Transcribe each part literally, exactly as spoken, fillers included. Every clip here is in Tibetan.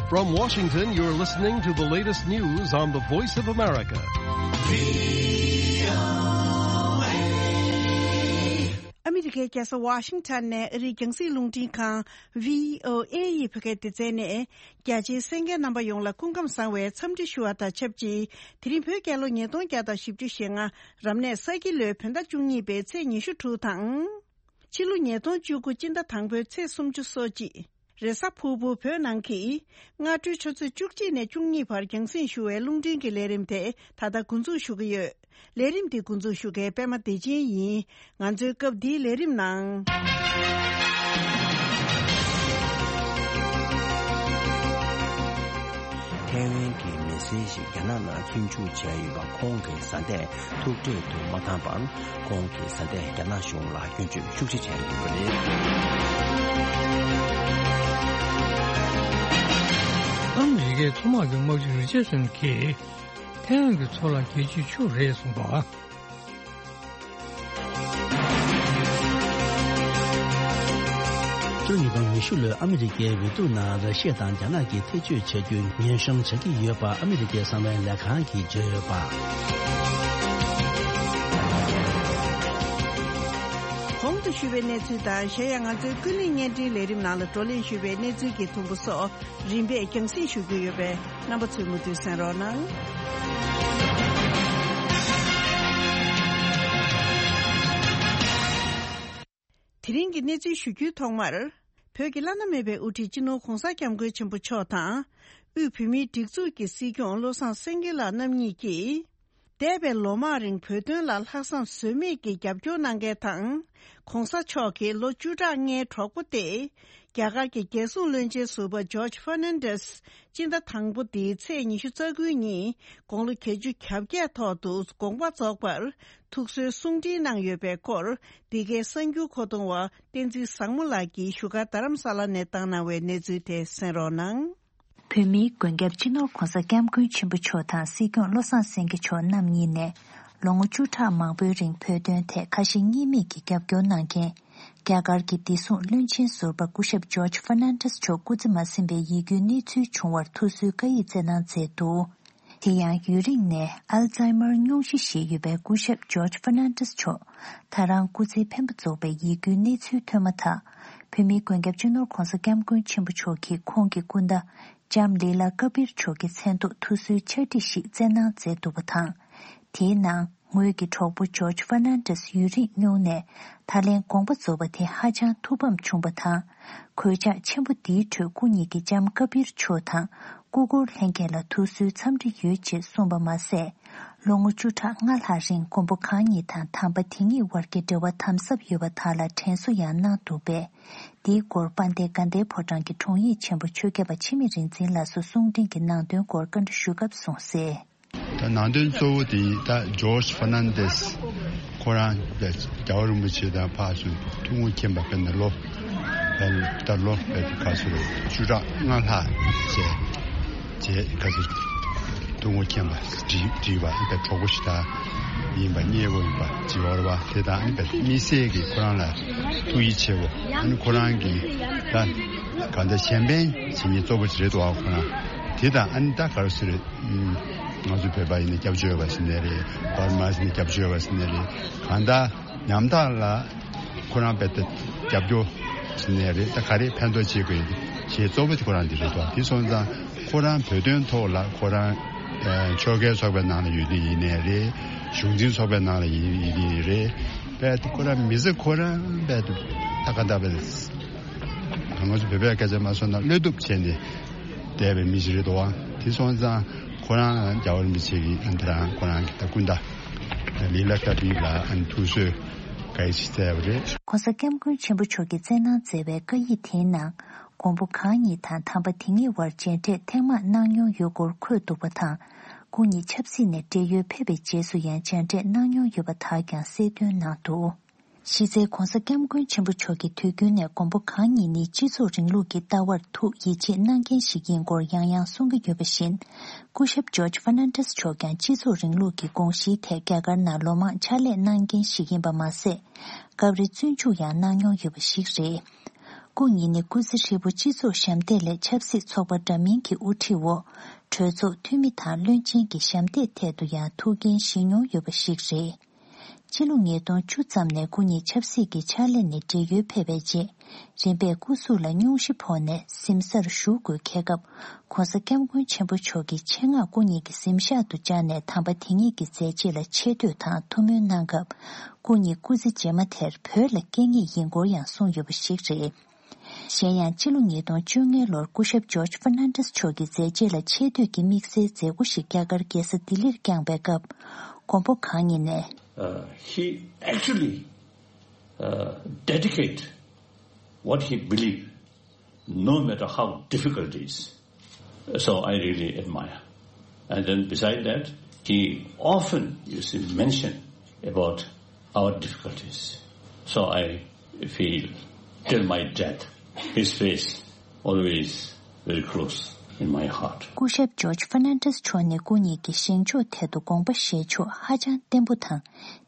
From Washington, you're listening to the latest news on the Voice of America. ཨ་མི་རི་ཀའི་རྒྱལ་ས་ཝ་ཤིང་ཊོན་ནས་ཨ་རིའི་རྒྱང་སྲིང་རླུང་འཕྲིན་ཁང་བྷི་ཨོ་ཨེ་ཡི་བོད་སྐད་སྡེ་ཚན་ནས། རྒྱ་ཆེའི་གསན་མཁན་རྣམ་པ་ཡོངས་ལ་སྐུ་ཁམས་བཟང་བའི་འཚམས་འདྲི་ཞུ་བ་དང་ཆབས་ཅིག་དེ་རིང་བོད་རྒྱལ་ལོ་ཉིས་སྟོང་བརྒྱ་དང་བཞི་བཅུ་ཞེ་ལྔ། རབ་གནས་ས་ཁྱི་ལོའི་བོད་ཟླ་བཅུ་གཉིས་པའི་ཚེས་ཉི་ཤུ་དྲུག་དང་། ཕྱི་ལོ་ཉིས་སྟོང་བཅུ་དགུ་སྤྱི་ཟླ་དང་པོའི་ཚེས་སུམ་ཅུ་སོ་གཅིག་རེས་གཟའ་ཕུར་བུ། བོད་ནང་གི་སྔ་དྲོའི་ཆུ་ཚོད་བཅུ་གཅིག་ནས་བཅུ་གཉིས་བར་རྒྱང་སྲིང་ཞུ་བའི་རླུང་འཕྲིན་གྱི་ལས་རིམ་དེ་ད་ལྟ་འགོ་འཛུགས་ཞུ་གི་ཡོད། ལས་རིམ་འདི་འགོ་འཛུགས་ཞུ་མཁན་པད་མ་བདེ་ཆེན་ཡིན། ང་ཚོའི་སྐབས་འདིའི་ལས་རིམ་ནང་། ཐའེ་ཝན་གྱི་མི་སེར་ཞིག་རྒྱ་ནག་ནང་བཙོན་འཇུག་བྱས་ཡོད་པ། ཁོང་གི་བཟའ་ཟླས་ཐུག་འཕྲད་དུ་མ་བཏང་བར། ཁོང་གི་བཟའ་ཟླས་རྒྱ་ནག་གཞུང་ལ་སྐྱོན་བརྗོད་ཤུགས་ཆེ་བྱས་ཡོད་པ་རེད། ཨ་མི་རི་ཀའི་མཚོ་དམག་གི་དམག་སྤྱི་རི་ཆར་སན་གྱིས་ཐའེ་ཝན་གྱི་མཚོ་ལ་རྒྱལ་སྤྱིའི་ཆུ་རེད་གསུངས་པ། སྤྱི་ལོ་ཉིས་སྟོང་ཉི་ཤུ་ལོའི་ཨ་མི་རི་ཀའི་འོས་བསྡུ་ནང་། ར་ཤི་ཡ་དང་རྒྱ་ནག་གིས་ཐེ་བྱུས་བྱ་རྒྱུའི་ཉེན་སྲུང་བྱ་གི་ཡོད་པ། ཨ་མི་རི་ཀའི་གསང་བའི་ལས་ཁང་གིས་བརྗོད་ཡོད་པ། གོང་དུ་ཞུས་པའི་གནས་ཚུལ་དང་། གཞན་ཡང་ང་ཚོའི་ཀུན་གླེང་བརྙན་འཕྲིན་ལས་རིམ་ནང་ལ་བགྲོ་གླེང་ཞུས་པའི་གནས་ཚུལ་གྱི་ཐུང་པོ་སོགས། རིམ་པས་རྒྱང་སྲིང་ཞུ་རྒྱུ་ཡོད་པས། རྣམ་པ་ཚོས་མུ་མཐུད་གསན་རོགས་གནང་། དེ་རིང་གི་གནས་ཚུལ་ཞུ་རྒྱུའི་ཐོག་མར། བོད་ཀྱི་བླ་ན་མེད་པའི་དབུ་ཁྲིད་སྤྱི་ནོར་༧གོང་ས་༧སྐྱབས་མགོན་ཆེན་པོ་མཆོག་དང་། དབུས་བོད་མིའི་སྒྲིག་འཛུགས་ཀྱི་སྲིད་སྐྱོང་བློ་བཟང་སེང་གེ་ལགས་རྣམ་གཉིས་ཀྱིས། འདས་པའི་ལོ་མང་རིང་བོད་དོན་ལ་ལྷག་བསམ་ཟོལ་མེད་ཀྱིས་རྒྱབ་སྐྱོར་གནང་མཁན་དང་། ༧གོང་ས་མཆོག་གི་ལོ་བཅུ་ཕྲག་ལྔའི་གྲོགས་པོ་སྟེ། རྒྱ་གར་གྱི་རྒྱལ་སྲུང་བློན་ཆེན་ཟུར་པ་ཇོརྗ་ཧྥར་ནན་ཏེས། སྤྱི་ཟླ་དང་པོ་འདིའི་ཚེས་ཉི་ཤུ་རྩ་དགུའི་ཉིན་དགུང་ལོ་བརྒྱད་ཅུ་གྱ་བརྒྱད་ཐོག་ཏུ་དགོངས་པ་རྫོགས་པར་ཐུགས་གསོའི་གསུང་འཕྲིན་གནང་ཡོད་པའི་སྐོར། འདི་གའི་གསར་འགྱུར་མཁོ་གཏོང་བ་བསྟན་འཛིན་བཟང་མོ་ལགས་ཀྱིས་བཞུགས་སྒར་རྡ་རམ་ས་ལ་ནས་བཏང་གནང་བའི་གནས་ཚུལ་དེ་གསན་རོགས་གནང་། བོད་མིའི་མགོན་སྐྱབས་སྤྱི་ནོར་༧གོང་ས་༧སྐྱབས་མགོན་ཆེན་པོ་མཆོག་དང་སྲིད་སྐྱོང་བློ་བཟང་སེང་གེ་མཆོག་རྣམ་གཉིས་ནས། ལོ་ངོ་བཅུ་ཕྲག་མང་པོའི་རིང་བོད་དོན་ཐད་ཁ་ཞེ་གཉིས་མེད་ཀྱི་རྒྱབ་སྐྱོར་གནང་མཁན། རྒྱ་གར་གྱི་བདེ་སྲུང་བློན་ཆེན་ཟུར་པ་སྐུ་ཞབས་ཇོརྗ་ཧྥར་ནན་ཏེས་མཆོག་སྐུ་ཚེ་མ་ཟིན་པའི་ཡིད་སྐྱོའི་གནས་ཚུལ་བྱུང་བར་ཐུགས་གསོའི་བཀའ་ཡིག་བསྩལ་གནང་མཛད་འདུག་དེ་ཡང་ཡུན་རིང་ནས་ཨལ་ཛཱི་མར་སྙུང་གཞི་ཞིག་ཡོད་པའི་སྐུ་ཞབས་ཇོརྗ་ཧྥར་ནན་ཏེས་མཆོག་ད་རང་སྐུ་ཚེའི་འཕེན་པ་རྫོགས་པའི་ཡིད་སྐྱོའི་གནས་ཚུལ་ཐོན་མ་ཐག་བོད་མིའི་མགོན་སྐྱབས་སྤྱི་ནོར་༧གོང་ས་༧སྐྱབས་མགོན་ཆེན་པོ་མཆོག་གིས་ཁོང་གི་སྐུ་ཟླ་ལྕམ་ལི་ལ་ཀ་བིར་མཆོག་གི་མཚན་ཐོག་ཐུགས་གསོའི་ཕྱག་བྲིས་ཤིག་བསྩལ་གནང་མཛད་འདུག་པ་དང་། དེའི་ནང་། ངོས་ཀྱི་གྲོགས་པོ་ཇོརྗ་ཧྥར་ནན་ཏེས་ཡུན་རིང་སྙུང་ནས་ད་ལན་དགོངས་པ་རྫོགས་པ་དེ་ཧ་ཅང་ཐུགས་ཕམ་བྱུང་བ་དང་། གོད་ཆག་ཆེན་པོ་འདིའི་ཁྲོད་སྐུ་ཉིད་ཀྱིས་ལྕམ་ཀ་བིར་མཆོག་དང་སྐུ་འཁོར་ལྷན་རྒྱས་ལ་ཐུགས་གསོའི་འཚམས་འདྲི་ཡོད་ཅེས་གསུངས་པ་མ་ཟད། ལོ་ངོ་བཅུ་ཕྲག་ལྔ་ལྷག་རིང་མགོན་པོ་གང་ཉིད་དང་དམ་པ་དེ་ཉིད་བར་གྱི་འབྲེལ་བ་དམ་ཟབ་ཡོད་པ་དག་ལ་དྲན་གསོ་ཡང་གནང་འདུག་པས། འདིའི་སྐོར་དཔལ་ལྡན་དགའ་ལྡན་ཕོ་བྲང་གི་དྲུང་ཡིག་ཆེན་པོ་ཆོས་རྒྱལ་བ་འཆི་མེད་རིག་འཛིན་ལགས་སུ་གསུང་འཕྲིན་གྱི་ནང་དོན་སྐོར་བཀའ་འདྲི་ཞུ་སྐབས་གསུངས་གསལ། ད་ནང་དོན་གཙོ་བོ་དེ་ད་ཇོརྗ་ཧྥར་ནན་ཏེས་ཁོ་རང་རྒྱལ་བ་རིན་པོ་ཆེ་དང་ཕར་ཚུར་ཐུགས་ངོ་མཁྱེན་པ་དཔེར་ན་ལོ་ད་ལོ་དཔེར་ན་ག་ཚོད་རེད། བཅུ་ཕྲག་ལྔ་ལྷག་བྱས་བྱས་ག་ཚོད་ཐུགས་ངོ་མཁྱེན་པ་བྲིས་བྲིས་པ་ད་གྲོགས་པོ་ཞིག་ད་ཡིན་པ་མཉེས་པོ་ཡིན་པ་བྱེད་བར་བ་དེ་དང་དམིགས་བསལ་གྱི་ཁོ་རང་ལ་ཐུགས་ཡིད་ཆེས་པོ་ཨ་ནི་ཁོ་རང་གི་ད་ག་འདྲ་གཞན་ཕན་བྱེད་མཁན་གཙོ་བོ་ཞིག་རེད་འདུག་ཨ་ཁོ་རང་དེ་དང་ཨ་ནི་ད་ག་རེ་ཟེར་རེད། ང་ཚོ་བོད་པ་ཡིན་ན་སྐྱབས་བཅོལ་བ་ཟེར་ནའི་རེད། བར་མ་ཟེར་ནའི་སྐྱབས་བཅོལ་བ་ཟེར་ནའི་རེད། གང་ལྟར་ཉམ་ཐག་ལ་ཁོ་རང་དཔེ་ལྟ་སྐྱབས་བཅོལ་ཟེར་ནའི་རེད། ད་ག་རེ་ཕན་ཐོགས་བྱེད་དགོས་ཡིན་ཞེས་གཙོ་བོ་དེ་ཁོ་རང་འདི་རེད་དོ། དེ་སོང་ཙང་ཁོ་རང་བོད་དོན་ཐོག་ལ་ཁོ་རང་ཨ་ཆོལ་ཁའི་ཚོགས་པའི་ནང་ལ་ཡོད་དུས་ཡིན་ནའི་རེད། གཞུང་འཛིན་ཚོགས་པའི་ནང་ལ་ཡིན་ཡིན་དུས་རེད། དཔེ་ལྟ་ཁོ་རང་མི་ཚེ་ཁོ་རང་དཔེ་ལྟ་ད་ག་འདྲ་བས། ང་ཚོ་བོད་པའི་སྐད་ཆ་མ་སོང་ན་བློས་གཏུབ་བྱས་ནས་བསྡད་པའི་མི་ཞིག་རེད་དོ། དེ་སོང་ཙང་ཁོ་རང་རྒྱལ་བ་རིན་པོ་ཆེ་གིས་ཨ་ནི་ད་རང་ཁོ་རང་གི་ད་སྐུ་ཟླ་ལི་ལ་ཀ་བི་ལ་ཨ་ནི་ཐུགས་གསོའི་བཀའ་ཡིག་ཞིག་བསྩལ་བ་རེད། ༸གོང་ས་༸སྐྱབས་མགོན་ཆེན་པོ་མཆོག་གིས་བསྩལ་གནང་མཛད་པའི་བཀའ་ཡིག་དེའི་ནང་། མགོན་པོ་གང་ཉིད་དང་དམ་པ་དེ་ཉིད་བར་མཇལ་འཕྲད་ཐེངས་མང་གནང་མྱོང་ཡོད་སྐོར་འཁོད་འདུག་པ་དང་། སྐུ་ཉིད་ཆབ་སྲིད་ནས་བགྲེས་ཡོལ་ཕེབས་པའི་རྗེས་སུ་ཡང་མཇལ་འཕྲད་གནང་མྱོང་ཡོད་པ་དག་ཀྱང་གསལ་སྟོན་གནང་འདུག་གཞི་རྩའི་༸གོང་ས་༸སྐྱབས་མགོན་ཆེན་པོ་མཆོག་གིས་དུས་རྒྱུན་ནས་མགོན་པོ་གང་ཉིད་ནི་སྤྱི་ཚོགས་རིང་ལུགས་ཀྱི་ལྟ་བར་ཐུགས་ཡིད་ཆེས་གནང་མཁན་ཞིག་ཡིན་སྐོར་ཡང་ཡང་གསུང་གི་ཡོད་པ་བཞིན། སྐུ་ཞབས་ཇོརྗ་ཧྥར་ནན་ཏེས་མཆོག་ཀྱང་སྤྱི་ཚོགས་རིང་ལུགས་ཀྱི་དགོངས་གཞིའི་ཐད་རྒྱ་གར་ནང་ལོ་མང་ཕྱག་ལས་གནང་མཁན་ཞིག་ཡིན་པ་མ་ཟད། སྐབས་རེ་བཙོན་འཇུག་ཡང་གནང་མྱོང་ཡོད་པ་ཞིག་རེད། སྐུ་ཉིད་ནི་སྐུ་ཚེ་ཧྲིལ་པོ་སྤྱི་ཚོགས་ཞབས་འདེགས་ལས་ཆབ་སྲིད་ཚོགས་པ་འདྲ་མིན་གྱི་དབུ་ཁྲིད་འོག་གྲོས་ཚོགས་འཐུས་མི་དང་བློན་ཆེན་གྱི་ཞབས་འདེགས་ཐད་དུ་ཡང་ཐུགས་འགན་བཞེས་མྱོང་ཡོད་པ་ཞིག་རེད། ཕྱི་ལོ་ཉིས་སྟོང་བཅུ་ཙམ་ནས་སྐུ་ཉིད་ཆབ་སྲིད་ཀྱི་ཕྱག་ལས་ནས་བགྲེས་ཡོལ་ཕེབས་པའི་རྗེས། རིམ་པས་སྐུ་གཟུགས་ལ་སྙུང་གཞི་ཕོག་ནས་གཟིམ་སར་བཞུགས་དགོས་འཁེལ་སྐབས། ྋགོང་ས་ྋསྐྱབས་མགོན་ཆེན་པོ་མཆོག་གིས་ཆེད་མངགས་སྐུ་ཉིད་ཀྱི་གཟིམ་ཤག་ཏུ་བཅར་ནས་དམ་པ་དེ་ཉིད་ཀྱི་མཛད་རྗེས་ལ་ཆེ་བསྟོད་དང་ཐུགས་སྨོན་གནང་སྐབས། སྐུ་ཉིད་སྐུ་ཚེ་རྗེས་མ་དེར་བོད་ལ་སྐྱེ་ངེས་ཡིན་སྐོར་ཡང་གསུངས་ཡོད་པ་ཞིག་རེད། གཞན་ཡང་། སྤྱི་ལོ་ཉིས་སྟོང་བཅོ་ལྔ་ལོར་སྐུ་ཞབས་ཇོརྗ་ཧྥར་ནན་ཌེས་མཆོག་གི་མཛད་རྗེས་ལ་ཆེ་བསྟོད་ཀྱི་དམིགས་བསལ་མཛད་སྒོ་ཞིག་རྒྱ་གར་རྒྱལ་ས་ལྡི་ལིར་བསྐྱངས་པའི་སྐབས། མགོན་པོ་གང་ཉིད་ནས། Uh, he actually, uh, dedicate what he believe, no matter how difficult it is. So I really admire. And then beside that, he often, you see, mention about our difficulties. So I feel till my death, his face always very close in my heart. སྐུ་ཞབས་ཇོརྗ་ཧྥར་ནན་ཌེས་མཆོག་ནི་སྐུ་ཉིད་ཀྱི་བཞེངས་ཕྱོགས་ཐད་དུ་དགོངས་པ་བཞེས་ཕྱོགས་ཧ་ཅང་བརྟན་པོ་དང་།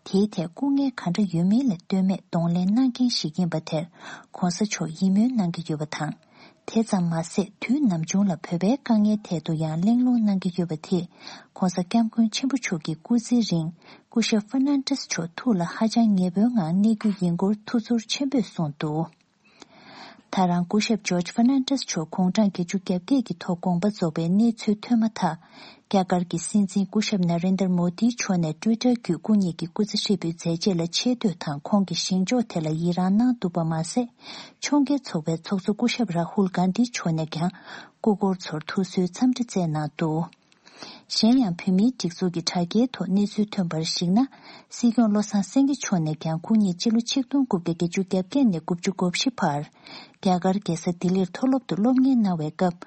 དེའི་ཐད་སྐུ་ངལ་ག་འདྲ་ཡོད་མིན་ལ་ལྟོས་མེད་གདོང་ལེན་གནང་མཁན་ཞིག་ཡིན་པ་དེར་ྋགོང་ས་མཆོག་ཡིད་སྨོན་གནང་གི་ཡོད་པ་དང་། དེ་ཙམ་མ་ཟད། དུས་ནམ་བྱུང་ལ་བོད་པའི་དཀའ་ངལ་ཐད་དུ་ཡང་གླེང་སློང་གནང་གི་ཡོད་པ་དེས། ྋགོང་ས་ྋསྐྱབས་མགོན་ཆེན་པོ་མཆོག་གི་སྐུ་ཚེའི་རིང་སྐུ་ཞབས་ཧྥར་ནན་ཌེས་མཆོག་ཐུགས་ལ་ཧ་ཅང་ཉེ་པོའི་ངང་གནས་རྒྱུ་ཡིན་སྐོར་ཐུགས་ཚོར་ཆེན་པོས་གསུངས་འདུག་ད་རང་སྐུ་ཞབས་ཇོརྗ་ཧྥར་ནན་ཌེས་མཆོག་དགུང་གྲངས་བརྒྱད་ཅུ་གྱ་བརྒྱད་ཀྱི་ཐོག་དགོངས་པ་རྫོགས་པའི་གནས་ཚུལ་ཐོན་མ་ཐག་རྒྱ་གར་གྱི་སྲིད་འཛིན་སྐུ་ཞབས་ན་རེན་དར་མོ་དིའི་མཆོག་ནས་ཊུའི་ཊར་བརྒྱུད་སྐུ་ཉིད་ཀྱི་སྐུ་ཚེ་ཧྲིལ་པོའི་མཛད་རྗེས་ལ་ཆེ་བསྟོད་དང་ཁོང་གི་བཞེངས་ཕྱོགས་དེ་ལ་ཡི་རངས་གནང་འདུག་པ་མ་ཟད། ཕྱོགས་འགལ་ཚོགས་པའི་ཚོགས་གཙོ་སྐུ་ཞབས་རཱ་ཧུལ་གྷན་དྷིའི་མཆོག་ནས་ཀྱང་སྐུ་འཁོར་ཚོར་ཐུགས་གསོའི་འཚམས་འདྲི་བསྩལ་གནང་འདུག་གཞན་ཡང་། བོད་མིའི་སྒྲིག་འཛུགས་ཀྱི་དྲ་རྒྱའི་ཐོག་གནས་ཚུལ་ཐོན་པར་གཞིགས་ན། སྲིད་སྐྱོང་བློ་བཟང་སེང་གེ་མཆོག་ནས་ཀྱང་སྐུ་ཉིད་སྤྱི་ལོ་ཆིག་སྟོང་དགུ་བརྒྱ་བརྒྱད་ཅུ་གྱ་བརྒྱད་ནས་དགུ་བཅུ་གོ་བཞི་བར། རྒྱ་གར་རྒྱལ་ས་ལྡི་ལིར་མཐོ་སློབ་ཏུ་སློབ་གཉེར་གནང་བའི་སྐབས།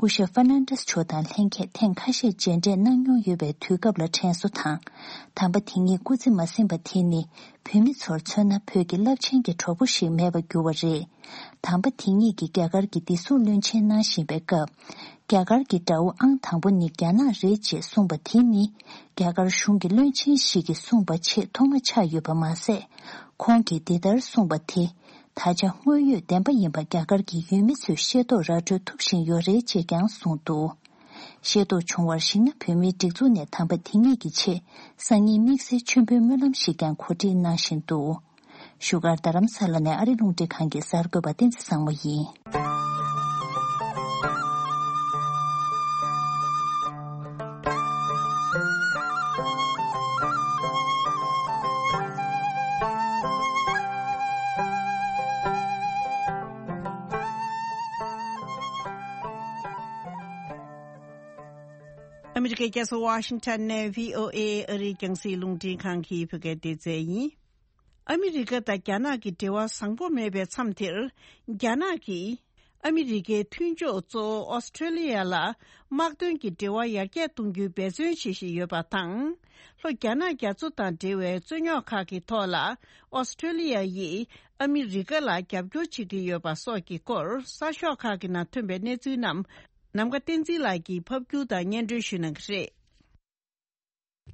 སྐུ་ཞབས་ཧྥར་ནན་ཌེས་མཆོག་དང་ལྷན་རྒྱས་ཐེངས་ཁ་ཤས་མཇལ་འཕྲད་གནང་མྱོང་ཡོད་པའི་དུས་སྐབས་ལ་དྲན་གསོ་དང་། དམ་པ་དེ་ཉིད་སྐུ་ཚེ་མ་ཟིན་པ་དེ་ནི། བོད་མི་ཚོར་མཚོན་ན་བོད་ཀྱི་རླབས་ཆེན་གྱི་གྲོགས་པོ་ཞིག་མེད་པར་གྱུར་བ་རེད། དམ་པ་དེ་ཉིད་ཀྱིས་རྒྱ་གར་གྱི་བདེ་སྲུང་བློན་ཆེན་གནང་བཞིན་པའི་སྐབས། རྒྱ་གར་གྱི་དགྲ་བོ་ཨང་དང་པོ་ནི་རྒྱ་ནག་རེད་ཅེས་གསུངས་པ་དེ་ནི། རྒྱ་གར་གཞུང་གི་བློན་ཆེན་ཞིག་གིས་གསུངས་པ་ཆེས་ཐོག་མ་ཆགས་ཡོད་པ་མ་ཟད། ཁོང་གིས་འདི་ལྟར་གསུངས་པ་དེ། ད་ཆ་དངོས་ཡོད་བདེན་པ་ཡིན་པ་རྒྱ་གར་གྱི་ཡུལ་མི་ཚོས་ཤེས་རྟོགས་ར་སྤྲོད་ཐུབ་བཞིན་ཡོད་རེད་ཅེས་ཀྱང་གསུངས་འདུག་ཤེས་རྟོགས་བྱུང་བར་གཞིགས་ན། བོད་མིའི་སྒྲིག་འཛུགས་ནས་དམ་པ་དེ་ཉིད་ཀྱི་ཆེད་སང་ཉིན་དམིགས་བསལ་མཆོད་འབུལ་སྨོན་ལམ་ཞིག་ཀྱང་གོ་སྒྲིག་གནང་བཞིན་འདུག་བཞུགས་སྒར་རྡ་རམ་ས་ལ་ནས་ཨ་རི་རླུང་འཕྲིན་ཁང་གི་གསར་འགོད་པ་བསྟན་འཛིན་བཟང་མོ་ཡིན། ཨ་མི་རི་ཀའི་རྒྱལ་ས་ཝ་ཤིང་ཊོན་ནས་བྷི་ཨོ་ཨེ་ཨ་རིའི་རྒྱང་སྲིང་རླུང་འཕྲིན་ཁང་གི་བོད་སྐད་སྡེ་ཚན་ཡིན། ཨ་མི་རི་ཀ་དང་རྒྱ་ནག་གི་འབྲེལ་བ་བཟང་པོ་མེད་པའི་མཚམས་དེར། རྒྱ་ནག་གིས་ཨ་མི་རི་ཀའི་མཐུན་ཕྱོགས་གཙོ་བོ་ཨོ་སི་ཁྲེ་ལི་ཡ་ལ་དམག་དོན་གྱི་འབྲེལ་བ་ཡར་རྒྱས་གཏོང་རྒྱུའི་འབད་བརྩོན་བྱེད་བཞིན་ཡོད་པ་དང་། ལྷོ་རྒྱ་ནག་རྒྱ་མཚོ་དང་འབྲེལ་བའི་རྩོད་རྙོག་ཁག་གི་ཐོག་ལ་ཨོ་སི་ཁྲེ་ལི་ཡ་ཡིས་ཨ་མི་རི་ཀ་ལ་རྒྱབ་སྐྱོར་བྱེད་ཀྱི་ཡོད་པ་སོགས་ཀྱི་སྐོར་གསར་ཤོག་ཁག་གི་ནང་ཐོན་པའི་གནས་ཚུལ་རྣམས་ནམ་མཁའ་བསྟན་འཛིན་ལགས་ཀྱིས་ཕབ་སྒྱུར་དང་སྙན་སྒྲོན་ཞུ་གནང་གི་རེད།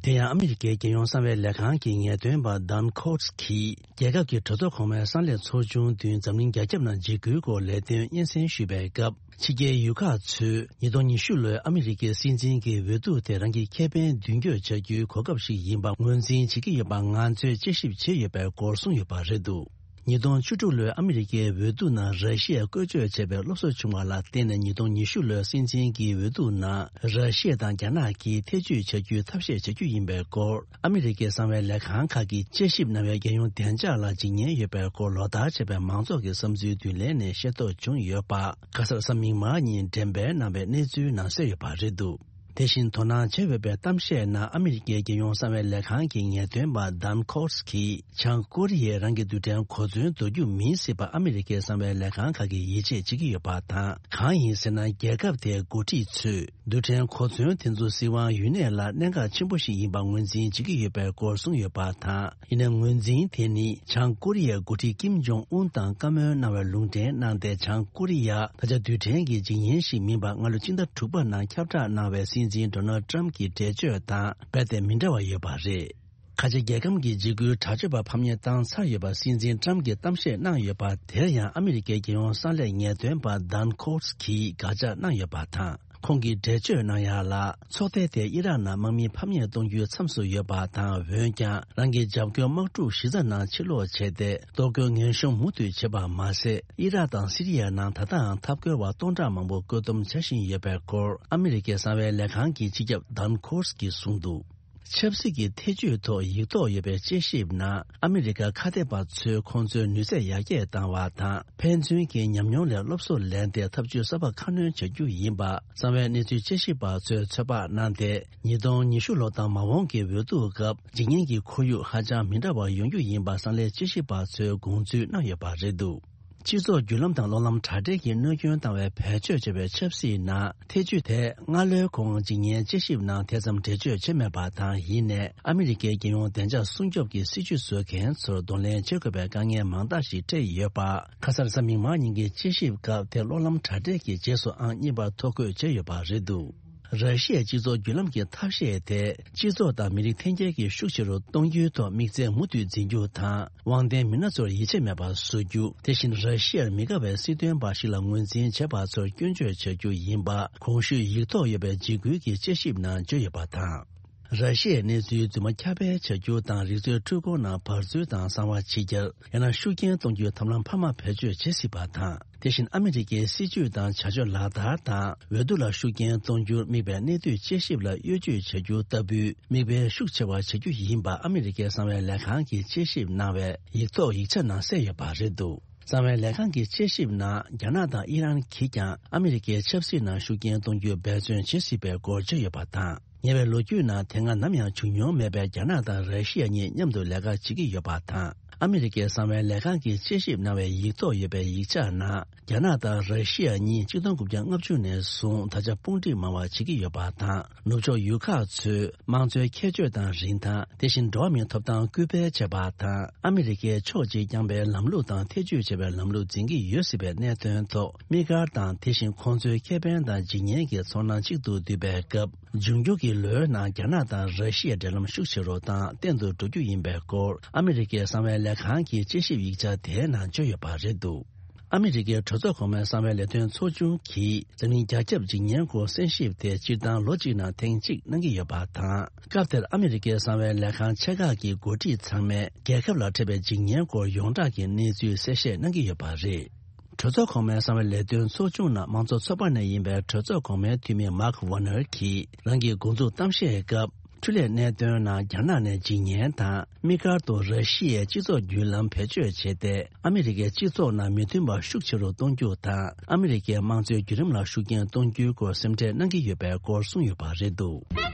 དེ་ཡང་ཨ་མི་རི་ཀའི་རྒྱལ་ཡོངས་གསང་བའི་ལས་ཁང་གི་ངེས་སྟོན་པ་ཌན་ཁོ་ཊི་གིས་རྒྱལ་ཁབ་ཀྱི་གྲོས་ཚོགས་གོང་མའི་གསང་སླད་ཚོགས་ཆུང་བདུན་འཛམ་གླིང་རྒྱ་ཁྱབ་ནང་འཇིགས་སྐུལ་སྐོར་ལས་དོན་སྙན་སེང་ཞུས་པའི་སྐབས། ཕྱི་རྒྱལ་ཡུལ་ཁག་ཚོས་ཉིས་སྟོང་ཉི་ཤུ་ལོའི་ཨ་མི་རི་ཀའི་སྲིད་འཛིན་གྱི་འོས་བསྡུ་དེ་རང་གི་ཁེ་ཕན་མདུན་སྐྱོད་བྱ་རྒྱུའི་གོ་སྐབས་ཤིག་ཡིན་པ་ངོས་འཛིན་བྱེད་ཀྱི་ཡོད་པ་ང་ཚོས་དཔྱད་ཞིབ་བྱས་ཡོད་པའི་སྐོར་གསུངས་ཡོད་པ་རེད་འདུག་ཉིས་སྟོང་བཅུ་དྲུག་ལོའི་ཨ་མི་རི་ཀའི་འོས་བསྡུ་ནང་ར་ཤི་ཡས་བཀོལ་སྤྱོད་བྱས་པའི་སློབ་གསོ་བྱུང་བ་ལ་བརྟེན་ནས། ཉིས་སྟོང་ཉི་ཤུ་ལོའི་སྲིད་འཛིན་གྱི་འོས་བསྡུ་ནང་ར་ཤི་ཡ་དང་རྒྱ་ནག་གིས་ཐེ་བྱུས་བྱ་རྒྱུའི་ཐབས་ཤེས་བྱ་རྒྱུ་ཡིན་པའི་སྐོར། ཨ་མི་རི་ཀའི་གསང་བའི་ལས་ཁང་ཁག་གིས་དཔྱད་ཞིབ་གནང་བའི་རྒྱལ་ཡོངས་བདེ་འཇགས་ལ་འཇིགས་ཉེན་ཡོད་པའི་སྐོར་ལོ་ལྟར་བྱས་པའི་མང་ཚོགས་ཀྱི་བསམ་ཚུལ་བསྡུ་ལེན་ནས་ཤེས་རྟོགས་བྱུང་ཡོད་པ། ཁ་སང་གཟའ་མིག་དམར་ཉིན་འགྲེམས་སྤེལ་གནང་བའི་གནས་ཚུལ་ནང་གསལ་ཡོད་པ་རེད་འདུག་དེ་བཞིན་དོ་སྣང་བྱེད་འོས་པའི་གཏམ་བཤད་ནང་ཨ་མི་རི་ཀའི་རྒྱལ་ཡོངས་གསང་བའི་ལས་ཁང་གི་ངེས་སྟོན་པ་ཌན་ཁོ་ཊི་གིས། བྱང་ཀོ་རི་ཡས་རང་གི་རྡུལ་ཕྲན་གོ་མཚོན་འདོར་རྒྱུ་མིན་སྲིད་པ་ཨ་མི་རི་ཀའི་གསང་བའི་ལས་ཁང་ཁག་གིས་ཡིད་ཆེས་བྱེད་ཀྱི་ཡོད་པ་དང་། གང་ཡིན་ཟེར་ན། རྒྱལ་ཁབ་དེའི་འགོ་ཁྲིད་ཚོས་རྡུལ་ཕྲན་གོ་མཚོན་དེ་ཚོ་སྲིད་དབང་ཡུན་གནས་ལ་གནད་འགག་ཆེན་པོ་ཞིག་ཡིན་པ་ངོས་འཛིན་བྱེད་ཀྱི་ཡོད་པའི་སྐོར་གསུངས་ཡོད་པ་དང་། ཡིན་ནའི་ངོས་འཛིན་དེ་ནི་བྱང་ཀོ་རི་ཡའི་འགོ་ཁྲིད་ཀིམ་ཇོང་ཨུན་དང་བཀའ་མོལ་གནང་བའི་ལུང་འདྲེན་གནང་སྟེ། བྱང་ཀོ་རི་ཡ་ད་ཆ་རྡུལ་ཕྲན་གྱི་འཇིགས་ཉེན་ཞིག་མིན་པ་སྔ་ལོ་ཕྱི་ཟླ་དྲུག་པ་ནང་ཁྱབ་བསྒྲགས་གནང་བའི་སྲིད་འཛིན་ཌོ་ནལ་ཌི་ཊརམ་ཕི་གྱི་འགྲེལ་བརྗོད་དང་རྦད་དེ་མི་འདྲ་བ་ཡོད་པ་རེད། ཁ་ཆེ་རྒྱལ་ཁམས་ཀྱི་འཇིགས་སྐུལ་དྲག་སྤྱོད་པ་ཕམ་ཉེས་བཏང་ཚར་ཡོད་པ་སྲིད་འཛིན་ཏྲམ་གྱིས་གཏམ་བཤད་གནང་ཡོད་པ་དེར་ཡང་ཨ་མི་རི་ཀའི་རྒྱལ་ཡོངས་གསང་ལས་ངེས་སྟོན་པ་ཌན་ཁོར་སི་གིས་དགག་བྱ་གནང་ཡོད་པ་དང་། ཁོང་གིས་འགྲེལ་བརྗོད་གནང་ཡག་ལ། ཚོགས་སྡེ་དེས་ཨི་རག་ནང་དམག་མི་ཕམ་ཉེས་གཏོང་རྒྱུའི་མཚམས་སུ་ཡོད་པ་དང་། འོན་ཀྱང་རང་གི་འཇབ་རྒོལ་དམག་འཁྲུག་གཞི་རྩ་ནང་ཕྱིར་ལོག་བྱས་ཏེ། གཏོར་རྒོལ་ངན་སྲུང་མུ་མཐུད་བྱེད་པ་མ་ཟད། ཨི་རག་དང་སི་རི་ཡའི་ནང་ད་ལྟའང་འཐབ་རྒོལ་བ་སྟོང་ཕྲག་མང་པོ་བཀོད་འདོམས་བྱ་བཞིན་ཡོད་པའི་སྐོར་ཨ་མི་རི་ཀའི་གསང་བའི་ལས་ཁང་གི་སྤྱི་ཁྱབ་ཌན་ཁོར་སི་གིས་གསུངས་འདུག། ཆབ་སྲིད་ཀྱི་ཐེ་བྱུས་ཐོག་ཡིག་ཐོག་ཡོད་པའི་དཔྱད་ཞིབ་ནང་ཨ་མི་རི་ཀ་ཁ་གཏད་པ་ཚོས་ཁོང་ཚོའི་ནུས་ཚད་ཡར་རྒྱས་བཏང་བ་དང་། ཕན་ཚུན་གྱི་ཉམས་མྱོང་ལས་སློབ་གསོ་ལེན་ཏེ་ཐབས་ཇུས་གསར་པ་ཁ་སྣོན་བྱ་རྒྱུ་ཡིན་པ་གསང་བའི་གནས་ཚུལ་དཔྱད་ཞིབ་པ་ཚོས་ཚོད་དཔག་གནང་སྟེ། ཉིས་སྟོང་ཉི་ཤུ་ལོ་དང་མ་འོངས་ཀྱི་འོས་བསྡུ་སྐབས་འཇིགས་ཉེན་གྱི་ཁོར་ཡུག་ཧ་ཅང་མི་འདྲ་བ་ཡོང་རྒྱུ་ཡིན་པ་གསང་ལས་དཔྱད་ཞིབ་པ་ཚོས་དགོངས་ཚུལ་གནང་ཡོད་པ་རེད་འདུག། སྤྱི་ཚོགས་བརྒྱུད་ལམ་དང་གློག་ལམ་དྲ་སྦྲེལ་གྱིས་གནོད་སྐྱོན་བཏང་བའི་བེད་སྤྱོད་བྱས་པའི་ཆབ་སྲིད་ནང་ཐེ་བྱུས་དེ་སྔ་ལོའི་གོང་འཇིགས་ཉེན་དཔྱད་ཞིབ་ནང་དེ་ཙམ་འགྲེལ་བརྗོད་བྱས་མེད་པ་དང་། ཡིན་ནའི་ཨ་མི་རི་ཀའི་རྒྱལ་ཡོངས་བདེ་འཇགས་སྲུང་སྐྱོབ་ཀྱི་སྲིད་ཇུས་བཟོ་མཁན་ཚོར་གདོང་ལེན་བྱེད་དགོས་པའི་དཀའ་ངལ་མང་དག་ཞིག་འཕྲད་ཡོད་པ། ཁ་སང་རེས་གཟའ་མིག་དམར་ཉིན་གྱི་དཔྱད་ཞིབ་སྐབས་དེ་གློག་ལམ་དྲ་སྦྲེལ་གྱི་རྗེས་སུ་ཨང་གཉིས་པར་ཐོ་འགོད་བྱས་ཡོད་པ་རེད་འདུག། ར་ཤི་ཡའི་སྤྱི་ཚོགས་བརྒྱུད་ལམ་གྱི་ཐབས་ཤེས་དེ། སྤྱི་ཚོགས་དང་མི་རིགས་འཐེན་འཁྱེར་གྱི་ཤུགས་ཆེ་རུ་གཏོང་རྒྱུའི་ཐོག་དམིགས་བརྩེ་མུ་མཐུད་འཛིན་རྒྱུ་དང་། དབང་ལྡན་མི་སྣ་ཚོར་ཡིད་ཆེས་མེད་པར་བཟོ་རྒྱུ། དེ་བཞིན་ར་ཤི་ཡར་མི་དགའ་བའི་སྲིད་དོན་པ་ཞིག་ལ་ངོས་འཛིན་བྱས་པ་ཚོར་སྐྱོན་བརྗོད་བྱ་རྒྱུ་ཡིན་པ། གོང་ཞུས་ཡིག་ཐོག་ཡོད་པའི་འཇིགས་སྐུལ་གྱི་དཔྱད་ཞིབ་ནང་བརྗོད་ཡོད་པ་དང་། ར་ཤི་ཡའི་གནས་ཚུལ་རྫུན་མ་ཁྱབ་སྤེལ་བྱ་རྒྱུ་དང་། རིག་རྩལ་འཕྲུལ་འཁོར་ནང་བར་འཛུལ་དང་གསང་བ་ཕྱི་གྱར། ཡང་ན་ཤུགས་རྐྱེན་གཏོང་རྒྱུའི་ཐབས་ལམ་འཕར་མ་བེད་སྤྱོད་བྱེད་སྲིད་པ་དང་། དེ་བཞིན་ཨ་མི་རི་ཀའི་སྲིད་ཇུས་དང་བྱ་སྤྱོད་ལག་བསྟར་དང་། འོས་བསྡུ་ལ་ཤུགས་རྐྱེན་གཏོང་རྒྱུར་དམིགས་པའི་གནད་བསྡུས་དཔྱད་ཞིབ་ལ་གཡོ་ཇུས་བྱ་རྒྱུ་ལྟ་བུའི་མིག་དཔེ་ཤུགས་ཆེ་བ་བྱ་རྒྱུ་ཡིན་པ་ཨ་མི་རི་ཀའི་གསང་བའི་ལས་ཁང་གིས་དཔྱད་ཞིབ་གནང་བའི་ཡིག་ཐོག་ཡིག་ཆ་ནང་གསལ་ཡོད་པ་རེད་འདུག། གསང་བའི་ལས་ཁང་གི་དཔྱད་ཞིབ་ནང་། རྒྱ་ནག་དང་ཨི་རན་གྱིས་ཀྱང་ཨ་མི་རི་ཀའི་ཆབ་སྲིད་ནང་ཤུགས་རྐྱེན་གཏོང་རྒྱུའི་འབད་བརྩོན་བྱེད་སྲིད་པའི་སྐོར་བརྗོད་ཡོད་པ་དང་། ཉེ་བའི་ལོ་རྒྱུས་ནང་དེ་སྔ་ནམ་ཡང་བྱུང་མྱོང་མེད་པའི་རྒྱ་ནག་དང་ར་ཤི་ཡ་གཉིས་མཉམ་དུ་ལས་ཀ་བྱེད་ཀྱི་ཡོད་པ་དང་། ཨ་མི་རི་ཀའི་གསང་བའི་ལས་ཁང་གིས་དཔྱད་ཞིབ་གནང་བའི་ཡིག་ཐོག་ཡོད་པའི་ཡིག་ཆ་ནང་། རྒྱ་ནག་དང་ར་ཤི་ཡ་གཉིས་ཆིག་སྟོང་དགུ་བརྒྱ་ལྔ་བཅུ་ནས་བཟུང་ད་ཆ་དཔུང་སྒྲིག་མང་བ་བྱེད་ཀྱི་ཡོད་པ་དང་། ནུབ་ཕྱོགས་ཡུལ་ཁག་ཚོས་དམངས་གཙོའི་ཁྱད་ཆོས་དང་རིན་ཐང་། དེ་བཞིན་འགྲོ་བ་མིའི་ཐོབ་ཐང་སྐུལ་སྤེལ་བྱས་པ་དང་། ཨ་མི་རི་ཀའི་ཕྱོགས་གཅིག་རྐྱང་པའི་ལམ་ལུགས་དང་ཐེ་བྱུས་བྱས་པའི་ལམ་ལུགས་འཛིན་གྱི་ཡོད་སྲིད་པའི་གནད་དོན་ཐོག་དམིགས་བཀར་དང་། དེ་བཞིན་ཁོང་ཚོའི་ཁེ་ཕན་དང་འཇིགས་ཉེན་གྱི་ཚོར་སྣང་གཅིག་ཏུ་འདུས་པའི་སྐབས། འབྱུང་འགྱུར་གྱི་ལོའི་ནང་རྒྱ་ནག་དང་ར་ཤི་ཡའི་འབྲེལ་ལམ་ཤུགས་ཆེ་རུ་དང་བརྟན་དུ་འགྲོ་རྒྱུ་ཡིན་པའི་སྐོར་ཨ་མི་རི་ཀའི་གསང་བའི་ལས་ཁང་གི་དཔྱད་ཞིབ་ཡིག་ཆ་དེའི་ནང་བརྗོད་ཡོད་པ་རེད་འདུག། ཨ་མི་རི་ཀའི་གྲོས་ཚོགས་གོང་མའི་གསང་བའི་ལས་དོན་ཚོགས་ཆུང་གིས་འཛམ་གླིང་རྒྱ་ཁྱབ་འཇིགས་ཉེན་སྐོར་གསན་ཞིབ་དེ་སྤྱིར་བཏང་ལོ་གཅིག་ནང་ཐེངས་གཅིག་གནང་གི་ཡོད་པ་དང་། སྐབས་དེར་ཨ་མི་རི་ཀའི་གསང་བའི་ལས་ཁང་ཆེ་ཁག་གི་འགོ་ཁྲིད་ཚང་མས་རྒྱལ་ཁབ་ལ་འཕྲད་པའི་འཇིགས་ཉེན་སྐོར་ཡོངས་གྲགས་ཀྱི་གནས་ཚུལ་གསལ་བཤད་གནང་གི་ཡོད་པ་རེད། གྲོས་ཚོགས་གོང་མའི་གསང་བའི་ལས་དོན་ཚོགས་ཆུང་ནང་དམངས་གཙོ་ཚོགས་པ་ནས་ཡིན་པའི་གྲོས་ཚོགས་གོང་མའི་འཐུས་མི་མཱག་ཝོ་ནར་གྱིས་རང་གི་འགོ་འཛུགས་གཏམ་བཤད་སྐབས། འཕྲུལ་ལས་གནད་དོན་ནང་རྒྱ་ནག་ནས་འཇིགས་ཉེན་དང་། དམིགས་བཀར་དུ་ར་ཤི་ཡའི་སྤྱི་ཚོགས་བརྒྱུད་ལམ་བེད་སྤྱོད་བྱས་ཏེ། ཨ་མི་རི་ཀའི་སྤྱི་ཚོགས་ནང་མི་མཐུན་པ་ཤུགས་ཆེ་རུ་གཏོང་རྒྱུ་དང་། ཨ་མི་རི་ཀའི་དམངས་གཙོའི་བརྒྱུད་རིམ་ལ་ཤུགས་རྐྱེན་གཏོང་རྒྱུའི་སྐོར་སེམས་ཁྲལ་གནང་གི་ཡོད་པའི་སྐོར་གསུངས་ཡོད་པ་རེད་འདུག།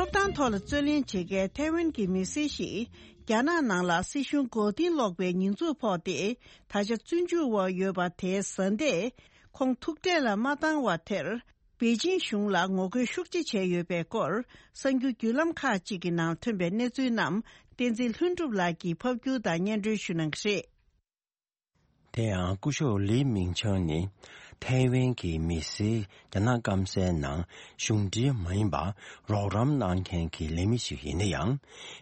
ཐོབ་ཐང་ཐོག་ལ་རྩོད་ལེན་བྱེད་མཁན་ཐའེ་ཝན་གྱི་མི་སེར་ཞིག་རྒྱ་ནག་ནང་ལ་སྲིད་གཞུང་མགོ་རྟིང་སློག་པའི་ཉེས་འཛུགས་ཕོག་སྟེ་ད་ཆ་བཙོན་འཇུག་འོག་ཡོད་པ་དེའི་བཟའ་ཟླས་ཁོང་ཐུག་འཕྲད་ལ་མ་བཏང་བ་དེར། པེ་ཅིང་གཞུང་ལ་ངོ་རྒོལ་ཤུགས་ཆེ་བྱས་ཡོད་པའི་སྐོར། གསར་འགྱུར་བརྒྱུད་ལམ་ཁག་ཅིག་གི་ནང་ཐོན་པའི་གནས་ཚུལ་རྣམས། བསྟན་འཛིན་ལྷུན་གྲུབ་ལགས་ཀྱིས་ཕབ་སྒྱུར་དང་སྙན་སྒྲོན་ཞུ་གནང་གི་རེད། དེ་ཡང་སྐུ་ཞབས་ལི་མིང་ཆང་ནི་ཐའེ་ཝན་གྱི་མི་སེར་རྒྱ་ནག་སྐམ་སའི་ནང་གཞུང་འབྲེལ་མ་ཡིན་པར་རོགས་རམ་གནང་མཁན་གྱི་ལས་མི་ཞིག་ཡིན་ན་ཡང་།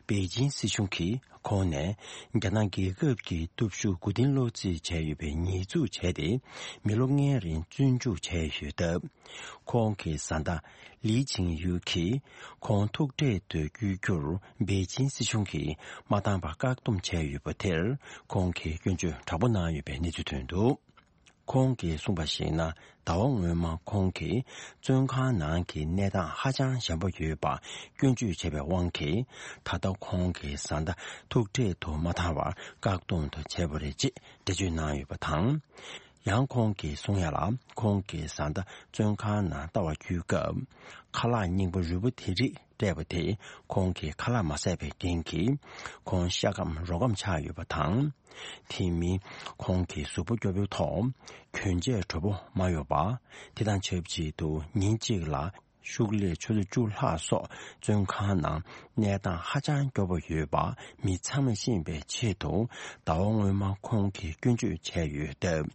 པེ་ཅིང་སྲིད་གཞུང་གིས་ཁོང་ནས་རྒྱ་ནག་རྒྱལ་ཁབ་ཀྱི་སྟོབས་ཤུགས་མགོ་རྟིང་སློག་རྩིས་བྱས་ཡོད་པའི་ཉེས་འཛུགས་བྱས་ཏེ། མི་ལོ་ལྔའི་རིང་བཙོན་འཇུག་བྱས་ཡོད་སྟབས། ཁོང་གི་བཟའ་ཟླ་ལི་ཆིང་ཡུའུ་གིས་ཁོང་ཐུག་འཕྲད་དུ་བསྐྱོད་རྒྱུར་པེ་ཅིང་སྲིད་གཞུང་གིས་མ་བཏང་བར་བཀག་སྡོམ་བྱས་ཡོད་པ་དེར། ཁོང་གིས་སྐྱོན་བརྗོད་དྲག་པོ་གནང་ཡོད་པའི་གནས་ཚུལ་ཐོན་འདུག། ཁོང་གིས་གསུངས་པར་གཞིགས་ན། ཟླ་བ་སྔོན་མ་ཁོང་གིས་བཙོན་ཁང་ནང་གི་གནས་སྟངས་ཧ་ཅང་ཞན་པོ་ཡོད་པ་སྐྱོན་བརྗོད་བྱས་པའི་དབང་གིས། ད་ལྟ་ཁོང་གི་བཟའ་ཟླ་ཐུག་འཕྲད་དུ་མ་བཏང་བར་བཀག་སྡོམ་དུ་བྱས་པ་རེད་ཅེས་འགྲེལ་བརྗོད་གནང་ཡོད་པ་དང་། ཡང་ཁོང་གིས་གསུང་ཡ་ལ། ཁོང་གིས་བཟའ་ཟླ་བཙོན་ཁང་ནང་ལྟ་བར་འཁྱུད་སྐབས། ཁ་ལག་རྙིང་པ་རུལ་པོ་དེ་རིགས་སྤྲད་པ་དེས་ཁོང་གི་ཁ་ལག་མ་ཟས་པའི་རྐྱེན་གྱིས། ཁོང་ཤ་སྐམ་རོ་སྐམ་ཆགས་ཡོད་པ་དང་། དེ་མིན་ཁོང་གི་གཟུགས་པོ་སྐྱོ་པོའི་ཐོག་གྱོན་ཆས་དྲོ་པོ་མ་ཡོད་པ། དེ་དང་ཆབས་ཅིག་ཏུ་ཉིན་གཅིག་ལ་ཤུགས་ལས་ཆུ་ཚོད་བཅུ་ལྷག་སོགས་བཙོན་ཁང་ནང་གནས་སྟངས་ཧ་ཅང་སྐྱོ་པོ་ཡོད་པ་མི་ཚང་མས་ཤེས་པའི་ཆེད་དུ། ཟླ་བ་སྔོན་མ་ཁོང་གིས་སྐྱོན་བརྗོད་བྱས་ཡོད་སྟབས།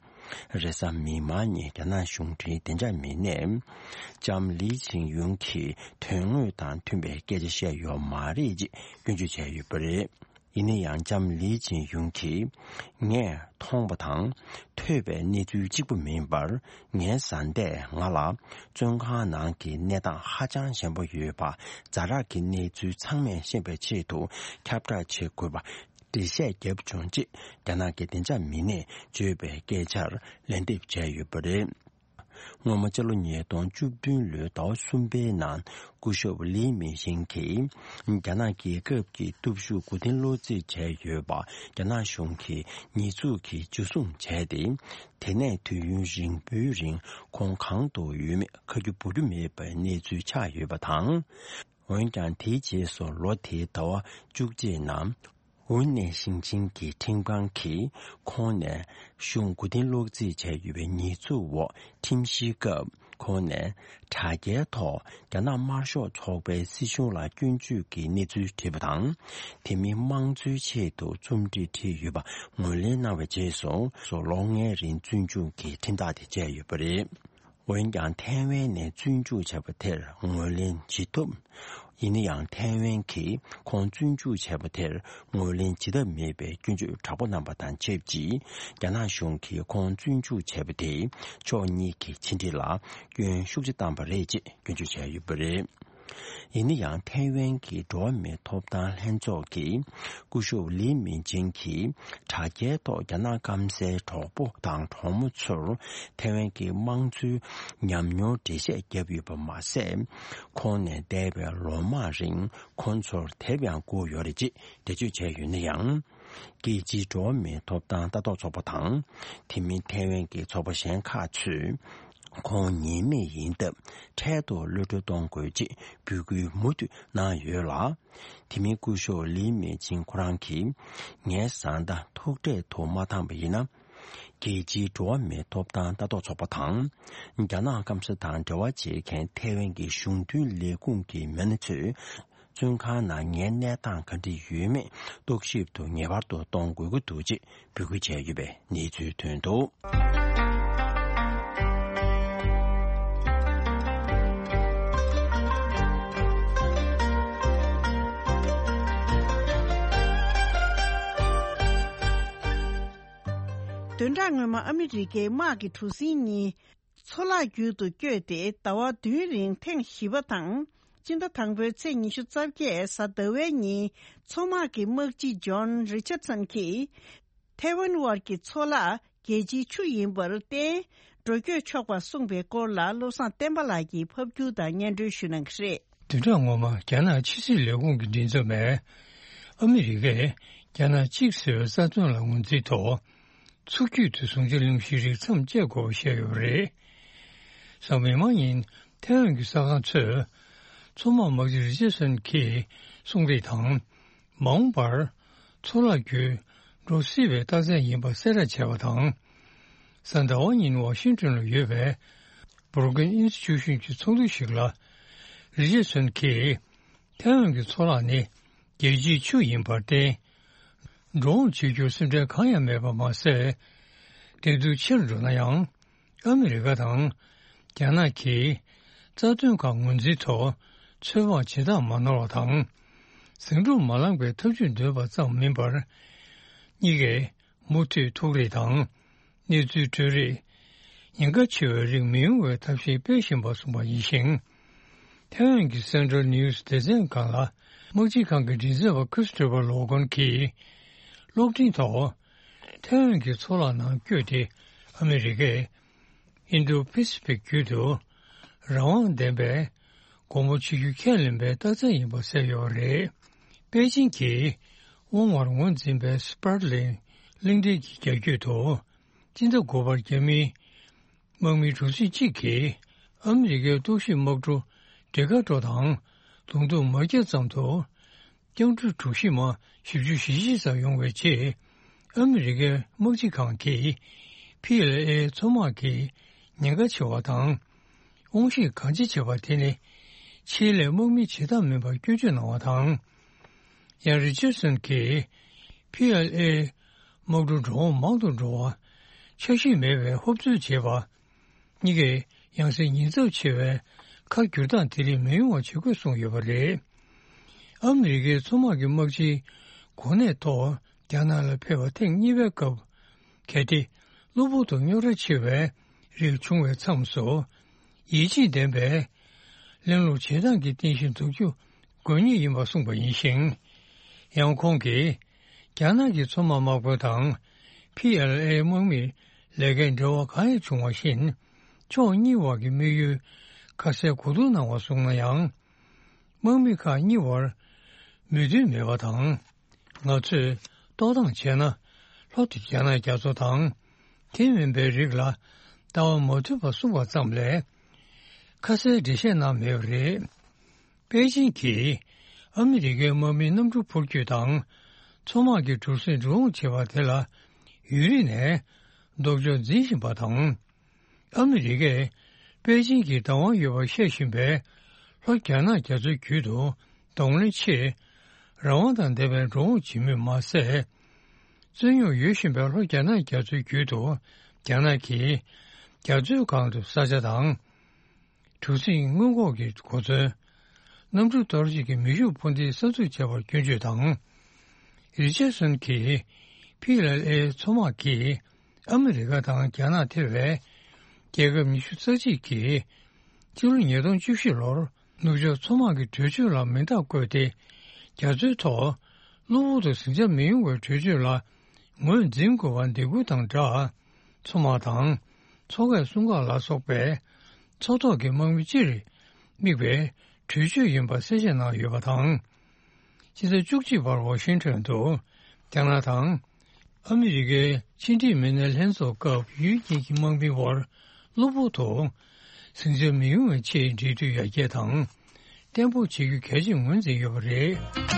རེས་གཟའ་མིག་དམར་ཉིན་རྒྱ་ནག་གཞུང་འབྲེལ་བདེ་འཇགས་མི་སྣས། ལྕམ་ལི་ཆིང་ཡུང་གིས་དོན་དངོས་དང་མཐུན་པའི་སྐད་ཆ་བཤད་ཡོད་མ་རེད་ཅེས་སྐྱོན་བརྗོད་བྱས་ཡོད་པ་རེད། ཡིན་ན་ཡང་ལྕམ་ལི་ཆིང་ཡུང་གིས། ངས་མཐོང་བ་དང་ཐོས་པའི་གནས་ཚུལ་གཅིག་པུ་མིན་པར། ངའི་བཟའ་ཟླས་ང་ལ་བཙོན་ཁང་ནང་གི་གནས་སྟངས་ཧ་ཅང་ཞན་པོ་ཡོད་པ། ཛ་དྲག་གི་གནས་ཚུལ་ཚང་མས་ཤེས་པའི་ཆེད་དུ་ཁྱབ་བསྒྲགས་བྱེད་དགོས་པ་འགྲེལ་བཤད་བརྒྱབ་བྱུང་ཅེས་རྒྱ་ནག་གི་བདེ་འཇགས་མི་སྣས་བརྗོད་པའི་སྐད་ཆར་ལན་འདེབས་བྱས་ཡོད་པ་རེད། སྔོན་མ་སྤྱི་ལོ་ཉིས་སྟོང་བཅུ་བདུན་ལོའི་ཟླ་བ་གསུམ་པའི་ནང་སྐུ་ཞབས་ལི་མིང་ཞིང་གིས་རྒྱ་ནག་རྒྱལ་ཁབ་ཀྱི་སྟོབས་ཤུགས་མགོ་རྟིང་སློག་རྩིས་བྱས་ཡོད་པ་རྒྱ་ནག་གཞུང་གི་ཉེས་འཛུགས་ཀྱིས་འཇུ་བཟུང་བྱས་ཏེ། དེ་ནས་དུས་ཡུན་རིང་པོའི་རིང་ཁོང་གང་དུ་ཡོད་མེད་ཁ་རྒྱུ་སྦུག་རྒྱུ་མེད་པའི་གནས་ཚུལ་ཆགས་ཡོད་པ་དང་། འོན་ཀྱང་དེའི་རྗེས་སུ་ལོ་དེའི་ཟླ་བ་བཅུ་གཅིག་ནང་། ཝུན་ནན་ཞིང་ཆེན་གྱི་ཁྲིམས་ཁང་གིས་ཁོང་ནས་གཞུང་མགོ་རྟིང་སློག་རྩིས་བྱས་ཡོད་པའི་ཉེས་འཛུགས་འོག་ཁྲིམས་བཤེར་སྐབས། ཁོང་ནས་དྲ་རྒྱའི་ཐོག་རྒྱ་ནག་དམར་ཤོག་ཚོགས་པའི་སྲིད་གཞུང་ལ་སྐྱོན་བརྗོད་ཀྱི་གནས་ཚུལ་བྲིས་པ་དང་། དེ་མིན་དམངས་གཙོའི་ཆེད་དུ་རྩོམ་བྲིས་བྲིས་ཡོད་པ་ངོས་ལེན་གནང་བའི་རྗེས་སུ། སུ་ལོ་ལྔའི་རིང་བཙོན་འཇུག་གི་ཁྲིམས་ཐག་དེ་བཅད་ཡོད་པ་རེད། འོན་ཀྱང་། ཐའེ་ཝན་ནས་བཙོན་འཇུག་བྱས་པ་དེར་ངོས་ལེན་བྱེད་ཐུབ། ཡིན་ན་ཡང་། ཐའེ་ཝན་གྱིས་ཁོང་བཙོན་འཇུག་བྱས་པ་དེར་ངོས་ལེན་བྱེད་ཐབས་མེད་པའི་སྐྱོན་བརྗོད་དྲག་པོ་གནང་བ་དང་ཆབས་ཅིག་རྒྱ་ནག་གཞུང་གིས་ཁོང་བཙོན་འཇུག་བྱས་པ་དེས་ཕྱོགས་གཉིས་ཀྱི་ཕྱི་འབྲེལ་ལ་སྐྱོན་ཤུགས་ཆེ་བཏང་བ་རེད་ཅེས་སྐྱོན་བརྗོད་བྱས་ཡོད་པ་རེད། ཡིན་ན་ཡང་། ཐའེ་ཝན་གྱི་འགྲོ་བ་མིའི་ཐོབ་ཐང་ལྷན་ཚོགས་ཀྱིས་སྐུ་ཞབས་ལི་མིང་ཅིང་གིས་དྲ་རྒྱའི་ཐོག་རྒྱ་ནག་སྐམ་སའི་གྲོགས་པོ་དང་གྲོགས་མོ་ཚོར་ཐའེ་ཝན་གྱི་དམངས་གཙོའི་ཉམས་མྱོང་འགྲེལ་བཤད་བརྒྱབ་ཡོད་པ་མ་ཟད། ཁོང་ནས་འདས་པའི་ལོ་མང་རིང་ཁོང་ཚོར་དེབ་ཡང་བསྐུར་ཡོད་རེད་ཅེས་འགྲེལ་བརྗོད་བྱས་ཡོད་ན་ཡང་། རྒྱལ་སྤྱིའི་འགྲོ་བ་མིའི་ཐོབ་ཐང་ལྟ་རྟོག་ཚོགས་པ་དང་། དེ་མིན་ཐའེ་ཝན་གྱི་ཚོགས་པ་གཞན་ཁག་ཚོས། ཁོང་ཉེས་མེད་ཡིན་སྟབས་འཕྲལ་དུ་གློད་གྲོལ་གཏོང་དགོས་ཅེས་འབོད་སྐུལ་མུ་མཐུད་གནང་ཡོད་ལ། དེ་མིན་སྐུ་ཞབས་ལི་མེ་ཆིང་ཁོ་རང་གིས། ངའི་བཟའ་ཟླ་ཐུག་འཕྲད་དུ་མ་བཏང་བ་ཡིན་ན། རྒྱལ་སྤྱིའི་འགྲོ་བ་མིའི་ཐོབ་ཐང་ལྟ་རྟོག་ཚོགས་པ་དང་། རྒྱ་ནག་སྐམ་ས་དང་འབྲེལ་བ་བྱེད་མཁན་ཐའེ་ཝན་གྱི་གཞུང་མཐུན་ལས་ཁུངས་ཀྱི་མི་སྣ་ཚོས། བཙོན་ཁང་ནང་ངའི་གནས་སྟངས་ག་འདྲ་ཡོད་མེད་རྟོག་ཞིབ་ཏུ་ངེས་པར་དུ་གཏོང་དགོས་ཀྱི་འདུག་ཅེས་འབོད་སྐུལ་བྱས་ཡོད་པའི་གནས་ཚུལ་ཐོན་འདུག། བདུན་ཕྲག་སྔོན་མ་ཨ་མི་རི་ཀའི་དམག་གི་གྲུ་གཟིངས་གཉིས། མཚོ་ལག་བརྒྱུད་དུ་བསྐྱོད་དེ་ཟླ་བ་བདུན་རིང་ཐེངས་བཞི་པ་དང་། སྤྱི་ཟླ་དང་པོའི་ཚེས་ཉི་ཤུ་རྩ་བརྒྱད་གཟའ་ཟླ་བའི་ཉིན། མཚོ་དམག་གི་དམག་སྤྱི་ཇོན་རི་ཆར་སན་གྱིས། ཐའེ་ཝན་དབར་གྱི་མཚོ་ལག་རྒྱལ་སྤྱིའི་ཆུ་ཡིན་པར་བརྟེན། འགྲོ་སྐྱོད་ཆོག་པར་གསུངས་པའི་སྐོར་ལ། བློ་བཟང་བསྟན་པ་ལགས་ཀྱིས་ཕབ་སྒྱུར་དང་སྙན་སྒྲོན་ཞུ་གནང་གི་རེད། བདུན་ཕྲག་སྔོན་མ་རྒྱ་ནག་ཕྱི་སྲིད་ལས་ཁུངས་ཀྱི་མགྲིན་ཚབ་པས། ཨ་མི་རི་ཀས་རྒྱ་ནག་གཅིག་ཟེར་བའི་རྩ་དོན་ལ་ངོས་འཛིན་ཐོག་མཚོ་རྒྱུད་དུ་ཟུང་ཆ་ལུང་གཞི་རིགས་མཚམས་བཅད་དགོས་པ་བཤད་ཡོད་པ་རེད། གཟའ་མིག་དམར་ཉིན་ཐའེ་ཝན་གྱི་གསར་ཁང་ཚོས། མཚོ་དམག་དམག་སྤྱི་རི་ཆར་སན་གྱིས་གསུངས་རིགས་དང་། མ་འོངས་པར་མཚོ་ལག་བརྒྱུད་འགྲོ་སྲིད་པའི་རྟགས་མཚན་ཡིན་པ་གསལ་བསྒྲགས་བྱས་པ་དང་། གཟའ་ཟླ་བ་ཉིན་ཝ་ཤིང་ཏོན་ལ་ཡོད་པའི་Brookings Institution གྱི་ཚོགས་འདུ་ཞིག་ལ། རི་ཆར་སན་གྱིས། ཐའེ་ཝན་གྱི་མཚོ་ལག་ནི་རྒྱལ་སྤྱིའི་ཆུ་ཡིན་པར་བརྟེན། འགྲོ་འོང་བྱེད་རྒྱུར་སེམས་ཁྲལ་གང་ཡང་མེད་པ་མ་ཟད། བདེ་སྡུག་ཆེར་འགྲོ་ན་ཡང་། ཨ་མི་རི་ཀ་དང་རྒྱ་ནག་གིས་རྩ་དོན་ཁག་ངོས་འཛིན་ཐོག་ཚོད་དཔག་བྱེད་སྟངས་མ་ནོར་བ་དང་། ཟིང་འཁྲུག་མ་ལངས་པའི་ཐབས་ཇུས་འདོན་པ་ཙམ་མིན་པར། གཉིས་ཀས་མུ་མཐུད་ཐུག་རེས་དང་། གནས་ཚུལ་སྤྲོད་རེས། ཉེན་ཁ་ཆེ་བའི་རིགས་མི་ཡོང་བའི་ཐབས་ཤེས་སྤེལ་བཞིན་པ་གསུངས་པ་ཡིན་ཞིང་། ཐའེ་ཝན་གྱི་Central News སྡེ་ཚན་སྒང་ལ་དམག་སྤྱི་ཁང་གི་མགྲིན་ཚབ་པ་Christopher Logan གྱིས་གློག་འཕྲིན་ཐོག་ཐའེ་ཝན་གྱི་མཚོ་ལག་ནང་བསྐྱོད་དེ་ཨ་མི་རི་ཀས་Indo-Pacific བརྒྱུད་དུ་རང་དབང་ལྡན་པའི་དགོངས་པ་ཆེ་རྒྱུ་ཁས་ལེན་པའི་རྟགས་མཚན་ཡིན་པ་གསལ་ཡོད་པ་རེད། པེ་ཅིང་གིས་དབང་བར་ངོས་འཛིན་པའི་Spratly གླིང་ཕྲན་གྱི་རྒྱ་བསྐྱོད་དུ། སྤྱི་ཟླ་དགུ་པར་རྒྱ་མིའི་དམག་མི་གྲུ་གཟིངས་གཅིག་གིས་ཨ་མི་རི་ཀའི་རྟོག་ཞིབ་དམག་གྲུ་ཌི་ཀ་ཊོ་དང་ལུང་སྟོང་མ་བརྒྱབ་ཙམ་དུ་རྒྱང་འཕྲུལ་གྲུ་བཞི་མ་བཞི་བཅུ་ཞེ་བཞི་ཙམ་ཡོང་བའི་རྗེས། ཨ་མི་རི་ཀའི་དམག་སྤྱི་ཁང་གིས་ཕི་ཨེལ་ཨེ་མཚོ་དམག་གིས་ཉེན་ཁ་ཆེ་བ་དང་། དབང་ཤེད་གང་ཆེ་བྱེད་པ་དེ་ནི་ཆེད་ལས་དམག་མི་བྱེད་ཐབས་མིན་པར་སྐྱོན་བརྗོད་གནང་བ་དང་། ཡང་རི་ཅར་སོན་གྱིས་ཕི་ཨེལ་ཨེ་དམག་གྲུ་འགྲོ་འོང་མང་དུ་འགྲོ་བ། འཆར་གཞི་མེད་པའི་ཧོབ་རྩོད་བྱེད་པ། གཉིས་ཀས་ཡང་སེ་ཉེན་ཚབས་ཆེ་བའི་ཁ་བསྒྱུར་སྟངས་དེ་རིགས་མི་ཡོང་བ་བྱེད་དགོས་གསུངས་ཡོད་པ་རེད། ཨ་མི་རི་ཀའི་མཚོ་དམག་གི་དམག་སྤྱིའི་གོ་གནས་ཐོག་རྒྱ་ནག་ལ་ཕེབས་པ་ཐེངས་གཉིས་པའི་སྐབས། གལ་ཏེ་གློ་བུར་དུ་རྙོག་དྲ་ཆེ་བའི་རིགས་བྱུང་བའི་མཚམས་སུ། ཡིད་ཆེས་ལྡན་པའི་གླེང་སློང་བྱེད་སྟངས་ཀྱི་རྟེན་གཞི་འཛུགས་རྒྱུ་དགོས་ངེས་ཡིན་པ་གསུངས་པ་ཡིན་ཞིང་། ཡང་ཁོང་གིས་རྒྱ་ནག་གི་མཚོ་དམག་དམག་དཔོན་དང་ཕི་ཨེལ་ཨེ་དམག་མིའི་ལས་ཀའི་འབྲེལ་བ་གང་ཡང་བྱུང་བ་བཞིན། ཕྱོགས་གཉིས་བར་གྱི་དམིགས་ཡུལ་ཁ་གསལ་གོ་བསྡུར་གནང་བ་སོང་ན་ཡང་། དམག་མི་ཁག་གཉིས་བར་མོས་མཐུན་མེད་པ་དང་། ང་ཚོས་རྟོག་བཏང་བྱས་ན། ལྷོ་རྒྱ་ནག་རྒྱ་མཚོ་དང་། དེ་མིན་པའི་རིགས་ལ་ལྟ་བ་མ་མཐུན་པ་གསུངས་པ་ཙམ་ལས། ཁ་གསལ་འགྲེལ་བཤད་གནང་མེད་པ་རེད། པེ་ཅིན་གྱིས་ཨ་མི་རི་ཀའི་དམག་མིའི་གནམ་གྲུ་འཕུར་སྐྱོད་དང་། མཚོ་དམག་གི་གྲུ་གཟིངས་འགྲོ་འོང་བྱེད་པ་དེ་ལ་ཡུན་རིང་ནས་ལྡོག་ཕྱོགས་འཛིན་བཞིན་པ་དང་། ཨ་མི་རི་ཀས་པེ་ཅིན་གྱིས་བདག་དབང་ཡོད་པར་བཤད་བཞིན་པའི་ལྷོ་རྒྱ་ནག་རྒྱ་མཚོའི་རྒྱུད་དུ་གདོང་ལེན་ཆེད། རང་དབང་དང་ལྡན་པའི་འགྲོ་འོང་བྱེད་མུས་མ་ཟད། རྩོད་རྙོག་ཡོད་བཞིན་པའི་ལྷོ་རྒྱ་ནག་རྒྱ་མཚོའི་རྒྱུད་དུ་རྒྱ་ནག་གིས་རྒྱ་མཚོའི་སྒང་དུ་ས་ཆ་དང་། གྲུ་གཟིངས་སྔོན་འགོག་གི་གོ་མཚོན། གནམ་གྲུ་གཏོར་བྱེད་ཀྱི་མེ་ཤུགས་འཕུར་མདེལ་གསར་འཛུགས་བྱས་པར་སྐྱོན་བརྗོད་དང་། རི་ཅར་སོན་གྱིས་ཕི་ཨེལ་ཨེ་མཚོ་དམག་གིས་ཨ་མི་རི་ཀ་དང་རྒྱ་ནག་ཐེ་བའི་རྒྱལ་ཁབ་ཉི་ཤུ་རྩ་གཅིག་གིས་ཕྱི་ལོ་ཉིས་སྟོང་བཅུ་བཞི་ལོར་ནུབ་ཕྱོགས་མཚོ་དམག་གི་གྲོས་ཆོད་ལ་མིང་རྟགས་བཀོད་དེ། རྒྱ་མཚོའི་ཐོག་གློ་བུར་དུ་ཟིང་ཆ་མི་ཡོང་བའི་གྲོས་ཆོད་ལ་ངོས་འཛིན་དགོས་པར་འདེད་སྐུལ་དང་སྦྲགས། མཚོ་དམག་དང་། མཚོ་ཁའི་སྲུང་འགག་ལ་སོགས་པའི་མཚོ་ཐོག་གི་དམག་མི་སྤྱིར་དམིགས་པའི་གྲོས་ཆོད་ཡིན་པ་གསལ་བཤད་གནང་ཡོད་པ་དང་། ཕྱི་ཟླ་བཅུ་གཅིག་པར་ཝ་ཤིང་ཊོན་དུ་རྒྱ་ནག་དང་ཨ་མི་རི་ཀའི་ཕྱི་འབྲེལ་མི་སྣའི་ལྷན་ཚོགས་སྐབས་ཡུལ་གཉིས་ཀྱི་དམག་མིའི་དབར་གློ་བུར་དུ་ཟིང་ཆ་མི་ཡོང་བའི་ཆེད་འབྲེལ་མཐུད་ཡར་རྒྱས་དང་བརྟན་པོ་བྱེད་རྒྱུ་གལ་ཆེར་ངོས་འཛིན་ཡོད་པ་རེད།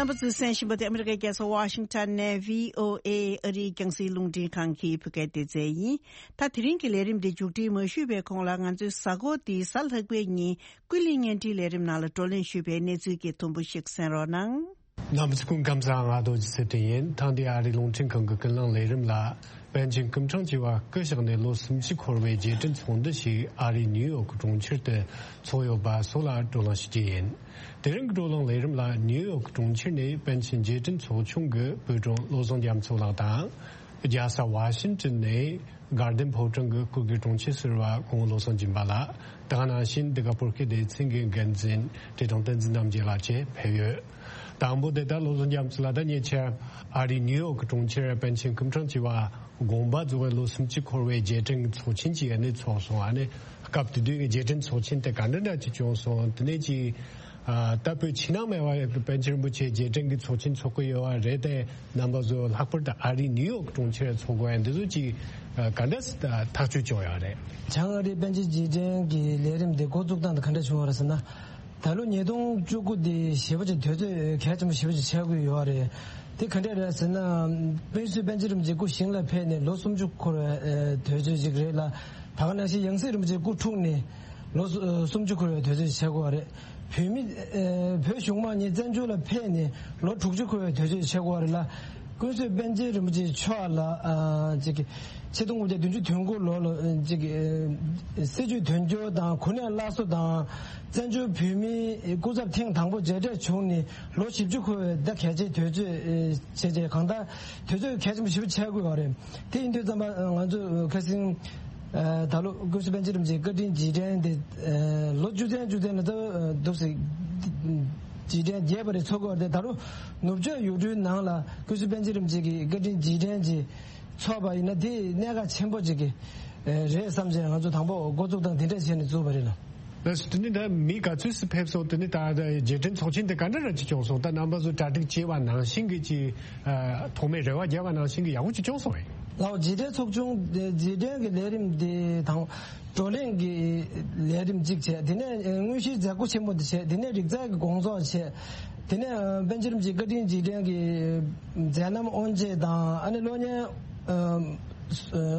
རྣམ་པ་ཚོས་གསན་བཞིན་པ་དེ་ཨ་མི་རི་ཀའི་རྒྱལ་ས་ཝ་ཤིང་ཊོན་ནས་བྷི་ཨོ་ཨེ་ཨ་རིའི་རྒྱང་སྲིང་རླུང་འཕྲིན་ཁང་གི་བོད་སྐད་སྡེ་ཚན་ཡིན། ད་དེ་རིང་གི་ལས་རིམ་འདི་མཇུག་སྒྲིལ་མ་ཞུས་པའི་གོང་ལ། ང་ཚོའི་གཟའ་འཁོར་འདིའི་གཟའ་ལྷག་པའི་ཉིན་ཀུན་གླེང་བརྙན་འཕྲིན་ལས་རིམ་ནང་ལ་བགྲོ་གླེང་ཞུས་པའི་གནས་ཚུལ་གྱི་དུམ་བུ་ཞིག་གསན་རོགས་གནང་། རྣམ་པ་ཚོ་སྐུ་ཁམས་བཟང་། ང་རྡོ་རྗེ་ཚེ་བརྟན་ཡིན། ཐེངས་འདིའི་ཨ་རིའི་རླུང་འཕྲིན་ཁང་གི་ཀུན་གླེང་ལས་རིམ་ལ། པཎ་ཆེན་སྐུ་ཕྲེང་བཅུ་པ་སྐུ་གཤེགས་ནས་ལོ་སུམ་ཅུ་འཁོར་བའི་རྗེས་དྲན་ཚོགས་འདུ་ཞིག་ཨ་རིའི་ནིའུ་ཡོག་གི་གྲོང་ཁྱེར་དུ་འཚོགས་ཡོད་པ་སོགས་ལ་བགྲོ་གླེང་ཞུ་རྒྱུ་ཡིན། དེ་རིང་གི་བགྲོ་གླེང་ལས་རིམ་ལ་ནིའུ་ཡོག་གི་གྲོང་ཁྱེར་ནས་པཎ་ཆེན་རྗེས་དྲན་ཚོགས་ཆུང་གི་དབུ་དྲུང་བློ་བཟང་རྒྱ་མཚོ་ལགས་དང་། རྒྱལ་ས་ཝ་ཤིང་ཊོན་ནས་དགའ་ལྡན་ཕོ་བྲང་གི་སྐུ་སྒེར་དྲུང་ཆེ་ཟུར་པ་གོང་བློ་བཟང་སྦྱིན་པ་ལགས། དེ་ག་ནང་བཞིན་འདི་ག་བོད་སྐད་སྡེ་ཚན་གྱི་འགན་འཛིན་བཀྲས་མཐོང་བསྟན་འཛིན་རྣམ་རྒྱལ་ལགས་བཅས་ཕེབས་ཡོད། དང་པོ་དེ་ལྟར་བློ་བཟང་རྒྱ་མཚོ་ལགས། ད་ཉེ་ཆར་ཨ་རིའི་ནིའུ་ཡོག་གི་གྲོང་ཁྱེར་པཎ་ཆེན་སྐུ་ཕྲེང་བཅུ་པ་དགོངས་པ་རྫོགས་པའི་ལོ་སུམ་ཅུ་འཁོར་བའི་རྗེས་དྲན་གྱི་ཚོགས་ཆེན་ཅིག་ཨ་ནི་ཚོགས་སོང་། ཨ་ནི་སྐབས་དེ་དུས་ཀྱི་རྗེས་དྲན་ཚོགས་ཆེན་དེ་ག་འདྲ་འདྲ་ཅིག་བྱུང་སོང་། དེ་ནས་ཅིག་ཨ་ད་བོད་ཕྱི་ནང་མེད་པ་པཎ་ཆེན་རིན་པོ་ཆེ་རྗེས་དྲན་གྱི་ཚོགས་ཆེན་ཚོགས་ཀྱི་ཡོད་པ་རེད་དེ། རྣམ་པ་ཚོ་ལྷག་པར་དུ་ཨ་རིའི་ནིའུ་ཡོག་གྲོང་ཁྱེར་ཚོགས་དགོས་ཡ་འདི་ཚོ་ཅིག་ག་འདྲ་ཐག་གཅོད་བྱུང་ཡོད་རེད། བྱང་ཨ་རིའི་པཎ་ཆེན་རྗེས་དྲན་གྱི་ལས་རིམ་འདི་འགོ་བཙུགས་སྟངས་དེ་ག་འདྲ་བྱུང་བ་རེད་ཟེར་ན། ད་ལོ་ཉིས་སྟོང་བཅུ་དགུ་འདི་ཞེ་པོ་ཅིག་དུས་ཚོད་གལ་ཆེན་པོ་ཞེ་པོ་ཅིག་ཆགས་ཀྱི་ཡོད་རེད། དེ་ག་འདྲ་རེད་ཟེར་ན། དཔེ་སྲིད་པཎ་ཆེན་རིན་པོ་ཆེ་ཞིང་ལ་ཕེབས་ནས་ལོ་སུམ་ཅུ་འཁོར་བའི་དུས་ཚོད་ཅིག་རེད་ལ། ད་ག་ནང་བཞིན་ཡང་སྲིད་རིན་པོ་ཆེ་སྐུ་འཁྲུངས་ནས་ལོ་སུ་སུམ་ཅུ་འཁོར་བའི་དུས་ཚོད་ཅིག་ཆགས་ཀྱི་ཡོད་རེད། བོད་མི། ཨེ། བོད་གཞུང་མང་གཉིས་བཙན་བྱོལ་ལ་ཕེབས་ནས་ལོ་དྲུག་ཅུ་འཁོར་བའི་དུས་ཚོད་ཆགས་ཀྱི་ཡོད་རེད་ལ། ཀུན་གཟིགས་པཎ་ཆེན་རིན་པོ་ཆེ་མཆོག་ལ། ཨ། ཅིག་ཆིག་སྟོང་དགུ་བརྒྱ་བདུན་ཅུ་དོན་དགུ་ལོ་ལ་ཅིག་ཨེ། སྲིད་བྱུས་དོན་འཁྱོལ་དང་གོ་གནས་སླར་གསོ་དང་། བཙན་བྱོལ་བོད་མིའི་སྐུ་ཚབ་ཐེངས་དང་པོ་མཇལ་འཕྲད་བྱུང་ནས་ལོ་བཞི་བཅུ་འཁོར་བའི་ཟླ་གལ་ཆེའི་དུས་ཚོད་བྱས་རྗེས། གང་ལྟར་དུས་ཚོད་གལ་ཆེན་པོ་ཞེ་པོ་ཆགས་ཀྱི་ཡོད་རེད། དེ་ཡིན་དུས་ཙམ་པ་ང་ཚོ་ཁ་སང་ཨ། ད་ལོ་ཀུན་གཟིགས་པཎ་ཆེན་རིན་པོ་ཆེའི་བཀའ་དྲིན་རྗེས་དྲན་དེ། ཨ། ལོ་བཅུ་ཚན་བཅུ་ཚན་ལ་ད་འདུག་སེ་ རྗེས་དྲན་རྒྱས་པ་རེ་འཚོགས་ཀྱི་ཡོད་རེད་དེ། ད་རུང་ནུབ་ཕྱོགས་ཡུལ་གྲུའི་ནང་ལ་ཀུན་གཟིགས་པཎ་ཆེན་རིན་པོ་ཆེ་གི་བཀའ་དྲིན་རྗེས་དྲན་ཅིག་འཚོགས་པ་ཡིན་ན་དེ་གནད་འགག་ཆེན་པོ་ཅིག་གི་རེད་བསམ་བྱས། ང་ཚོ་དང་པོ་འགོ་བཙུགས་སྟངས་དེ་འདྲ་བྱས་ནས་བཙུགས་པ་རེད་ལ། ལགས་སོ། དེ་ནི་ད་མི་ག་ཚོད་ཙམ་ཕེབས་སོང་། དེ་ནི་ད་རྗེས་དྲན་ཚོགས་ཆེན་དེ་ག་འདྲ་ར་ཅིག་བྱུང་སོང་། ད་རྣམ་པ་ཚོ་གྲ་སྒྲིག་བྱས་པ་ནང་བཞིན་གྱི་ཅིག་ཐོག་མའི་རེ་བ་བརྒྱབ་པ་ནང་བཞིན་གྱི་ཡག་པོ་ཅིག་བྱུང་སོང་ངས། ལགས་སོ། རྗེས་དྲན་ཚོགས་ཆུང་དེ་རྗེས་དྲན་གྱི་ལས་རིམ་དེ་དང་བགྲོ་གླེང་གི་ལས་རིམ་གཅིག་བྱས། དེ་ནས་དངོས་གཞིའི་མཛད་སྒོ་ཆེན་མོ་དེ་བྱས། དེ་ནས་རིག་རྩལ་གྱི་དགོང་ཚོགས་བྱས། དེ་ནས་པཎ་ཆེན་རིན་པོ་ཆེའི་བཀའ་དྲིན་རྗེས་དྲན་གྱི་མཛད་རྣམ་དབུ་འབྱེད་དང་། ཨ་ནི་གློག་བརྙན་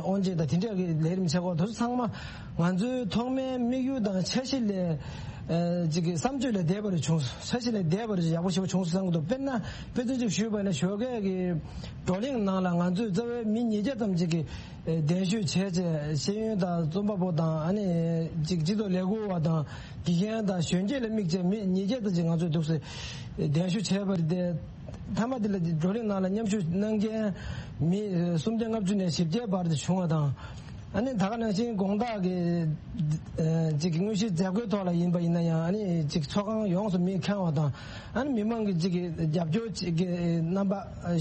དབུ་འབྱེད་དང་དེ་འདྲ་གི་ལས་རིམ་བྱེད་སྒོ་དེ་ཚོ་ཚང་མ་ང་ཚོའི་ཐོག་མའི་དམིགས་ཡུལ་དང་འཆར་གཞི་ལས་ཅིག་གི་བསམ་སྤྱོད་ལས་འདས་པ་རེ་བྱུང་། འཆར་གཞི་ལས་འདས་པ་རེ་ཡག་པོ་ཞེ་པོ་བྱུང་སོང་བསམ་གྱི་འདུག་དཔེར་ན་དཔེ་མཚོན་ཅིག་ཞུས་པ་ཡིན་ན་ཞོགས་ཀས་ཀྱི་བགྲོ་གླེང་ནང་ལ་ང་ཚོས་རྩ་བའི་མི་ཉིས་བརྒྱ་ཙམ་ཅིག་གིས་གདན་ཞུ་བྱས་བྱས། ཤེས་ཡོན་དང་རྩོམ་པ་པོ་དང་། ཨ་ནི་ཅིག་སྤྱི་ཚོགས་ལས་འགུལ་བ་དང་དགེ་རྒན་དང་གཞོན་སྐྱེས་ལ་དམིགས་བྱས་མི་ཉིས་བརྒྱ་ཙམ་ཅིག་ང་ཚོས་འདུག་སེ་གདན་ཞུ་བྱས་པ་རེད་དེ། མཐའ་མ་དེ་ལ་བགྲོ་གླེང་ནང་ལ་མཉམ་ཞུགས་གནང་མཁན་མི་སུམ་བརྒྱ་ལྔ་བཅུ་ནས་བཞི་བརྒྱའི་བར་དུ་བྱུང་བ་དང་། ཨ་ནི་ད་ག་ནང་བཞིན་དགོང་དག་གི་ཅིག་དངོས་གཞིའི་མཛད་སྒོའི་ཐོག་ལ་ཡིན་པ་ཡིན་ན་ཡང་། ཨ་ནི་ཅིག་ཚོགས་ཁང་ཡོངས་སུ་མི་ཁེངས་བ་དང་། ཨ་ནི་མི་མང་གི་ཅིག་གི་རྒྱབ་སྐྱོར་ཅིག་གི་རྣམ་པ་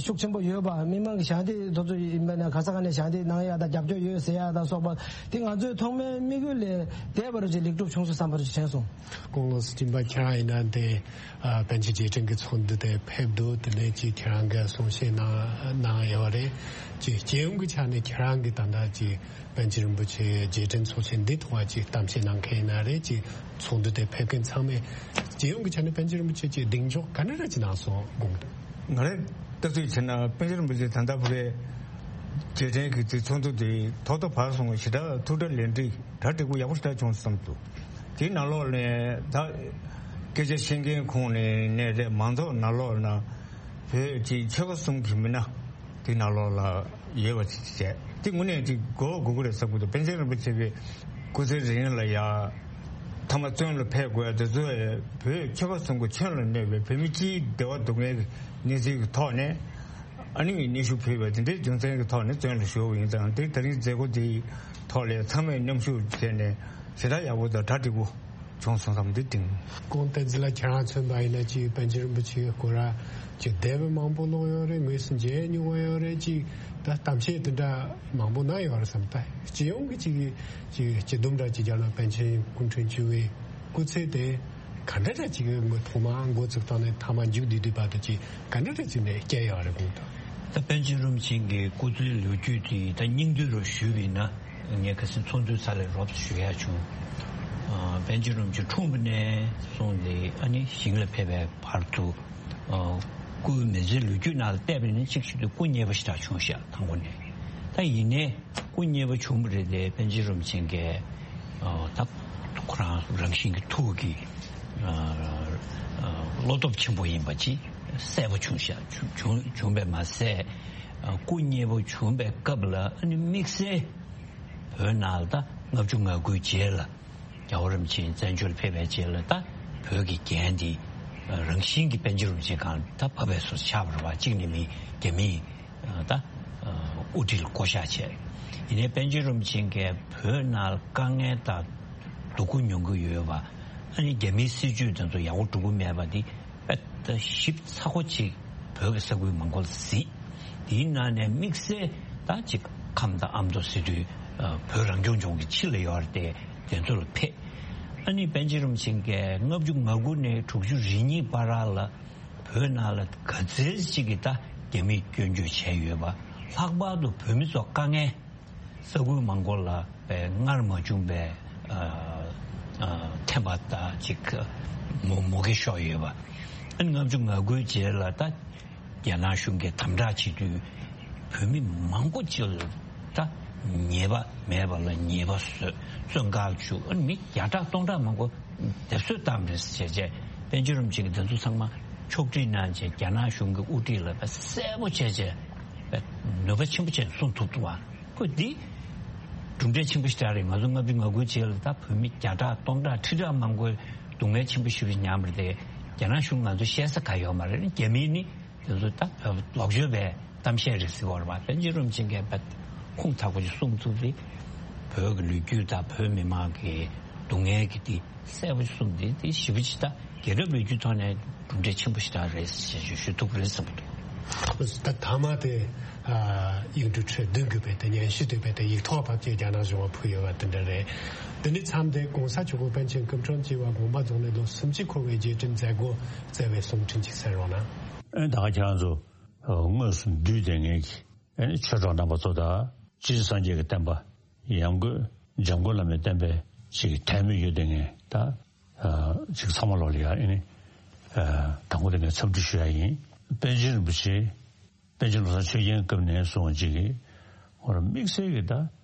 ཤུགས་ཆེན་པོ་ཡོད་པ། མི་མང་གི་ཞལ་འདེབས་དེ་ཚོ་ཡིན་པ་ན་ག་ས་ག་ནས་ཞལ་འདེབས་གནང་ཡ་དང་རྒྱབ་སྐྱོར་ཡོད་ཟེར་ཡ་དང་སོགས་པ་དེ་ང་ཚོའི་ཐོག་མའི་དམིགས་ཡུལ་ལས་འདས་པ་རུ་ཅིག་ལེགས་གྲུབ་བྱུང་སོང་བསམ་པ་རུ་ཅིག་དྲན་སོང་། ཁོང་ལགས་སུ་སྦྱིན་པ་ཁྱེད་རང་ཡིན་ན་དེ། ཨ། པཎ་ཆེན་རྗེས་དྲན་གྱི་ཚོགས་འདུ་དེ་ཕེབས་འདུག་དེ་ནས་ཅིག་ཁྱེད་རང་གིས་གསུང་བཤད་གནང་གནང་ཡོད་རེད། ཅིག་སྤྱི་ཡོངས་ཀྱི་ཆ་ནས་ཁྱེད་རང་གིས་ད་ལྟ་ཅིག་པཎ་ཆེན་རིན་པོ་ཆེ་རྗེས་དྲན་ཚོགས་ཆེན་འདི་ཐོག་ཅིག་གཏམ་བཤད་གནང་མཁན་ཡིན་ན་རེད། ཅིག་ཚོགས་འདུ་དེ་ཕེབས་མཁན་ཚང་མས་སྤྱི་ཡོངས་ཀྱི་ཆ་ནས་པཎ་ཆེན་རིན་པོ་ཆེ་ཅིག་གདེང་འཇོག་ག་འདྲ་ར་ཅིག་གནང་སོང་དགོངས། ང་རང་ལྟ་ཚུལ་བྱས་ན་པཎ་ཆེན་རིན་པོ་ཆེ་ད་ལྟ་བར་རྗེས་དྲན་གྱི་ཚོགས་འདུ་དེ་ཐོག་མཐའ་བར་གསུམ་ཞེ་དྲག་ཐུགས་གྲ་ལས་འགྲིག་གྲ་འགྲིག་པོ་ཡག་པོ་ཞེ་དྲག་བྱུང་བསམ་འདུག་དེའི་ནང་ལོགས་ནས་ད་སྐད་ཆ་བཤད་མཁན་ཁོང་ནས་ནས་རེད། མང་ཚོགས་ནང་ལོགས་ན་བོད་ཀྱི་ཆོལ་ཁ་གསུམ་གྱི་མི་སྣ་དེའི་ནང་ལོགས་ལ་ཡོད་པ་ཅིག་བྱས། དེ་དངོས་གནས་ཅིག་གོ་དགོས་ཀྱི་རེད་བསམ་གྱི་འདུག་པཎ་ཆེན་རིན་པོ་ཆེ་གི་སྐུ་ཚེ་རིང་ལ་ཡ་མཐའ་མ་བཙོན་ལ་ཕེབས་དགོས་ཡ་དེ་ཚོ་བོད་ཆོལ་ཁ་གསུམ་གྱི་ཁྱོན་ལ་གནས་པའི་བོད་མི་སྤྱིའི་བདེ་བ་སྡུག་བསྔལ་གྱི་གནས་ཚུལ་གྱི་ཐོག་ནས། ཨ་ནི་སྙན་ཞུ་ཕུལ་བ་དེ་འདྲའི་རྒྱུ་མཚན་གྱི་ཐོག་ནས་བཙོན་ལ་ཞུགས་པ་ཡིན་ཙང་། དེ་ད་རིང་མཛད་སྒོ་འདིའི་ཐོག་ལ་ཚང་མས་མཉམ་ཞུགས་བྱས་ནས་ཞེ་དྲག་ཡག་པོ་དང་གྲ་འགྲིག་པོ་བྱུང་སོང་བསམ་འདི་དྲན། ཁོང་བསྟན་འཛིན་ལགས་ཁྱེད་རང་མཚོན་པ་ཡིན་ན་ཅིག་པཎ་ཆེན་རིན་པོ་ཆེ་སྐོར་ར་ཅིག་འདས་པའི་མང་པོ་ཀློག་ཡོད་རེད། དངོས་སུ་མཇལ་མྱོང་བ་ཡོད་རེད། ཅིག་ད་གཏམ་བཤད་དེ་འདྲ་མང་པོ་གནང་ཡོད་རེད་བསམ། ད་སྤྱི་ཡོངས་ཀྱི་ཅིག་ཅིག་སྤྱི་སྡོམ་འདྲ་ཅིག་བརྒྱབ་ན་པཎ་ཆེན་སྐུ་ཕྲེང་བཅུ་བའི་སྐུ་ཚེ་དེ་ག་འདྲ་འདྲ་ཅིག་གི་ཐོག་མ་འགོ་བཙུགས་སྟངས་ནས་མཐའ་མ་མཇུག་བསྡུས་བསྡུས་བར་དུ་ཅིག་ག་འདྲ་འདྲ་ཅིག་ནས་བསྐྱལ་ཡོད་རེད་དགོངས་དང་། ད་པཎ་ཆེན་རིན་པོ་ཆེ་གི་སྐུ་ཚེའི་ལོ་རྒྱུས་དེ་ད་སྙིང་བསྡུས་རུ་ཞུས་པ་ཡིན་ན། ངས་ཁ་སང་ཚོགས་འདུའི་ས་ལ་རོབ་ཞུ་ཡ་བྱུང་། ཨ། པཎ་ཆེན་རིན་པོ་ཆེ་འཁྲུངས་པ་ནས་བཟུང་སྟེ་ཨ་ནི་ཞིང་ལ་ཕེབས་པའི་བར་དུ། ཨ། སྐུའི་མི་ཚེའི་ལོ་རྒྱུས་ནང་ལ་བལྟས་པ་ཡིན་ན་གཅིག་བྱེད་དུས་སྐུ་མཉེལ་བ་ཞེ་དྲག་བྱུང་ཤག་དང་པོ་ནས། ད་ཡིན་ནའི་སྐུ་མཉེལ་བ་བྱུང་བ་རེད་དེ། པཎ་ཆེན་རིན་པོ་ཆེ་གིས། ཨ། ད་ཁོ་རང་རང་བཞིན་གྱི་ཐུགས་ཀྱི། ཨ། ཨ། བློ་སྟོབས་ཆེན་པོ་ཡིན་པ་ཅིག་གསལ་པོ་བྱུང་ཤག་བྱུང་བྱུང་བྱུང་བས་མ་ཟད། ཨ། སྐུ་མཉེལ་བ་བྱུང་བའི་སྐབས་ལ་ཨ་ནི་དམིགས་བསལ་བོད་ནང་ལ་ད་ལྔ་བཅུ་ང་དགུའི་རྗེས་ལ་རྒྱལ་བ་རིན་པོ་ཆེ་བཙན་བྱོལ་ཕེབས་པའི་རྗེས་ལ་ད་བོད་ཀྱི་འགན་འདི་རང་བཞིན་གྱིས་པཎ་ཆེན་རིན་པོ་ཆེ་སྒང་ལ་ད་བབས་པའི་བཟོ་ཆགས་པ་རེད་པ། གཅིག་ནས་མི་རྒྱ་མིའི་ད་དབུ་ཁྲིད་ལ་བསྐོ་བཞག་བྱས། ཡིན་ནའི་པཎ་ཆེན་རིན་པོ་ཆེ་གིས་བོད་ནང་ལ་དཀའ་ངལ་དང་སྡུག་པོ་མྱོང་གི་ཡོད་པ། ཨ་ནི་རྒྱ་མིའི་སྲིད་ཇུས་དེ་ཚོ་ཡག་པོ་འགྲོ་གི་མེད་པ་འདི་དཔེ་ད་ཞིབ་ཚགས་པོ་ཅིག་བོད་ཀྱི་ས་ཁུལ་མང་པོ་ལ་གཟིགས། དེའི་ནང་ནས་དམིགས་བསལ་ད་ཅིག་ཁམས་དང་ཨ་མདོ་ཟེར་དུས། ཨ། བོད་རང་སྐྱོང་ལྗོངས་ཀྱི་ཕྱི་ལ་ཡོད་རེད་དེ། དེ་ཚོ་ལ་ཕེབས། ཨ་ནི་པཎ་ཆེན་རིན་པོ་ཆེ་གིས་ལྔ་བཅུ་ང་དགུ་ནས་དྲུག་ཅུ་རེ་གཉིས་བར་ལ་བོད་ནང་ལ་ག་ཚད་ཅིག་གིས་ད་རྒྱ་མིས་སྐྱོན་བརྗོད་བྱས་ཡོད་པ། ལྷག་པར་དུ་བོད་མི་ཚོ་དཀའ་ངལ། ས་ཁུལ་མང་པོ་ལ་པའི་སྔར་མ་བྱུང་པའི། ཨ། ཨ། ཐེབས་པ་དང་ཅིག་མུ་མུ་གེ་ཤོར་ཡོད་པ། ཨ་ནི་ལྔ་བཅུ་ང་དགུའི་རྗེས་ལ་ད་རྒྱ་ནག་གཞུང་གིས་དམ་དྲག་བྱེད་དུས་བོད་མི་མང་པོ་ཅིག་ལ་ད་ཉེས་པ་མེད་པ་ལ་ཉེས་པ་བཟོས། བཙོན་ཁང་བཅུག་ཨ་ནི་མི་བརྒྱ་ཕྲག་སྟོང་ཕྲག་མང་པོ་སྡེབ་གསོད་བཏང་རེད་ཟེར་བྱས། པཎ་ཆེན་རིན་པོ་ཆེ་གིས་དེ་ཚོ་ཚང་མ་ཕྱོགས་སྒྲིག་གནང་བྱས། རྒྱ་ནག་གཞུང་གི་དབུ་ཁྲིད་ལ་དཔེ་གསལ་པོ་བྱས་བྱས་དཔེ་ནུས་པ་ཆེན་པོ་བྱས་གསུངས་ཐུབ་འདུག་པ། ཁོ་འདི་གྲུབ་འབྲས་ཆེན་པོ་ཞིག་རེད། ང་ཚོ་ལྔ་བཅུ་ང་དགུའི་རྗེས་ལ་ད་བོད་མི་བརྒྱ་ཕྲག་སྟོང་ཕྲག་ཁྲི་ཕྲག་མང་པོས་སྡུག་བསྔལ་ཆེན་པོ་ཞེ་པོ་མྱངས་པ་རེད་དེ། རྒྱ་ནག་གཞུང་ང་ཚོ་བཤད་ས་གང་ཡོད་མ་རེད། རྒྱ་མིས་ནི་དེ་ཚོ་ད་བོད་ལོག་སྤྱོད་པའི་གཏམ་བཤད་རེད་ཟེར་བ་རེད་པ། པཎ་ཆེན་རིན་པོ་ཆེ་གིས་དཔེ་ཁུངས་དག་པོ་ཞིག་གསུངས་ཐུབ་རེད། བོད་ཀྱི་ལོ་རྒྱུས་དང་བོད་མི་མང་གི་ སྡུག་བསྔལ་གྱི་དེ་གསལ་པོ་གསུངས་ཏེ། དེ་ཞེ་པོ་ཅིག་ད་རྒྱལ་རབས་ལོ་རྒྱུས་ཐོག་ནས་གྲུབ་འབྲས་ཆེན་པོ་ཞིག་ད་རེད་ཞེས་ཞུ་ཐུབ་ཀྱི་རེད་བསམ་གྱི་འདུག་ད་ཐ་མ་དེ་ཨ་ཡིག་འབྲུ་ཁྲི་བདུན་བརྒྱུད་པའི་དེ་སྙན་ཞུ་དེ་བས་དེ་ཡིག་ཐོག་བབས་ཀྱི་རྒྱ་ནག་གཞུང་ལ་ཕུལ་ཡོད་པ་དེ་འདྲ་རེད། དེ་ནས་མཚམས་དེ་གོང་ས་མཆོག་གིས་པཎ་ཆེན་སྐུ་ཕྲེང་བཅུ་བ་དགོངས་པ་རྫོགས་ནས་ལོ་སུམ་ཅུ་འཁོར་བའི་རྗེས་དྲན་མཛད་སྒོ་བསྩལ་བའི་གསུང་འཕྲིན་ཅིག་གསན་རོགས་གནང་། ཨེ་ད་ག་ཁྱེད་རང་ཚོ་དངོས་སུ་འདུས་ཏེ་ངེད་ཀྱི་ཨེ་ནི་ཆོས་གྲོགས་རྣམ་པ་ཚོ་དང་སྤྱིར་སངས་རྒྱས་ཀྱི་བསྟན་པ་ཡང་སྒོས་འཇམ་མགོན་བླ་མའི་བསྟན་པའི་ཅིག་དད་མོས་ཡོད་དེ་ངས་ད་ཅིག་ཚང་མ་ལོག་ལ་ཡ་ཨེ་ནི་དང་པོ་དེ་ངས་འཚམས་འདྲི་ཞུ་ཡ་ཡིན། པཎ་ཆེན་རིན་པོ་ཆེ། པཎ་ཆེན་བློ་བཟང་ཆོས་རྒྱན་སྐབས་ནས་བཟུང་བ་ཅིག་གིས་ཧོར་དམིགས་བསལ་གྱི་ད་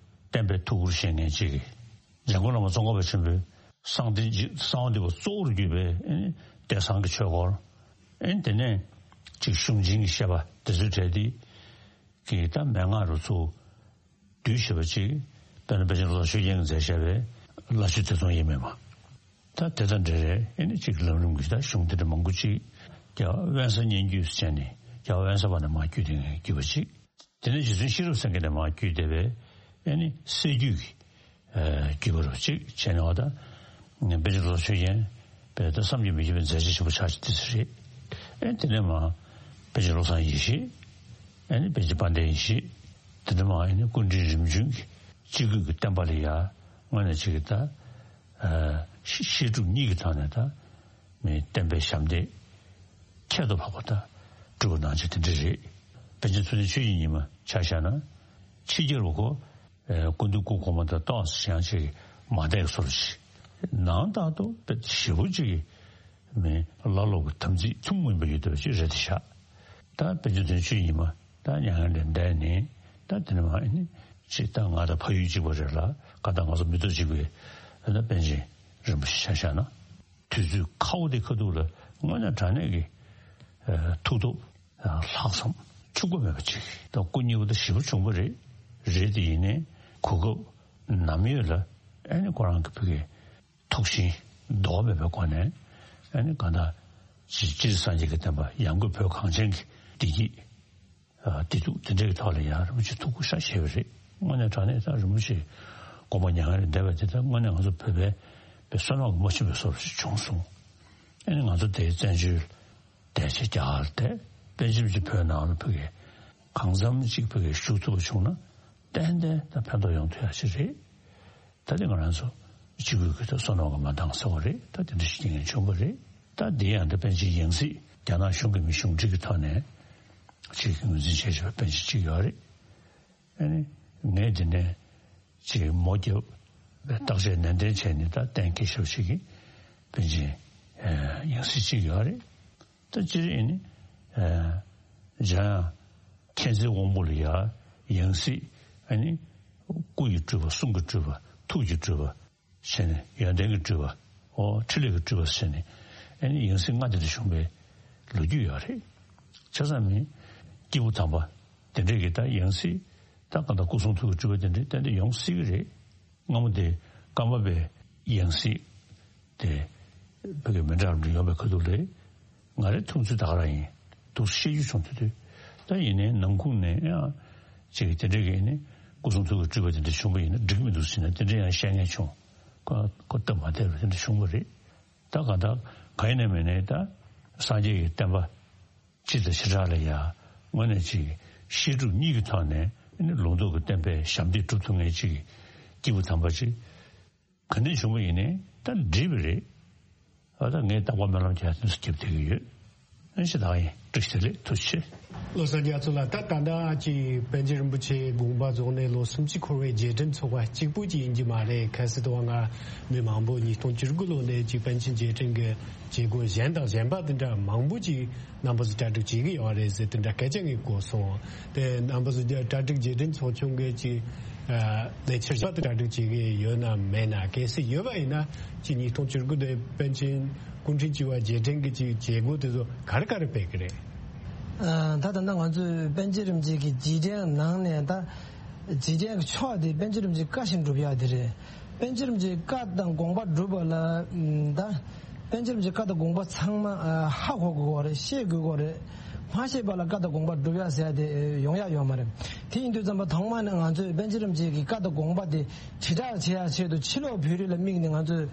བསྟན་པའི་ཐུགས་ཁུར་བཞེས་མཁན་ཅིག་གིས་འཇམ་མགོན་བླ་མ་ཙོང་ཁ་པ་ཆེན་པོའི་གསང་བདེ་གསང་བ་འདུས་པ་གཙོ་བོར་གྱུར་པའི་ཨེ་ནི་བསྟན་བཟང་གི་ཆོས་སྐོར། ཨེ་ནི་དེ་ནས་ཅིག་གཞུང་ཆེན་གྱི་བཤད་པ་དེ་ཚོའི་གྲས་དེ་གི་ད་མན་ངག་རུ་ཚུར་བསྡུས་བྱས་པ་ཅིག་དཔེར་ན་པཎ་ཆེན་བློ་བཟང་ཆོས་རྒྱན་གྱིས་མཛད་བཞག་པའི་བླ་མཆོད་ཐེ་ཚོམ་ཡིན་མིན་མ། ད་དེ་དང་འབྲེལ་རེད། ཨེ་ནི་གཅིག་ལམ་རིམ་གྱི་ད་གཞུང་དེ་འདྲ་མང་པོ་གཅིག་རྒྱལ་བ་དབེན་ས་སྙན་བརྒྱུད་ཟེར་ནས་རྒྱལ་བ་དབེན་ས་པ་ནས་མར་བརྒྱུད་དེ་ངས་བརྒྱུད་པ་གཅིག་དེ་ནས་རྗེ་བཙུན་ཤེས་རབ་སེང་གེ་ནས་མར་བརྒྱུད་བསྡད་པའི་ཨེ་ནི་སྲད་བརྒྱུད་ཀྱི་ཨེ་བརྒྱུད་པ་རུ་གཅིག་བྱས་ནས་བ་ད་ངས་པཎ་ཆེན་བློ་བཟང་ཆོས་རྒྱན་པས་ད་བསམ་གྱིས་མི་ཁྱབ་པའི་མཛད་རྗེས་ཆེན་པོ་ཆགས་ཅིག་དེ་ཚོ་རེད། ཨེ་དེ་ནས་མར་པཎ་ཆེན་བློ་བཟང་ཡེ་ཤེས། ཨེ་ནི་པཎ་ཆེན་དཔལ་ལྡན་ཡེ་ཤེས། དེ་ནས་མར་ཨེ་ནི་སྐུ་ཕྲེང་རིམ་བྱོན་གྱི་སྤྱི་སྒོས་ཀྱི་བསྟན་པ་ལ་ཡ་དངོས་གནས་ཅིག་གི་ད། བཤད་སྒྲུབ་གཉིས་ཀྱི་ཐོག་ནས་ད་མི་བསྟན་པའི་ཞབས་འདེགས་ཁྱད་དུ་འཕགས་པ་ད་སྒྲུབ་པ་གནང་ཆེད་དེ་འདྲ་རེད། པཎ་ཆེན་ཐུབ་བསྟན་ཆོས་ཀྱི་ཉི་མ་ཆ་བཞག་ན་ཕྱི་རྒྱལ་བ་ཁོ་སྐུ་མདུན་སྐུ་གོང་མ་དང་ཏོག་ཙམ་ཡང་ཅིག་མ་འདས་སོར་ཞིག་ནང་ལྟར་དུ་དཔེ་ཞེ་པོ་ཅིག་མི་བླ་སློབ་ཀྱི་དམ་ཚིག་ཐུན་མོང་མ་ཡིན་པ་ཡོད་པ་ཅིག་རེད་དེ་ཤག་ད་དཔེ་མཛོད་དོན་ཆོས་ཉི་མ་ད་མྱ་ངན་ལས་འདས་ནས་ད་དེ་ནས་མ་ཨེ་ནི་ཅིག་ད་ང་དང་ཕ་ཡུལ་གཅིག་པ་རེད་ལ་ག་ད་ང་ཚོ་མི་ཐོག་གཅིག་པའི་ཨ་ད་པཎ་ཆེན་རིན་པོ་ཆེ་ཆ་བཞག་ན་དུས་ཚོད་ཁ་བོ་དེ་ཁ་ཐུག་ལ་དངོས་གནས་དྲང་གནས་ཀྱི་ཐུགས་སྟོབས་ལྷག་བསམ་འཕྱུགས་པ་མེད་པ་ཅིག་ད་སྐུ་མཉེལ་བ་ད་ཞེ་པོ་བྱུང་པ་རེད། རེད་དེ་ཡིན་ནའི་གོ་སྐབས་ནམ་ཡོད་ལ་ཨེ་ནི་ཁོ་རང་གི་ཕ་གི་ཐུགས་ཞེན་ལྡོག་མེད་པའི་སྒོ་ནས་ཨ་ནི་གང་ལྟར་སྤྱིར་སངས་རྒྱས་ཀྱི་བསྟན་པ་ཡང་སྒོས་བོད་གངས་ཅན་གྱི་བདེ་སྐྱིད་བདེ་སྡུག་དེ་འདྲའི་ཐོག་ལ་ཡང་རིན་པོ་ཆེ་ཐུགས་ཁུར་ཤ་ཆེ་བ་རེད། དངོས་གནས་དྲང་གནས་ད་རིན་པོ་ཆེ་དགོངས་པ་མྱ་ངན་ལས་འདས་པ་དེ་ད་དངོས་གནས་ང་ཚོ་བོད་པའི་པའི་བསོད་ནམས་ཀྱི་མ་ཆེན་པའི་བཟོ་འདྲ་ཞིག་བྱུང་སོང་། ཨ་ནི་ང་ཚོ་དེའི་བཙན་བྱོལ་བསྡད་བྱས་རྒྱ་གར་བསྡད་པཎ་ཆེན་གྱི་བོད་ནང་ལ་ཕ་གི་གང་འཚམ་ཅིག་ཕ་གི་བཞུགས་ཐུབ་པ་བྱུང་ན་ཏན་ཏན་ད་ཕན་ཐོགས་ཡོང་ཐུབ་ཡ་ཞིག་རེད། ད་དེ་ང་རང་ཚོ་སྤྱི་སྒོས་ཀྱི་ད་བསོད་ནམས་ཀྱི་མ་འདང་ཟེར་བ་རེད། ད་དེ་འདྲ་ཞིག་ཉན་བྱུང་བ་རེད། ད་དེ་ཡང་ད་པཎ་ཆེན་ཡང་སྲིད་རྒྱ་ནག་གཞུང་གི་མི་གཞུང་འབྲེལ་གྱི་ཐོག་ནས་ཅིག་ངོས་འཛིན་བྱས་བྱས་པ་པཎ་ཆེན་གཅིག་ཡོད་རེད། ཨ་ནི་ངས་དེ་ནས་ཅིག་མོ་རྒྱབ་བརྟག་དཔྱད་ནན་ཏན་བྱས་ནས་ད་གཏན་འཁེལ་ཞབས་ཞིག་གི་པཎ་ཆེན་ཡང་སྲིད་གཅིག་ཡོད་རེད། ད་སྤྱིར་ཨེ་ནི། འཇམ་དབྱངས་མཁྱེན་བརྩེའི་དབང་པོ་ལ་ཡང་ཡང་སྲིད་ཨེ་ནི། སྐུ་ཡི་སྤྲུལ་པ་གསུང་གི་སྤྲུལ་པ་ཐུགས་ཀྱི་སྤྲུལ་པ་བྱས་ནས་ཡོན་ཏན་གྱི་སྤྲུལ་པ་འོ་འཕྲིན་ལས་ཀྱི་སྤྲུལ་པ་བྱས་ནས་ཨེ་ནི་ཡང་སྲིད་ལྔ་དེ་འདྲ་བྱུང་བའི་ལོ་རྒྱུས་ཡོད་རེད། ཆ་ཚང་མིན་སྐྱེས་བུ་དམ་པ་དེ་འདྲས་ཀྱི་ད་ཡང་སྲིད་ད་གང་ལྟར་སྐུ་གསུང་ཐུགས་ཀྱི་སྤྲུལ་པ་དེ་འདྲས་ཏན་ཏན་ཡོང་སྲིད་ཀྱི་རེད། སྔ་མོ་དེ་ཀརྨ་པའི་ཡང་སྲིད་དེ་བོད་ཀྱི་མི་འདྲ་འདྲ་ཡོང་བའི་ཁ་ཐུག་ལས་ང་རའི་མཐོང་ཚུལ་ད་ག་རང་ཡིན་འདུག་ཤེས་རྒྱུ་བྱུང་དུས་དུས་ད་ཡིན་ནའི་ནང་ཁུལ་ནས་ཡང་ཅིག་དེ་འདྲའི་གི་ནི་སྐུ་གསུང་ཐུགས་ཀྱི་སྤྲུལ་པ་དེ་འདྲ་བྱུང་བ་ཡིན་ན་འགྲིག་མི་འདུག་ཟེར་ན་དེ་འདྲ་ཡང་བཤད་མཁན་བྱུང་། ཁོ་ཁོ་སྟབས་མ་བདེ་བ་དེ་འདྲ་བྱུང་བ་རེད། ད་གང་ལྟར་གང་ཡིན་ནའི་མིན་ནའི་ད་སངས་རྒྱས་ཀྱི་བསྟན་པ་སྤྱི་དང་བྱེ་བྲག་ལ་ཡ་དངོས་གནས་ཅིག་བཤད་སྒྲུབ་གཉིས་ཀྱི་ཐོག་ནས་ནི་ལུང་རྟོགས་ཀྱི་བསྟན་པའི་ཞབས་འདེགས་སྒྲུབ་ཐུབ་མཁན་ཅིག་གི་སྐྱེས་བུ་དམ་པ་ཅིག་ག་ནས་བྱུང་བ་ཡིན་ནའི་ད་འགྲིག་པ་རེད། ཨ་ད་ངས་རྟག་པར་སྨོན་ལམ་རྒྱག་དུས་སུ་རྒྱབ་བསྡད་ཀྱི་ཡོད། ཨ་ཞེ་དྲག་ཡིན། བཀྲ་ཤིས་བདེ་ལེགས། ཐུགས་རྗེ་ཆེ། བློ་བཟང་རྒྱ་མཚོ་ལགས། ད་ད་ལྟ་ཅིག་པཎ་ཆེན་རིན་པོ་ཆེ་དགོངས་པ་རྫོགས་ནས་ལོ་སུམ་ཅུ་འཁོར་བའི་རྗེས་དྲན་ཚོགས་པ་གཅིག་པུ་ཅིག་ཡིན་གྱི་མ་རེད། གལ་སྲིད་དུ་བ་ང་མི་མང་པོ་ཉིས་སྟོང་བཅུ་དགུ་ལོ་ནས་ཅིག་པཎ་ཆེན་རྗེས་དྲན་གྱི་བྱེད་སྒོ་གཞན་དང་གཞན་པ་དེ་འདྲ་མང་པོ་ཅིག་རྣམ་པ་ཚོ་གྲ་སྒྲིག་བྱེད་ཀྱི་ཡོད་རེད་ཟེར་དེ་འདྲ་སྐད་ཆ་ངས་གོ་སོང་། དེ་རྣམ་པ་ཚོ་གྲ་སྒྲིག་རྗེས་དྲན་ཚོགས་ཆུང་གི་ཅིག་ལས་འཆར་གཞན་པ་དེ་གྲ་སྒྲིག་བྱེད་ཀྱི་ཡོད་ན་མེད་ན། གལ་སྲིད་ཡོད་པ་ཡིན་ན་ཅིག་ཉིས་སྟོང་བཅུ་དགུ་དེ་པཎ་ཆེན་སྐུ་ཕྲེང་བཅུ་བ་རྗེས་དྲན་གྱི་ཅིག་བྱེད་སྒོ་དེ་ཚོ་ག་རེ་ག་རེ་སྤེལ་གི་རེད། ཨ། ད་ད་ལྟ་ང་ཚོས་པཎ་ཆེན་རིན་པོ་ཆེ་གི་རྗེས་དྲན་ནང་ནས་ད་རྗེས་དྲན་གྱི་ཕྱོགས་དེ་པཎ་ཆེན་རིན་པོ་ཆེའི་བཀའ་བཞིན་སྒྲུབ་ཡག་དེ་རེད། པཎ་ཆེན་རིན་པོ་ཆེའི་བཀའ་དང་དགོངས་པ་སྒྲུབ་པ་ལ་ཨམ། ད་པཎ་ཆེན་རིན་པོ་ཆེའི་བཀའ་དང་དགོངས་པ་ཚང་མ་ཨ། ཧ་གོ་དགོས་པ་རེད། ཤེས་དགོས་པ་རེད། མ་ཤེས་པ་ལ་བཀའ་དང་དགོངས་པ་སྒྲུབ་ཡ་ཟེར་ཡ་དེ་ཡོང་ཡ་ཡོད་མ་རེད། དེ་ཡིན་དུས་ཙམ་པ་ཐོག་མ་ནས་ང་ཚོས་པཎ་ཆེན་རིན་པོ་ཆེ་གི་བཀའ་དང་དགོངས་པ་དེ་དྲིལ་བསྒྲགས་བྱེད་ཡ་ཆེད་དུ་ཕྱི་ལོགས་བོད་རིགས་ལ་དམིགས་ནས་ང་ཚོས་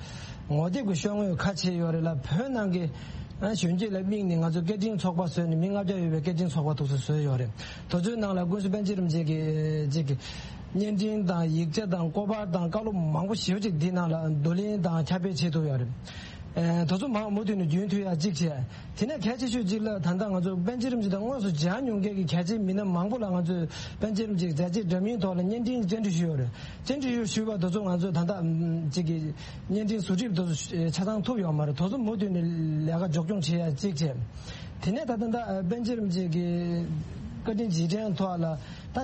ངོ་དེབ་ཀྱི་ཤོག་ངོས་ཁ་ཕྱེ་ཡོད་རེད་ལ། བོད་ནང་གི་གཞོན་སྐྱེས་ལ་དམིགས་ནས་ང་ཚོས་སྐད་འཕྲིན་ཚོགས་པ་བཟོས་ནས་མི་ལྔ་བརྒྱ་ཡོད་པའི་སྐད་འཕྲིན་ཚོགས་པ་དེ་ཚོ་བཟོས་ཡོད་རེད། དེ་ཚོའི་ནང་ལ་ཀུན་གཟིགས་པཎ་ཆེན་རིན་པོ་ཆེ་གི་ཅིག་གི་བརྙན་འཕྲིན་དང་ཡིག་ཆ་དང་སྐོར་པར་དང་བཀའ་སློབ་མང་པོ་ཞེ་པོ་ཅིག་འདི་ནང་ལ་བསྡུ་ལེན་དང་ཁྱབ་སྤེལ་བྱེད་ཐུབ་ཡོད་རེད། ཨེ། དེ་ཚོ་མང་མུ་མཐུད་ནས་རྒྱུན་མཐུད་ཡ་གཅིག་བྱས། དེ་ནས་གལ་ཆེ་ཤོས་གཅིག་ལ་ད་ལྟ་ང་ཚོ་པཎ་ཆེན་རིན་པོ་ཆེ་དང་དངོས་སུ་མཇལ་མྱོང་མཁན་གྱི་གལ་ཆེའི་མི་སྣ་མང་པོ་ལ་ང་ཚོས་པཎ་ཆེན་རིན་པོ་ཆེའི་མཛད་རྗེས་འདྲ་མིན་ཐོག་ལ་བརྙན་འཕྲིན་བཅར་འདྲི་ཞུས་ཡོད་རེད། བཅར་འདྲི་ཞུས་པ་དེ་ཚོ་ང་ཚོས་ད་ལྟ་ཨམ། གཅིག་གི་བརྙན་འཕྲིན་བཟོ་སྒྲིག་དེ་ཚོ་ཆ་ཚང་ཐུབ་ཡོད་མ་རེད། དེ་ཚོ་མུ་མཐུད་ནས་ལས་ཀ་མགྱོགས་སྐྱོང་བྱེད་ཡ་གཅིག་བྱས། དེ་ནས་ད་ལྟ་ད་པཎ་ཆེན་རིན་པོ་ཆེ་གི་བཀའ་དྲིན་རྗེས་དྲན་ཐོག་ལ་ད་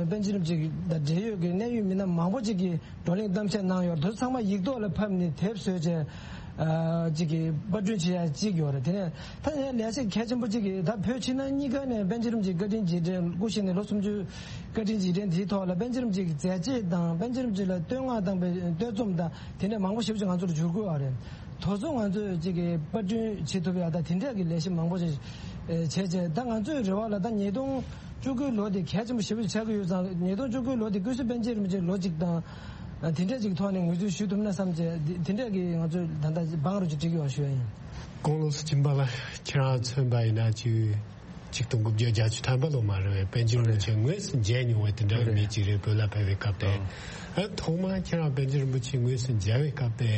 པཎ་ཆེན་རིན་པོ་ཆེ་གི་ད་འབྲེལ་ཡོད་ཀྱི་གནད་ཡོད་མི་སྣ་མང་པོ་ཅིག་གིས་བགྲོ་གླེང་གཏམ་བཤད་གནང་ཡོད་རེད། དེ་ཚོ་ཚང་མ་ཡིག་ཐོག་ལ་ཕབ་ནས་དེབ་བཟོས་བྱས། ཨ། ཅིག་གི་པར་སྐྲུན་བྱེད་ཡ་ཅིག་ཡོད་རེད། དེ་ནས་ད་ཡང་ལས་བྱེད་གལ་ཆེན་པོ་ཅིག་གིས་ད་བོད་ཕྱི་ནང་གཉིས་ཀ་ནས་པཎ་ཆེན་རིན་པོ་ཆེའི་བཀའ་དྲིན་རྗེས་དྲན་སྐུ་གཤེགས་ནས་ལོ་སུམ་ཅུ་བཀའ་དྲིན་རྗེས་དྲན་དེའི་ཐོག་ལ་པཎ་ཆེན་རིན་པོ་ཆེ་གི་མཛད་རྗེས་དང་པཎ་ཆེན་རིན་པོ་ཆེ་ལ་བསྟོད་བསྔགས་བཏང་པའི་བསྟོད་རྩོམ་དང་དེ་འདྲ་མང་པོ་ཞེ་པོ་ཅིག་ང་ཚོར་བསྒྱུར་བཀོད་ཡོད་རེད། དེ་ཚོ་ང་ཚོས་ཅིག་གི་པར་སྐྲུན་བྱེད་ཐུབ་ཡ་ད་དེ་འདྲ་གི་ལས་གཞི་མང་པོ་ཞིག་བྱས་བྱས། ད་ང་ཚོའི་རེ་བ་ལ་ད་ཉིས་སྟོང་བཅུ་དགུའི་ལོ་དེ་གལ་ཆེན་པོ་ཞེ་པོ་ཆགས་ཀྱི་ཡོད་ཙང་། ཉིས་སྟོང་བཅུ་དགུའི་ལོ་དེ་ཀུན་གཟིགས་པཎ་ཆེན་རིན་པོ་ཆེ་ལོ་གཅིག་དང་དེ་འདྲ་ཅིག་ཐོག་ནས་ངོས་འཛིན་ཞུ་ཐུབ་ན་བསམ་བྱས། དེ་འདྲ་གི་ང་ཚོས་ད་ལྟ་བང་རུ་ཅིག་བསྒྲིགས་ཡོད་ཞུ་ཡ་ཡིན། ཀོང་ལོ་སུ་སྦྱིན་པ་ལགས། ཁྱེད་རང་མཚོན་པ་ཡིན་ན་ཅིག་ཆིག་སྟོང་དགུ་བརྒྱ་བརྒྱད་ཅུ་ཐམ་པ་ལོ་མ་རེད་པས། པཎ་ཆེན་རིན་པོ་ཆེ་དངོས་སུ་མཇལ་མྱོང་བའི་དེ་འདྲ་བའི་མི་ཅིག་རེད། བོད་ལ་ཕེབས་པའི་སྐབས་དེ། ཨ། ཐོག་མར་ཁྱེད་རང་པཎ་ཆེན་རིན་པོ་ཆེ་དངོས་སུ་མཇལ་བའི་སྐབས་དེ་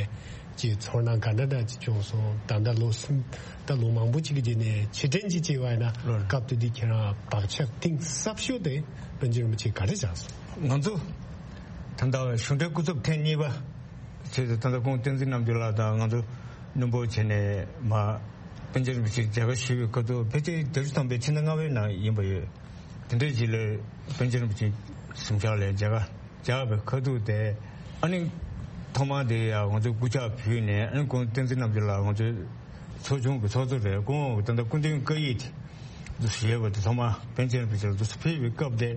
ཀྱི་ཚོར་སྣང་ག་འདྲ་འདྲ་ཅིག་བྱུང་སོང་། ད་ལྟ་ལོ་གསུམ། ད་ལོ་མང་པོ་ཅིག་གི་རྗེས་ནས་ཕྱིར་དྲན་ཅིག་བྱས་པ་ཡིན་ན། སྐབས་དེ་དུས་ཁྱེད་རང་བག་ཆགས་གཏིང་ཟབ་ཤོས་དེ་པཎ་ཆེན་རིན་པོ་ཆེ་ག་རེ་བཞག་སོང་། ང་ཚོ་ད་ལྟ་གཞུང་འབྲེལ་སྐུ་ཚབ་ཐེངས་གཉིས་པ་བྱས་ཏེ། ད་ལྟ་ཁོང་བསྟན་འཛིན་རྣམ་རྒྱལ་ལགས་དང་ང་ཚོ་བློན་པོ་བྱས་ནས་མར་པཎ་ཆེན་རིན་པོ་ཆེ་མཇལ་ཁ་ཞུས་པའི་སྐབས་དུ། ཕལ་ཆེར་བརྒྱད་ཅུ་ཐམ་པའི་ཕྱི་ཟླ་ལྔ་པའི་ནང་ཡིན་པ་ཡོད། དེ་འདྲའི་རྗེས་ལ་པཎ་ཆེན་རིན་པོ་ཆེ་གཟིམ་ཤག་ལ་མཇལ་ཁ་བཅར་བའི་ཁ་ཐུག་དེ། ཨ་ནི་ཐོག་མར་དེ་ཡང་ང་ཚོས་སྐུ་ཕྱག་ཕུལ་ནས། ཨ་ནི་ཁོང་བསྟན་འཛིན་རྣམ་རྒྱལ་ལགས་ང་ཚོའི་ཚོགས་ཆུང་གི་ཚོགས་གཙོ་རེད། ཁོང་ད་ལྟ་སྐུ་མདུན་བཀའ་ཡིག་དེ་འདུག་ཞུས་པ་དེ་ཐོག་མར་པཎ་ཆེན་རིན་པོ་ཆེ་ལ་འདུག་ཕུལ་བའི་སྐབས་དེ།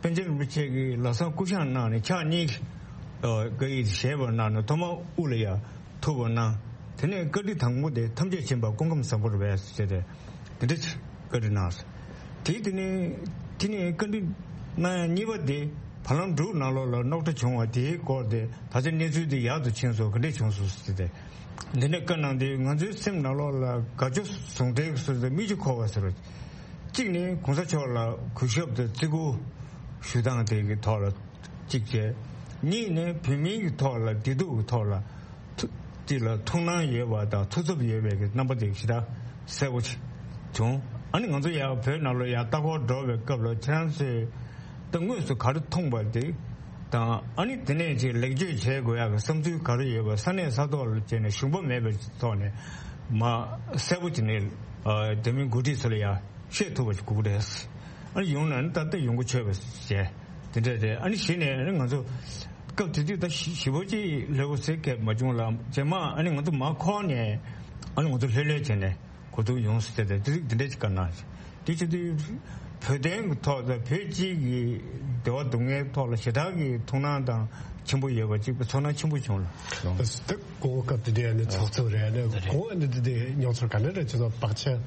པཎ་ཆེན་རིན་པོ་ཆེ་གིས་ལམ་སང་སྐུ་བཞེངས་གནང་ནས་ཕྱག་གཉིས་ཀྱིས་བཀའ་ཡིག་དེ་བཞེས་པ་གནང་ནས། ཐོག་མར་དབུ་ལ་ཡར་ཐུག་པ་གནང་། དེ་ནས་བཀའ་ཁྲིད་དང་པོ་དེ་ཐམས་ཅད་མཁྱེན་པ་སྐུ་ཁམས་བཟང་པོར་འབད་ཟེར་ཏེ། དེ་འདྲ་བཀའ་ཁྲིད་གནང་སོང་། དེ་དེ་ནས་དེ་ནས་བཀའ་ཁྲིད་གནང་ཡ་གཉིས་པ་དེ། བར་ལམ་འབྲུག་ནང་ལོགས་ལ་རྙོག་དྲ་བྱུང་བ་དེའི་སྐོར་དེ། ད་ཆ་གནས་ཚུལ་དེ་ཡག་ཏུ་ཕྱིན་སོང་། ག་འདྲས་བྱུང་སོང་ཟེར་ཏེ། འདི་འདྲ་བཀའ་གནང་དུས་ང་ཚོའི་སེམས་ནང་ལོགས་ལ་དགའ་སྐྱོ་ཟུང་འབྲེལ་གྱི་བཟོ་ཟེར། མིག་ཆུ་འཁོར་བ་ཟེར་བ། གཅིག་ནི་གོང་ས་མཆོག་ལ་གུས་ཞབས་དང་བརྩི་བཀུར་ཞུ་སྟངས་དེ་གི་ཐོག་ལ་གཅིག་བྱས། གཉིས་ནི་བོད་མིའི་གི་ཐོག་ལ་བདེ་སྡུག་གི་ཐོག་ལ་ཐུགས་དེ་ལ་ཐུགས་སྣང་ཡོད་པ་དང་ཐུགས་འཚབ་ཡོད་པའི་གི་རྣམ་པ་དེ་ཞེ་དྲག་གསལ་པོ་བྱུང་། ཨ་ནི་ང་ཚོ་ཡར་བོད་ནང་ལ་ཡར་ལྟ་སྐོར་འགྲོ་བའི་སྐབས་ལ་ཁྱེད་རང་ཚོས་ད་དངོས་སུ་ག་རེ་མཐོང་པ་དེ་དང་། ཨ་ནི་དེ་ནས་ཅིག་ལེགས་བཅོས་བྱེད་དགོས་ཡག་གི་བསམ་ཚུལ་ག་རེ་ཡོད་པ། ས་གནས་ས་ཐོག་ལ་བྱས་ནས་ཞུམ་པ་མེད་པའི་ཐོག་ནས་མར་གསལ་པོ་བྱས་ནས། ཨ། དེ་མིན་འགོ་ཁྲིད་ཚོ་ལ་ཡང་བཤད་ཐུབ་པ་ཞིག་དགོས་ཀྱི་རེད། ཨ་ནི་ཡོང་ན་ནི་ད་ལྟ་ཡོང་གི་ཆོད་པ་བྱས། དེ་འདྲ་རེད། ཨ་ནི་གཞི་ནས་ཨ་ནི་ང་ཚོ་སྐབས་དེ་དུས་ད་ཞི་ཞི་བོ་ཅིག་ལྷོད་པོ་ཟེར་མཁན་མ་བྱུང་ལ། རྗེས་མ་ཨ་ནི་ང་ཚོ་མར་འཁོར་ནས་ཨ་ནི་ང་ཚོ་ལྷོད་ལྷོད་བྱས་ནས་གོ་ཐུག་ཡོང་ཟེར་ཏེ། དེ་དེ་འདྲ་ཅིག་བཀའ་གནང་། དེ་བྱེད་དུས་བོད་དོན་གྱི་ཐོག་དང་བོད་སྤྱི་གི་བདེ་བ་སྡུག་བསྔལ་ཐོག་ལ་ཞེ་དྲག་གི་ཐུགས་སྣང་དང་ཆེན་པོ་ཡོད་པ་ཅིག་ཚོར་སྣང་ཆེན་པོ་བྱུང་ལ། ད་གོང་སྐབས་དེ་འདྲའི་ནི་ཚོགས་གཙོ་རེད། ནི་གོང་ནི་དེ་དེ་མྱོང་ཚོར་ག་འདྲ་འདྲ་བྱུང་སོང་། བག་ཆགས་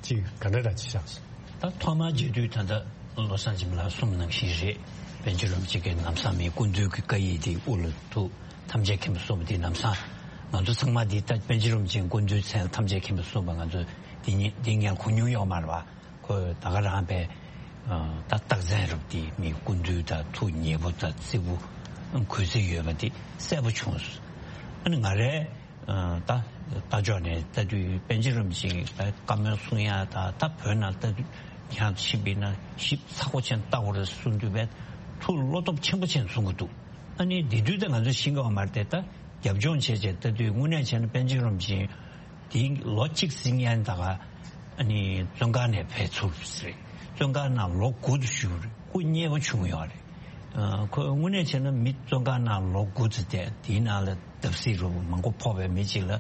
ཅིག་ག་འདྲ་འདྲ་ཅིག་བཞག་སོང་། ད་ཐོག་མར་མཇལ་དུས་ད་ལྟ་བློ་བཟང་སྦྱིན་པ་ལགས་གསུངས་ནང་བཞིན་རེད། པཎ་ཆེན་རིན་པོ་ཆེ་གིས་ལམ་སང་མི་སྐུ་མདུན་གྱི་བཀའ་ཡིག་དེ་དབུ་ལ་ཐུག་ཐམས་ཅད་མཁྱེན་པ་གསུངས་པ་དེ་ལམ་སང་ང་ཚོ་ཚང་མ་འདི་ལྟ་པཎ་ཆེན་རིན་པོ་ཆེའི་སྐུ་མདུན་མཚན་ཐམས་ཅད་མཁྱེན་པ་གསུངས་པ་ང་ཚོ་འདི་ཉིད་འདི་སྔོན་གོ་མྱོང་ཡོད་མ་རེད་པ། ཁོས་ད་ག་རང་པའི་ད་རྟགས་མཚན་རབ་དེ་མི་སྐུ་མདུན་དང་ཐུགས་མཉེས་པོ་དང་བརྩེ་པོ་གུས་བརྩི་ཡོད་པ་དེ་གསལ་པོ་བྱུང་སོང་། ཨ་ནི་ང་རའི་ད་ལྟ་ཕྱོགས་ནས་ལྟ་དུས་པཎ་ཆེན་རིན་པོ་ཆེ་ད་བཀའ་མོལ་གསུང་ཡ་ད་ད་བོད་ནང་ལྟ་དུས་ཡང་ཞིབ་པའི་ན་ཞིབ་ཚགས་པོ་ཅན་ལྟ་དགོས་རེད་གསུང་དུས་པས་ཐུགས་བློ་སྟོབས་ཆེན་པོ་ཅན་གསུང་གི་འདུག་ཨ་ནི་དེ་དུས་ད་ང་ཚོས་ཤེས་ཀྱི་ཡོད་མ་རེད་དེ། ད་རྒྱབ་ལྗོངས་བྱས་བྱས་ལྟ་དུས་དངོས་གནས་བྱས་ན་པཎ་ཆེན་རིན་པོ་ཆེ་དེ་ལོ་གཅིག་ཟིན་ཡན་ད་ག་ཨ་ནི་བཙོན་ཁང་ནས་ཕེབས་ཚུལ་རེད། བཙོན་ཁང་ནང་ལོ་དགུ་ཙམ་བཞུགས་རེད། སྐུ་མཉེལ་བ་བྱུང་ཡོད་རེད། ཨ། ཁོ་དངོས་གནས་བྱས་ན་མི་བཙོན་ཁང་ནང་ལོ་དགུ་ཙམ་བསྡད། དེའི་ནང་ལ་བརྡབ་གསིག་རུ་མང་པོ་ཕོག་པའི་མི་གཅིག་ལ་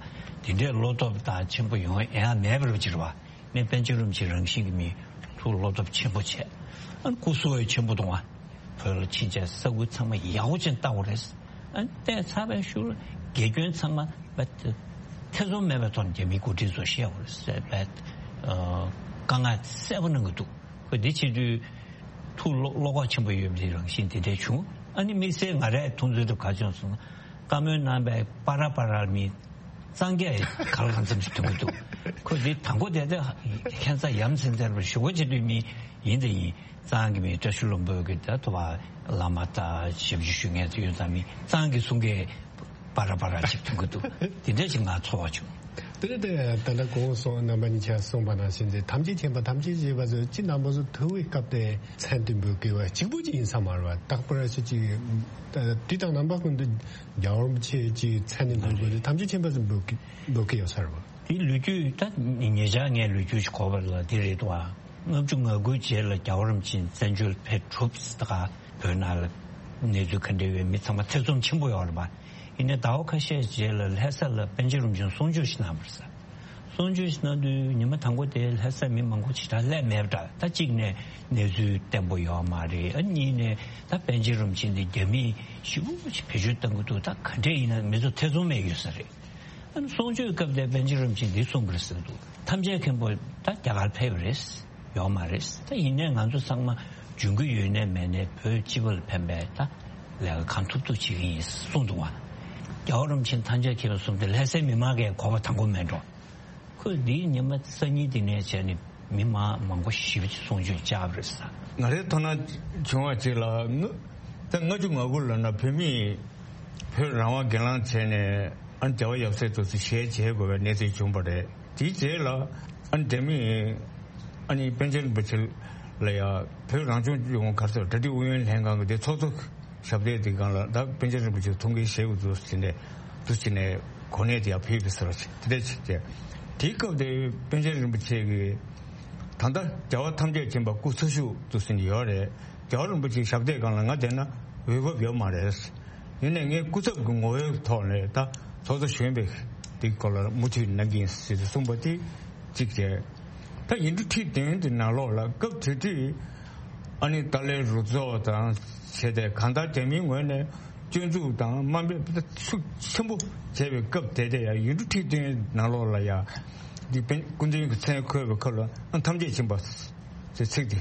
དེ་འདྲའི་བློ་སྟོབས་དང་ཆེན་པོ་ཡོང་ཡ་མེད་པ་རུ་ཅིག་རེད་པ། ནས་པཎ་ཆེན་རིན་པོ་ཆེ་རང་བཞིན་གྱི་མི་ཐུགས་བློ་སྟོབས་ཆེན་པོ་བྱས། ཨ་ནི་སྐུ་གཟུགས་ཡང་ཆེན་པོ་འདུག་ཨ། བོད་ལ་ཕྱིན་བྱས་ས་ཁུལ་ཚང་མ་ཡག་པོ་ཅིག་བལྟ་དགོས་རེད། ཨ་ནི་བལྟས་ཚར་བའི་ཤུལ་དགེ་སྐྱོན་ཚང་མ་བལྟ་ཐེ་ཚོམ་མེད་པའི་ཐོག་ནས་རྒྱ་མིའི་འགོ་ཁྲིད་ཚོར་བཤད་དགོས་རེད་ཟེར་བས། ཨ། དཀའ་ངལ་གསལ་པོ་གནང་གི་འདུག་ཁོ་འདི་བྱེད་དུས་ཐུགས་བློ་བློ་ཁོག་ཆེན་པོ་ཡོད་པའི་རང་བཞིན་དེ་འདྲ་བྱུང་། ཨ་ནི་དམིགས་བསལ་ང་རའི་མཐོང་ཚུལ་དུ་ག་བྱུང་སོང་ན། བཀའ་མོལ་གནང་བའི་པ་ར་པ་ར་མི་གཙང་རྒྱ་ག་ལ་གང་འཚམ་ཞིག་མཐོང་གི་འདུག་ཁོ་འདི་དང་པོ་དེ་དེ་ཁྱད་མཚར་ཡ་མཚན་མཚར་བར་ཞུ་སྒོ་བྱེད་དུས་མི་ཡིན་དེ་ཡིན། གཙང་གི་མི་བཀྲ་ཤིས་ལྷུན་པོ་གི་ད་ཐུབ་པ་བླ་མ་དང་ཞབས་ཕྱི་ཞུ་མཁན་དེ་ཡོད་ཙང་མི་གཙང་གི་གསུང་མཁན་པ་ར་པ་ར་ཞིག་མཐོང་གི་འདུག་དེ་འདྲ་ཞིག་ང་ཚོར་བ་བྱུང་། དེ་ནས་དེ་ད་ལྟ་གོང་སོང་རྣམ་པ་གཉིས་ཆ་གསུངས་པ་ནང་བཞིན་དེ་ཐམས་ཅད་མཁྱེན་པ་ཐམས་ཅད་མཁྱེན་པ་ཚོས་ཅི་རྣམ་པ་ཚོ་ཐུག་པའི་སྐབས་དེ་མཚན་དེ་འབོད་དགོས་པ་གཅིག་པུ་ཅིག་ཡིན་ས་མ་རེད་པ། རྟག་པར་ཅི་ཅིག་དུས་དང་རྣམ་པ་ཀུན་ཏུ་རྒྱལ་བ་རིན་པོ་ཆེ་ཅིག་མཚན་ནས་འབོད་དགོས་དེ་ཐམས་ཅད་མཁྱེན་པ་ཚོས་འབོད་ཀྱི་འབོད་ཀྱི་ཡོད་ས་རེད་པ། དེ་ལོ་རྒྱུས་ད་ཉེ་ཆར་ངས་ལོ་རྒྱུས་ཤིག་གོ་བ་ལ་དེ་རེད་དོ། ལྔ་བཅུ་ང་དགུའི་རྗེས་ལ་རྒྱལ་བ་རིན་པོ་ཆེ་བཙན་བྱོལ་ཕེབས་གྲུབ་ད་ག་བོད་ནང་ལ་གནས་ཚུལ་ག་འདྲ་ཡོད་མི་ཚང་མ་ཐེ་ཚོམ་ཆེན་པོ་ཡོད་རེད་པ། ཡིན་ནའི་ཟླ་བ་ཁ་ཤས་རྗེས་ལ་ལྷ་ས་ལ་པཎ་ཆེན་རིན་པོ་ཆེ་གསུང་ཆོས་ཤིག་གནང་བ་རེད། གསུང་ཆོས་ཤིག་གནང་དུས་ཉི་མ་དང་པོ་དེ་ལྷ་སའི་མི་མང་པོ་ཞེ་དྲག་སླེབས་མེད་པ་འདྲ། ད་གཅིག་ནས་གནས་ཚུལ་བརྟན་པོ་ཡོད་མ་རེད། ཨ་གཉིས་ནས་ད་པཎ་ཆེན་རིན་པོ་ཆེ་འདི་རྒྱ་མིས་ཞེ་པོ་ཅིག་བེད་སྤྱོད་གཏང་གི་འདུག་ད་ག་འདྲས་ཡིན་ན་མི་ཚོ་ཐེ་ཚོམ་མེད་ཡོད་ས་རེད། ཨ་ནི་གསུང་ཆོས་སྐབས་དེར་པཎ་ཆེན་རིན་པོ་ཆེས་འདི་གསུངས་པ་རེད་ཟེར་འདུག་ཐམས་ཅད་མཁྱེན་པ་ད་རྒྱ་གར་ཕེབས་པ་རེད། ཡོད་མ་རེད། ད་ཡིན་ནའི་ང་ཚོ་ཚང་མ་འབྱུང་གི་ཡོད་ནའི་མེད་ནའི་བོད་སྤྱི་པ་ལ་ཕན་པའི་ད་ལས་ཀ་གང་ཐུབ་ཐུབ་བྱེད་ཀྱི་ཡིན་གསུངས་འདུག་བ། རྒྱལ་བ་རིན་པོ་ཆེ་ཐམས་ཅད་མཁྱེན་པ་གསུངས་ཏེ་ལྷ་སའི་མི་མང་གིས་གོ་བ་དང་པོ་མེད་འགྲོ། ཁོས་འདིའི་ཉི་མ་སང་ཉིན་འདི་ནས་བྱས་ནས་མི་མང་མང་པོ་ཞེ་པོ་ཅིག་གསུང་ཆོས་བཅར་བ་རེད་ཟེར། ང་རའི་ཐོག་ན་བྱུང་བ་ཅིག་ལ་ང་ད་ལྔ་བཅུ་ང་དགུ་ལབ་ན་བོད་མིས་བོད་རང་དབང་སྒེར་ལངས་བྱས་ནས་ཨ་ནི་རྒྱལ་བ་ཡབ་སྲས་དེ་ཚོ་ཞལ་མཇལ་དགོས་པའི་གནས་ཚུལ་བྱུང་བ་རེད། དེའི་རྗེས་ལ་ཨ་ནི་རྒྱ་མིས་ཨ་ནི་པཎ་ཆེན་རིན་པོ་ཆེ་ལ་ཡ་བོད་རང་སྐྱོང་ལྗོངས་ག་རེ་ཟེར་གྲ་སྒྲིག་ཨུ་ཡོན་ལྷན་ཁང་གི་དེ་ཚོགས་གཙོ་ཞབས་སྟེགས་དེ་སྒང་ལ་ད་པཎ་ཆེན་རིན་པོ་ཆེ་ཐུགས་འགན་བཞེས་དགོས་འདུག་ཟེར་ནས་འདུག་བྱས་ནས་གོ་གནས་དེ་ཡང་ཕུལ་བ་ཟེར་བ་ཞིག་དེ་འདྲ་ཞིག་བྱས། དེའི་སྐབས་དེ་པཎ་ཆེན་རིན་པོ་ཆེ་གིས་ད་ལྟ་རྒྱལ་བ་ཐམས་ཅད་མཁྱེན་པ་སྐུ་འཚོ་བཞུགས་འདུག་ཟེར་གྱི་ཡོད་རེད། རྒྱལ་བ་རིན་པོ་ཆེའི་ཞབས་སྟེགས་སྒང་ལ་ང་བསྡད་ན་འོས་བབ་ཡོད་མ་རེད། ཡིན་ནའི་ངས་སྐུ་ཚབ་ཀྱི་ངོ་བོའི་ཐོག་ནས་ད་ཚོགས་གཙོ་གཞོན་པའི་དེའི་སྐོར་ལ་མུ་མཐུད་གནང་གི་ཡིན་ཟེར་ཏེ་གསུངས་པ་དེ་གཅིག་བྱས། ད་ཡིག་འབྲུ་ཁྲི་བདུན་དེ་ནང་ལོགས་ལ་སྐབས་དེ་དུས་ཨ་ནི་ཏཱ་ལའི་རུ་ཚོགས་དང་བྱས་ཏེ་གང་ལྟར་རྒྱ་མིའི་ངོས་ནས་སྐྱོན་འཛུགས་དང་དམའ་འབེབས་ཤུགས་ཆེན་པོ་བྱས་པའི་སྐབས་དེ་དེ་ཡང་ཡིག་འབྲུ་ཁྲི་བདུན་ནང་ལོགས་ལ་ཡང་འདི་པཎ་སྐུ་མདུན་གྱི་མཚན་འཁོད་པའི་ཁ་ལ་ཨ་ཐམས་ཅད་མཁྱེན་པ་ཟེར་ཚིག་དེ་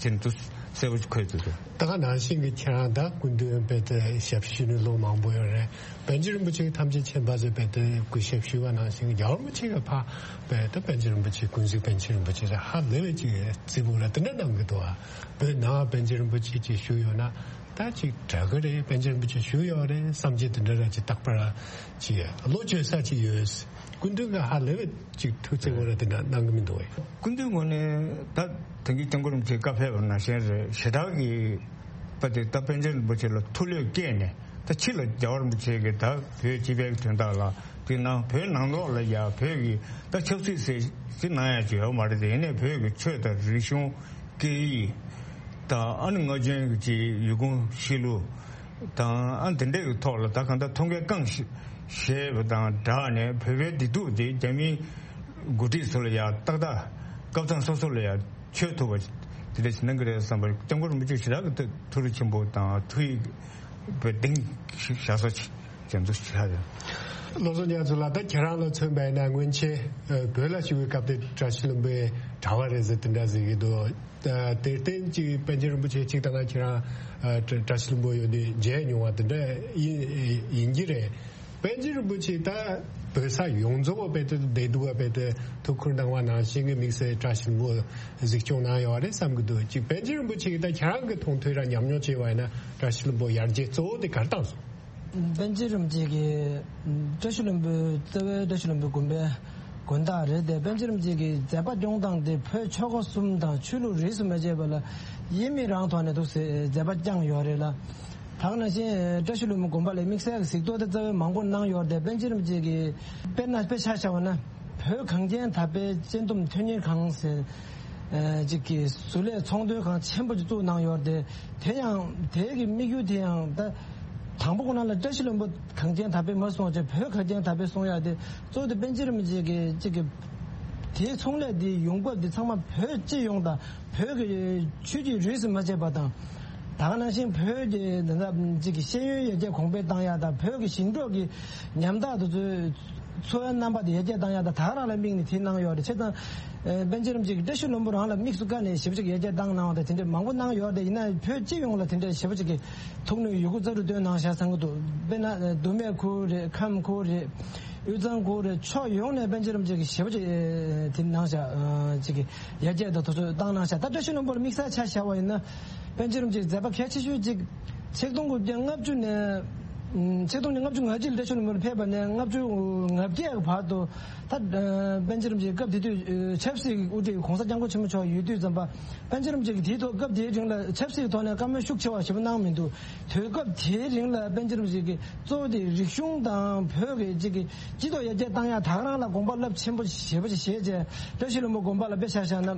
ཅན་དུ་གསལ་པོ་འཁོད་འདུག་ད་ག་ནང་བཞིན་གྱི་ཁྱེད་རང་ད་སྐུ་མདུན་དཔེ་དེ་ཞབས་ཞུ་ནས་ལོ་མང་པོ་ཡོད་རེད། པཎ་ཆེན་རིན་པོ་ཆེ་ཐམས་ཅད་མཁྱེན་པ་ཟེར་དཔེ་དེ་སྐུ་ཞབས་ཞུ་བ་ནང་བཞིན་རྒྱལ་བ་རིན་པོ་ཆེ་གི་ཕ་དཔེ་ད་པཎ་ཆེན་རིན་པོ་ཆེ་ཀུན་གཟིགས་པཎ་ཆེན་རིན་པོ་ཆེ་ཧ་ལས་པའི་ཅིག་རྩིས་པོ་ར་དེ་འདྲ་གནང་གི་འདུག་ཨ་བོད་ནང་པཎ་ཆེན་རིན་པོ་ཆེ་ཅིག་བཞུགས་ཡོད་ན་ད་ཅིག་དྲག་གི་རེད། པཎ་ཆེན་རིན་པོ་ཆེ་བཞུགས་ཡོད་རེད་བསམ་གྱི་དེ་འདྲ་ར་ཅིག་རྟག་པར་ཅིག་བློ་བཅོལ་ས་ཅིག་ཡོད། སྐུ་མདུན་གྱི་ཧ་ལས་པའི་ཅིག་ཐུགས་བརྩེ་བོ་ར་དེ་འདྲ་གནང་གི་མི་འདུག་ཨེ། སྐུ་མདུན་ངོས་ནས་ད་དེང་གི་སྐྱབས་མགོན་རིན་པོ་ཆེ་བཀའ་ཕེབས་པ་ནང་བཞིན་རེད། ཞེ་དྲག་གི་པ་དེ་ད་པཎ་ཆེན་རིན་པོ་ཆེ་ལ་ཐུགས་བློས་བསྐྱེད་ནས་ད་ཕྱི་ལ་རྒྱལ་བ་རིན་པོ་ཆེ་གིས་ད་བོད་སྤྱི་པའི་དོན་དག་ལ་དེ་ནང་བོད་ནང་ལོགས་ལ་ཡ་བོད་ཀྱི་ད་ཆབ་སྲིད་ཟེར་ཅིག་གནང་ཡ་ཅིག་ཡོད་མ་རེད། དེ་ཡིན་ནའི་བོད་ཀྱི་ཆོས་དང་རིག་གཞུང་སྐད་ཡིག་དང་ཨ་ནི་ང་ཚོའི་གི་ཅིག་ཡུལ་གོམས་གཤིས་ལུགས་དང་ཨ་དེ་འདྲས་ཀྱི་ཐོག་ལ་ད་གང་ལྟར་ཐོག་ཁའི་རྐང་བཞེས་པ་དང་སྦྲགས་ནས་བོད་པའི་བདེ་སྡུག་དེ་རྒྱ་མིའི་འགོ་ཁྲིད་ཚོ་ལ་ཡང་ཏག་ཏག་སྐབས་མཚམས་སོ་སོ་ལ་ཡང་ཆོད་ཐུབ་པ་དེ་འདྲ་ཞིག་གནང་གི་རེད་བསམ་པར་སྐྱབས་མགོན་རིན་པོ་ཆེ་ཞེ་དྲག་གི་ཐུགས་རེ་ཆེན་པོ་དང་ཐུགས་ཡིད་བདེ་ཞིག་བཞག་ས་ཅིག་ཅན་དུ་ཆགས་ཡོད། བློ་བཟང་རྒྱ་མཚོ་ལགས། ད་ཁྱེད་རང་ལ་མཚོན་པ་ཡིན་ན་སྔོན་ཆད་ཨ་བོད་ལ་བཞུགས་པའི་སྐབས་དེ་བཀྲ་ཤིས་ལྷུན་པོའི་གྲྭ་པ་རེད་ཟེར་དེ་འདྲ་ཟེར་གྱི་འདུག་ཨ་དེར་བརྟེན་ཅིག་པཎ་ཆེན་རིན་པོ་ཆེ་གཅིག་ད་ལྟ་ཁྱེད་རང་ཨ་བཀྲ་བཀྲ་ཤིས་ལྷུན་པོ་ཡོད་དུས་མཇལ་མྱོང་བ་དེ་འདྲ་ཡིན་ཡིན་གྱི་རེད། པཎ་ཆེན་རིན་པོ་ཆེ་ད་བོད་ས་ཡོངས་རྫོགས་པ་དཔེ་དེ་བདེ་སྡུག་པ་དཔེ་དེ་ཐུགས་ཁུར་གནང་བ་ནང་བཞིན་གྱི་དམིགས་བསལ་བཀྲ་ཤིས་ལྷུན་པོ་གཟིགས་སྐྱོང་གནང་ཡོད་རེད་བསམ་གྱི་འདུག་ཅིག་པཎ་ཆེན་རིན་པོ་ཆེ་གི་ད་ཁྱེད་རང་གི་མཐོང་ཐོས་ར་ཉམས་མྱོང་བྱས་པ་ཡིན་ན་བཀྲ་ཤིས་ལྷུན་པོ་ཡར་རྒྱས་གཙོ་བོ་དེ་ག་རེ་བཏང་སོང་། པཎ་ཆེན་རིན་པོ་ཆེ་གིས་བཀྲ་ཤིས་ལྷུན་པོའི་རྩ་བའི་བཀྲ་ཤིས་ལྷུན་པོའི་དགོན་པའི་དགོན་བདག་རེད་དེ། པཎ་ཆེན་རིན་པོ་ཆེ་གིས་མཛད་པ་སྐྱོང་སྟངས་དེ་བོད་ཆོལ་ཁ་གསུམ་དང་ཆོས་ལུགས་རིས་སུ་མ་ཆད་པ་ལ་ཡིན་མིན་རང་ཐོག་ནས་འདུག་སེ་མཛད་པ་བསྐྱངས་ཡོད་རེད་ལ། ད་ག་ནང་བཞིན་བཀྲ་ཤིས་ལྷུན་པོའི་དགོན་པ་ལ་དམིགས་བསལ་གྱི་གཟིགས་རྟོག་དེ་རྩ་བའི་མང་པོ་གནང་ཡོད་རེད་དེ། པཎ་ཆེན་རིན་པོ་ཆེ་གིས་དཔེར་ན་དཔེ་ཆ་བཞག་པ་ན། བོད་གངས་ཅན་དག་པའི་སྤྱི་བསྡོམས་མཐུན་གཉེར་ཁང་ཟེར་ཅིག་གི་བཟོ་ལས་ཚོང་དོན་ཁང་ཆེན་པོ་ཅིག་བཙུགས་གནང་ཡོད་རེད་དེ། དེ་ཡང་དེ་གི་དམིགས་ཡུལ་དེ་ཡང་ད་དང་པོ་ཁོ་ན་ལ་བཀྲ་ཤིས་ལྷུན་པོ་གངས་ཅན་དག་པའི་མ་སོང་ཅེས་བོད་གངས་ཅན་དག་པའི་སོང་ཡ་དེ་གཙོ་བོ་དེ་པཎ་ཆེན་རིན་པོ་ཆེ་གི་ཅིག་གི་དེའི་ཚོང་ལས་དེ་ཡོང་འབབ་དེ་ཚང་མ་བོད་སྤྱི་ཡོངས་དང་བོད་ཀྱི་ཆོས་ཀྱི་རིས་སུ་མ་ཆད་པ་དང་། ད་ག་ནང་བཞིན་བོད་ཀྱི་འདི་འདྲ་ཅིག་གི་ཤེས་ཡོན་ཡར་རྒྱས་གོང་འཕེལ་བཏང་ཡ་དང་བོད་ཀྱི་ཞིང་འབྲོག་གི་ཉམ་ཐག་དེ་ཚོའི་ འཚོ་བའི་རྣམ་པ་དེ་ཡར་རྒྱས་བཏང་ཡག་དང་ད་ག་རང་ལ་དམིགས་ནས་དེ་གནང་ཡོད་རེད། བྱས་ཙང་། ཨེ། པཎ་ཆེན་རིན་པོ་ཆེ་གིས་བཀྲ་ཤིས་ལྷུན་པོ་རང་ལ་དམིགས་སུ་བཀར་ནས་ཞེ་པོ་ཅིག་ཡར་རྒྱས་བཏང་གནང་བ་དང་དེ་འདྲའི་མང་པོ་གནང་ཡོད་རེད། ཡིན་ན་བོད་སྤྱི་ཡོངས་ལ་དེ་འདྲའི་ཞེ་པོ་ཅིག་གི་ཐུགས་ནུས་ཡོད་རྒུ་རྩལ་སྤྲུགས་བཏོན་གནང་བཞག་བསམ་གྱི་འདུག་དཔེར་ན། ཨེ། མདོ་སྨད་ཁུལ་རེད། ཁམས་ཁུལ་རེད། དབུས་གཙང་ཁུལ་རེད། ཕྱོགས་ཡོངས་ནས་པཎ་ཆེན་རིན་པོ་ཆེ་གིས་ཞེ་པོ་ཅིག་ཨེ། དེ་གནང་བཞག་ཨ། ཅིག་གི་ཡར་རྒྱས་དང་དུས་ཚོད་བཏང་གནང་བཞག་ད་བཀྲ་ཤིས་ལྷུན་པོར་དམིགས་བསལ་ཆ་བཞག་པ་ཡིན་ན། པཎ་ཆེན་རིན་པོ་ཆེའི་མཛད་པ་གལ་ཆེ་ཤོས་གཅིག་ཆིག་སྟོང་དགུ་བརྒྱ་ལྔ་བཅུ་ནས། ཨུམ། ཆིག་སྟོང་ནས་ལྔ་བཅུ་ང་གཅིག་ལ་བཀྲ་ཤིས་ལྷུན་པོར་ཕེབས་པ་ནས་ལྔ་བཅུ་ང་བརྒྱད་ཀྱི་བར་དུ། ད། ཨ། པཎ་ཆེན་རིན་པོ་ཆེ་སྐབས་དེ་དུས། ཨ། ཆབ་སྲིད་ཀྱི་དབུ་ཁྲིད་༸གོང་ས་༸སྐྱབས་མགོན་ཆེན་པོ་མཆོག་ཡོད་དུས་ཙམ་པ། པཎ་ཆེན་རིན་པོ་ཆེ་གིས་དེའི་ཐོག་སྐབས་དེའི་རིང་ལ་ཆབ་སྲིད་ཀྱི་ཐོག་ནས་བཀའ་མོལ་ཤུགས་ཆེ་བ་ཞེ་པོ་གནང་མི་འདུག་དུས་སྐབས་དེའི་རིང་ལ་པཎ་ཆེན་རིན་པོ་ཆེ་གིས་གཙོ་བོ་དེ་རིག་གཞུང་དང་བོད་ཀྱི་གཅིག་གི་སྤྱི་ཚོགས་ཡར་རྒྱས་བཏང་ཡག་ད་ག་རང་ལ་དགོངས་པ་རླབས་ཆེན་པོ་ཞེ་པོ་ཅིག་བཞེས་བྱས། བཀྲ་ཤིས་ལྷུན་པོ་དགོན་པ་ལ་དཔེ་ཆ་བཞག་ན།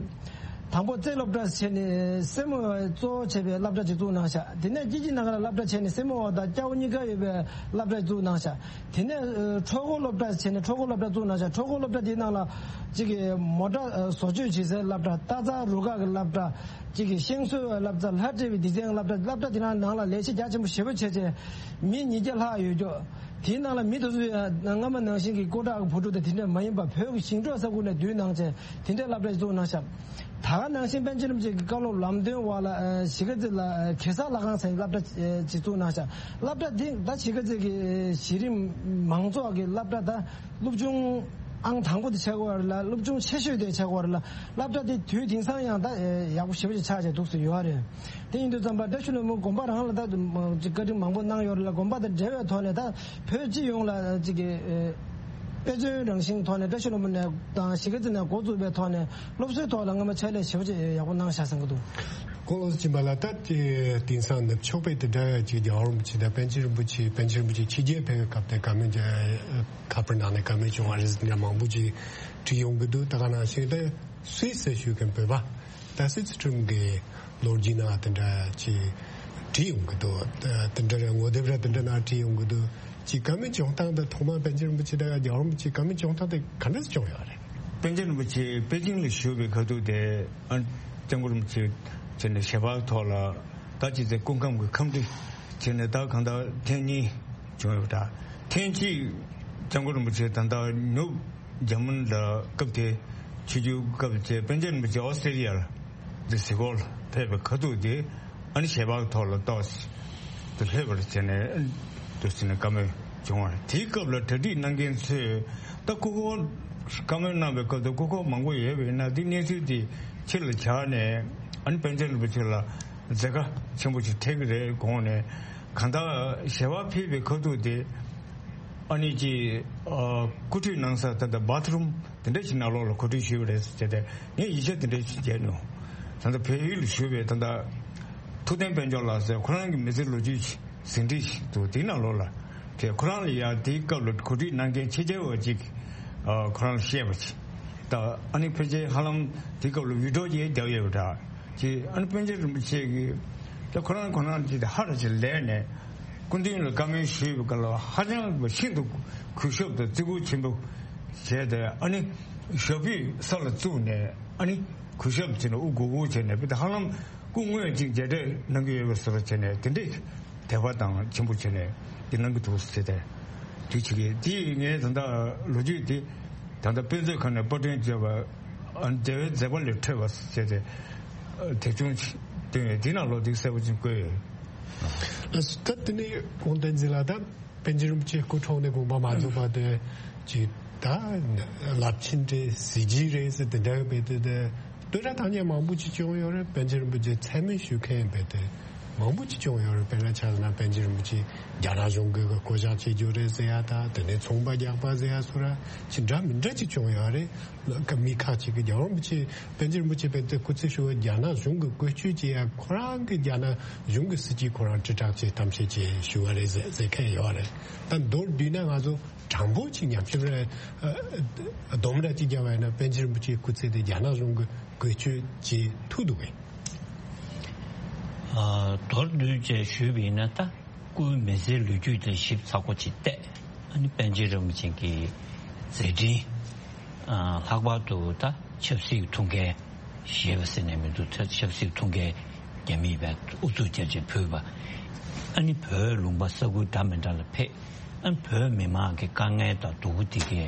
དང་པོ་རྩེ་སློབ་གྲྭ་བྱས་ནས་སེར་མོ་བ་གཙོ་བོ་བྱས་པའི་སློབ་གྲྭ་ཅིག་བཙུགས་གནང་ཤག་དེ་ནས་སྐྱིད་ཀྱི་ནང་ལ་སློབ་གྲྭ་བྱས་ནས་སེར་མོ་བ་དང་སྐྱ་བོ་གཉིས་ཀ་ཡོད་པའི་སློབ་གྲྭ་བཙུགས་གནང་ཤག་དེ་ནས། ཨ། ཁྲོ་བོ་སློབ་གྲྭ་བྱས་ནས་ཁྲོ་བོ་སློབ་གྲྭ་བཙུགས་གནང་ཤག་ཁྲོ་བོ་སློབ་གྲྭ་དེའི་ནང་ལ་གཅིག་གི་མོ་ཊ། ཨ། བཟོ་བཅོས་བྱེད་སའི་སློབ་གྲྭ། རྟ་རྩལ་རུ་ཁག་གི་སློབ་གྲྭ། གཅིག་གི་ཤིང་བཟོའི་སློབ་གྲྭ། ལྷ་བྲིས་པའི་སྡེ་ཚན་སློབ་གྲྭ། སློབ་གྲྭ་དེ་ནང་ནང་ལ་ལས་བྱེད་རྒྱ་ཆེན་པོ་ཞེ་པོ་བྱས་བྱས། མི་ཉིས་བརྒྱ་ལྷག་ཡོད་ཀྱོག་དེའི་ནང་ལ་མི་དེ་ཚོ་ཡང་སྔ་མ་ནང་བཞིན་གྱི་སྐུ་དྲག་གི་བུ་ཕྲུག་དང་དེ་འདྲ་མ་ཡིན་པ་བོད་ཀྱི་ཞིང་འབྲོག་ས་ཁུལ་ནས་བསྡུས་གནང་བྱས་དེ་འདྲའི་སློབ་གྲྭ་ཞིག་བཙུགས་གནང་ཤག་ད་ག་ནང་བཞིན་པཎ་ཆེན་རིན་པོ་ཆེ་གི་བཀའ་སློབ་ལམ་སྟོན་འོག་ལ། ཨ། གཞིས་ཀ་རྩེ་ལ། ཨ། གེ་སར་ལྷ་ཁང་ཟེར་སློབ་གྲྭ་ཅིག་བཙུགས་གནང་ཤག་སློབ་གྲྭ་འདི་ད་གཞིས་ཀ་རྩེ་གི་གཞི་རིམ་མང་ཚོགས་ཀྱི་སློབ་གྲྭ་ད་སློབ་ཆུང་ཨང་དང་པོ་དེ་ཆགས་ཀྱི་ཡོད་རེད་ལ། སློབ་ཆུང་ཆེ་ཤོས་དེ་ཆགས་ཀྱི་ཡོད་རེད་ལ། སློབ་གྲྭ་དེ་དུས་དེང་སང་ཡང་ད་ཡག་པོ་ཞེ་པོ་ཅིག་ཆགས་བྱས་འདུག་སེ་ཡོད་རེད། དེ་ཡིན་དུས་ཙམ་པ་བཀྲ་ཤིས་ལྷུན་པོ་དགོན་པ་རང་ལ་ད་ཅིག་བཀའ་དྲིན་མང་པོ་གནང་ཡོད་རེད་ལ། དགོན་པ་དང་འབྲེལ་བའི་ཐོག་ནས་ད་བོད་སྤྱི་ཡོངས་ལ་ཅིག་གི། ཨ། དཔེ་མཚོན་རང་བཞིན་ཐོག་ནས་བཀྲ་ཤིས་ལྷུན་པོ་ནས་དང་གཞིས་ཀ་རྩེ་ནས་འགོ་བཙུགས་པའི་ཐོག་ནས་སློབ་གསོའི་ཐོག་ལ་སྔོན་མ་ཕྱག་ལས་ཞེ་པོ་ཅིག་ཡག་པོ་གནང་བཞག་བསམ་གྱི་འདུག་ཁོང་ལོ་སུ་ཕྱིན་པ་ལ་ད་དེ་དེང་སང་ནུབ་ཕྱོགས་པའི་དེ་འདྲ་ཅིག་རྒྱལ་བ་རིན་པོ་ཆེ་དང་པཎ་ཆེན་རིན་པོ་ཆེ། པཎ་ཆེན་རིན་པོ་ཆེ་ཕྱི་རྒྱལ་ཕེབས་པའི་སྐབས་དེ་བཀའ་མོལ་རྒྱ་ཁ་པར་ནང་ནས་བཀའ་མོལ་བྱུང་བ་རེད་ཟེར་འདྲ་མང་པོ་ཅིག་བྲིས་ཡོང་གི་འདུག་ད་ག་ནང་བཞིན་ད་སུད་སི་ཞུ་མཁན་བོད་པ་ད་སུད་སི་ཁྲིམས་ཀྱི་ལོ་རྒྱུས་ནང་དེ་འདྲ་ཅིག་བྲིས་ཡོང་གི་འདུག་དེ་འདྲ་རེད། ངོ་དེབ་ར་དེ་འདྲ་ནང་བྲིས་ཡོང་གི་འདུག་ཅིག་བཀའ་མོལ་བྱུང་སྟངས་དང་ཐོག་མར་པཎ་ཆེན་རིན་པོ་ཆེ་དང་རྒྱལ་བ་རིན་པོ་ཆེ་བཀའ་མོལ་བྱུང་སྟངས་དེ་ག་འདྲ་བྱུང་ཡོད་རེད། པཎ་ཆེན་རིན་པོ་ཆེ་པེ་ཅིང་ལ་བཞུགས་པའི་ཁ་ཐུག་དེ་ཨ་སྐྱབས་མགོན་རིན་པོ་ཆེ་བྱས་ནས་ཞལ་པར་ཐོག་ལ་ད་ཅི་ཚེ་སྐུ་ཁམས་ཀྱི་ཁམས་བདེ་བྱས་ནས་ད་གང་ལྟར་ཐེངས་གཉིས་བྱུང་ཡོད་པ་འདྲ། ཐེངས་གཅིག་སྐྱབས་མགོན་རིན་པོ་ཆེ་ད་ལྟ་ནུབ་འཇར་མན་ལ་སྐབས་དེ་ཆིབས་བསྒྱུར་སྐབས་དེ་པཎ་ཆེན་རིན་པོ་ཆེ་ཨོ་སི་ཀྲི་ལི་ཡ་ལ་འདི་གཟིགས་སྐོར་ལ་ཕེབས་པའི་ཁ་ཐུག་དེ་ཨ་ནི་ཞལ་པར་ཐོག་ལ་ཏོག་ཙམ་དུ་ལྷོད་པར་བྱས་ནས་དུ་ཟིན་ནས་བཀའ་མོལ་བྱུང་བ་རེད། དེའི་སྐབས་ལ་གྲ་སྒྲིག་གནང་མཁན་ཚོས་ད་སྐུ་འཁོར་བཀའ་མོལ་གནང་བའི་སྐབས་དུ་སྐུ་འཁོར་མང་པོ་ཡོད་པས་ན་འདི་གནས་ཚུལ་དེ་ཕྱི་ལ་བྱས་ནས་ཨ་ནི་པཎ་ཆེན་རིན་པོ་ཆེ་ལ་མཛད་དཀའ་ཆེན་པོ་ཞིག་འཕྲད་ཀྱི་རེད་དགོངས་ནས་གང་ལྟར་ཞལ་པར་ཕེབས་པའི་ཁ་ཐུག་དེ། ཨ་ནི་ཅི། ཨ། གོ་སྒྲིག་གནང་ས་ད་ལྟ་བཱཐ་རུམ་དེ་འདྲ་ཞིག་ནང་ལོགས་ལ་གོ་སྒྲིག་ཞུས་པ་རེད་ཟེར་བྱས་ཏེ་ངས་ཡིག་ཆ་དེ་འདྲ་ཞིག་བརྒྱབ་མྱོང་། ད་ལྟ་བལ་ཡུལ་ལ་བཞུགས་པའི་ད་ལྟ་ཐུབ་བསྟན་དཔལ་འབྱོར་ལགས་ཟེར་ཁོ་རང་གི་མི་ཚེ་ལོ་རྒྱུས་ཟིན་བྲིས་ཤིག་འདུག་དེའི་ནང་ལོགས་ལ་དེ་ཁོ་རང་ལ་ཡང་དེའི་སྐབས་ལ་གོ་སྒྲིག་གནང་མཁན་ཕྱི་རྒྱལ་བ་ཅིག་ཨ། ཁོ་རང་ལ་བཤད་པ་ཅིག་ད་ཨ་ནི་ཕལ་ཆེར་ཧ་ལམ་དེའི་སྐབས་ལ་བི་ཌི་ཡོ་ཅིག་བརྒྱབ་ཡོད་པ་འདྲ། ཅེས་ཨ་ནི་པཎ་ཆེན་རིན་པོ་ཆེ་གིས་ད་ཁོ་རང་ཁོ་རང་ཅིག་ཧ་ར་ཅིག་ལས་ནས་སྐུ་མདུན་ལ་བཀའ་མོལ་ཞུས་པའི་སྐབས་ལ་ཧ་ཅང་ཤིན་ཏུ་གུས་ཞབས་དང་བརྩི་བཀུར་ཆེན་པོ་བྱས་ཏེ་ཨ་ནི་ཞབས་པུས་ས་ལ་བཙུགས་ནས་ཨ་ནི་གུས་ཞབས་བྱས་ནས་དབུ་སྒུར་སྒུར་བྱས་ནས་ཧ་ལམ་སྐུ་དངོས་ཅིག་མཇལ་འཕྲད་གནང་གི་ཡོད་པའི་བཟོ་འདྲ་བྱས་ནས་དེ་འདྲས། དད་པ་དང་ཆེན་པོ་བྱས་ནས་འདི་གནང་གི་འདུག་ཟེར་ཏེ། དུས་ཕྱི་གི་དེ་ངས་ད་ལྟ་ལོ་རྒྱུས་དེ་ད་ལྟ་དཔེ་མཛོད་ཁང་ནས་པར་སྐྲུན་བྱས་པ་ཨ་འདས་པའི་མཛད་པ་ལས་འཕྲོས་པ་ཟེར་ཏེ་དེབ་ཆུང་ཞིག་བཏོན་ཡོད། འདི་ནང་ལོགས་འདི་གསལ་པོ་ཅིག་བཀོད་ཡོད། ད་དེ་ནས་ཁོང་བསྟན་འཛིན་ལགས་ད་པཎ་ཆེན་རིན་པོ་ཆེ་སྐུ་འཁྲུངས་ནས་དགོངས་པ་མ་རྫོགས་པ་དེ་ཅིག་ད་རླབས་ཆེན་རེད་གཟི་བརྗིད་རེད་ཟེར་དེ་འདྲ་བས་དེ་དེ། བསྟོད་ར་བཏང་མཁན་མང་པོ་ཅིག་བྱུང་ཡོད་རེད། པཎ་ཆེན་རིན་པོ་ཆེ་མཚན་སྨད་ཞུ་མཁན་རྦད་དེ་མང་པོ་ཅིག་བྱུང་ཡོད་རེད། དཔེར་ན་ཆ་བཞག་ན་པཎ་ཆེན་རིན་པོ་ཆེ་རྒྱ་ནག་གཞུང་གིས་བསྐོ་བཞག་བྱེད་རྒྱུ་རེད་ཟེར་ཡ་དང་དེ་ནས་ཚོང་པ་རྒྱག་པ་ཟེར་ཡ་སོགས་ར་ཅིག་འདྲ་མི་འདྲ་ཅིག་བྱུང་ཡོད་རེད། ལ་ཀ་མི་ཁག་ཅིག་གིས་རྒྱལ་བ་རིན་པོ་ཆེ་པཎ་ཆེན་རིན་པོ་ཆེ་རྦད་དེ་སྐུ་ཚེ་ཞུ་བ་རྒྱ་ནག་གཞུང་གིས་བཀོལ་སྤྱོད་བྱེད་ཡ་ཁོ་རང་གི་རྒྱ་ནག་གཞུང་གི་སྲིད་ཇུས་ཁོ་རང་དྲིལ་བསྒྲགས་བྱེད་གཏམ་བཤད་བྱེད་ཞུ་བ་རེད་ཟེར་ཟེར་མཁན་ཡོད་རེད། ད་མདོར་བསྡུས་ན་ང་ཚོ་དྲང་པོ་ཅིག་ཉམས་ཞིབ་རེ་སྡོམ་ར་ཅིག་བརྒྱབ་པ་ཡིན་ན་པཎ་ཆེན་རིན་པོ་ཆེའི་སྐུ་ཚེ་དེ་རྒྱ་ནག་གཞུང་གིས་བཀོལ་སྤྱོད་བྱེད་ཐུབ་འདུག་གས། ཨ། མདོར་བསྡུས་བྱས་ཞུས་པ་ཡིན་ན་ད་སྐུའི་མི་ཚེའི་ལོ་རྒྱུས་དེ་ཞིབ་ཚགས་པོ་ཅིག་བལྟས་ཨ་ནི་པཎ་ཆེན་རིན་པོ་ཆེ་གི་མཛད་འཕྲིན། ཨ། ལྷག་པར་དུ་ད་ཆབ་སྲིད་ཐུགས་འགན་བཞེས་པ་ཟེར་ནས་མི་འདུག་ཆབ་སྲིད་ཐུགས་འགན་རྒྱ་མིས་བས་ཨུ་ཚུགས་རྒྱ་ཆེ་ཕུལ་བ། ཨ་ནི་བོད་ལུང་པ་ས་ཁུལ་འདྲ་མི་འདྲ་ལ་ཕེབས། ཨ་བོད་མི་མང་གི་དཀའ་ངལ་དང་སྡུག་པོ་དེ་གའི་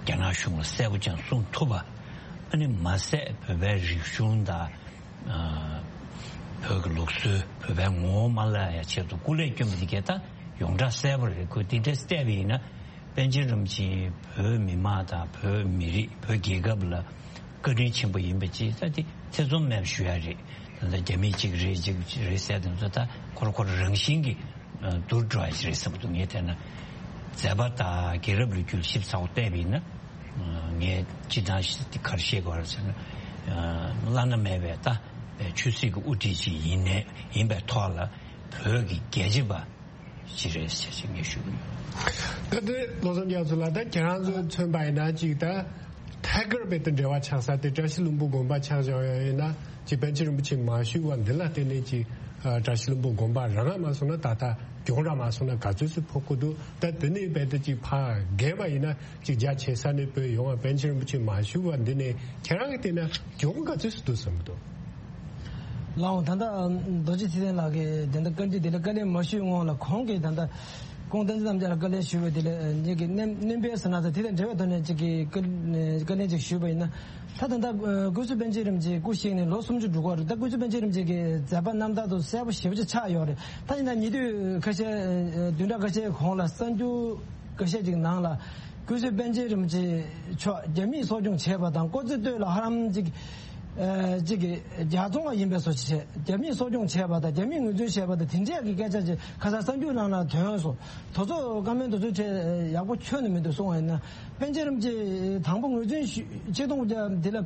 རྒྱ་ནག་གཞུང་ལ་གསལ་པོ་ཅན་གསུང་ཐུབ་པ། ཨ་ནི་མ་ཟད་བོད་པའི་རིག་གཞུང་དང་། བོད་ཀྱི་ལུགས་སྲོལ། བོད་པའི་ངོ་བོ་མ་བརླག་ཡ་ཆེད་དུ་སྐུ་ལས་བསྐྱོན་པ་དེ་གའི་ད་ཡོངས་གྲགས་གསལ་པོ་རེད། ཁོས་དེ་འདྲས་བལྟས་པ་ཡིན་ན། པཎ་ཆེན་རིན་པོ་ཆེས་བོད་མི་མང་དང་བོད་མི་རིགས། བོད་རྒྱལ་ཁབ་ལ་བཀའ་དྲིན་ཆེན་པོ་ཡིན་པ་ཅིག་ད་དེ་ཐེ་ཚོམ་མེད་པ་ཞུ་ཡ་རེད། ད་ལྟ་རྒྱ་མིས་གཅིག་རེད་གཅིག་རེད་ཟེར་དེ་ཚོ་ད་ཁོ་རང་ཁོ་རང་རང་བཞིན་གྱིས་བསྡུར་འགྲོ་ཡ་ཅིག་རེད་བསམ་གྱི་འདུག་ངས་བལྟས་ན། མཛད་པ་དང་རྒྱལ་རབས་ལོ་རྒྱུས་ཞིབ་ཚགས་པོ་བལྟས་པ་ཡིན་ན། ངས་སྤྱིར་བཏང་ཞིག་ག་རེ་བཤད་དགོས་རེད་ཟེར་ན། བླ་ན་མེད་པའི་ད་ཆོས་སྲིད་ཀྱི་དབུ་ཁྲིད་ཅིག་ཡིན་ནའི་ཡིན་པའི་ཐོག་ལ་བོད་ཀྱི་རྒྱལ་གཅེས་པ་ཅིག་རེད་ཟེར་ཅིག་ངས་ཞུ་གི་ཡོད། ད་དེ་བློ་བཟང་རྒྱ་མཚོ་ལགས། ད་ཁྱེད་རང་ཚོས་མཚོན་པ་ཡིན་ན་ཅིག་ད་ཐད་ཀར་བོད་དང་འབྲེལ་བ་ཆགས་ས་དེ་བཀྲ་ཤིས་ལྷུན་པོ་དགོན་པ་ཆགས་བཞག་ཡོད་ཡིན་ན། ཅིག་པཎ་ཆེན་རིན་པོ་ཆེ་མ་བཞུགས་པ་འདི་ལ་བརྟེན་ནས་ཅིག་བཀྲ་ཤིས་ལྷུན་པོ་དགོན་པ་རང་ང་མ་སོང་ན་ད་ལྟ་གྱོང་ར་མ་སོང་ན་ག་ཚོད་ཙམ་ཕོག་གི་འདུག་ད་དེ་ནས་བོད་དུ་ཅིག་ཕར་རྒྱས་པ་ཡིན་ན། ཅིག་རྒྱ་ཆེ་ས་ནས་བོད་ཡོང་བ་པཎ་ཆེན་རིན་པོ་ཆེ་མ་བཞུགས་པ་འདི་ནས་ཁྱེད་རང་གིས་བལྟས་ན་གྱོང་ག་ཚོད་ཙམ་འདུག་བསམ་གྱི་འདུག་ལགས་འོང་། ད་ལྟ་རྡོ་རྗེ་ཐེག་ཆེན་ལགས་ཀྱིས་ད་ལྟ་བཀའ་འདྲི་དེ་ལ་བཀའ་ལན་མ་ཞུས་སྔོན་ལ་ཁོང་གིས་ད་ལྟ་ཁོང་བསྟན་འཛིན་རྣམ་རྒྱལ་ལ་བཀའ་ལན་ཞུས་པ་དེ་ལ་ངེད་ཀྱི་སྣོན་སྣོན་པའི་ཟེར་ན་ད་དེ་དང་འབྲེལ་བའི་ཐོག་ནས་ཅིག་གི་བཀའ་བཀའ་ལན་ཅིག་ཞུས་པ་ཡིན་ན། ད་ད་ལྟ་སྐུ་ཚེ་པཎ་ཆེན་རིན་པོ་ཆེ་སྐུ་གཤེགས་ནས་ལོ་སུམ་ཅུ་འགྲོ་གི་རེད། ད་སྐུ་ཚེ་པཎ་ཆེན་རིན་པོ་ཆེ་གི་མཛད་པ་རྣམ་ཐར་དུ་གསལ་པོ་ཞེ་པོ་ཅིག་ཆགས་ཡོད་རེད། ད་ཡིན་ན་ཉེ་དུས་ཁ་ཤས་བདུན་ཕྲག་ཁ་ཤས་གོང་ལ་གསར་འགྱུར་ཁ་ཤས་ཅིག་ནང་ལ། སྐུ་ཚེ་པཎ་ཆེན་རིན་པོ་ཆེ་མཆོག་རྒྱ་མིས་གསོ་སྐྱོང་བྱས་པ་དང་། སྐུ་ཚེ་སྟོད་ལ་ཧ་ལམ་ཅིག་ཨ་ཅིག་གི་རྒྱ་ཚོང་བ་ཡིན་པའི་བཟོ་ཅིག་བྱས། རྒྱ་མིས་གསོ་སྐྱོང་བྱས་པ་དང་རྒྱ་མིས་ངོས་འཛིན་བྱས་པ་དང་དེ་འདྲས་ཀྱི་སྐད་ཆ་ཅིག་ཁ་སང་གསར་འགྱུར་ནང་ལ་ཐོན་སོང་། དེ་ཚོ་བཀའ་མོལ་དེ་ཚོའི་གྲས་ཡག་པོ་ཁྱོན་ནས་མི་འདུག་གསུངས་པ་ཡིན་ན། པཎ་ཆེན་རིན་པོ་ཆེ་དང་པོ་ངོས་འཛིན་ཞུ་ཆིག་སྟོང་དགུ་བརྒྱ་དེ་ལ།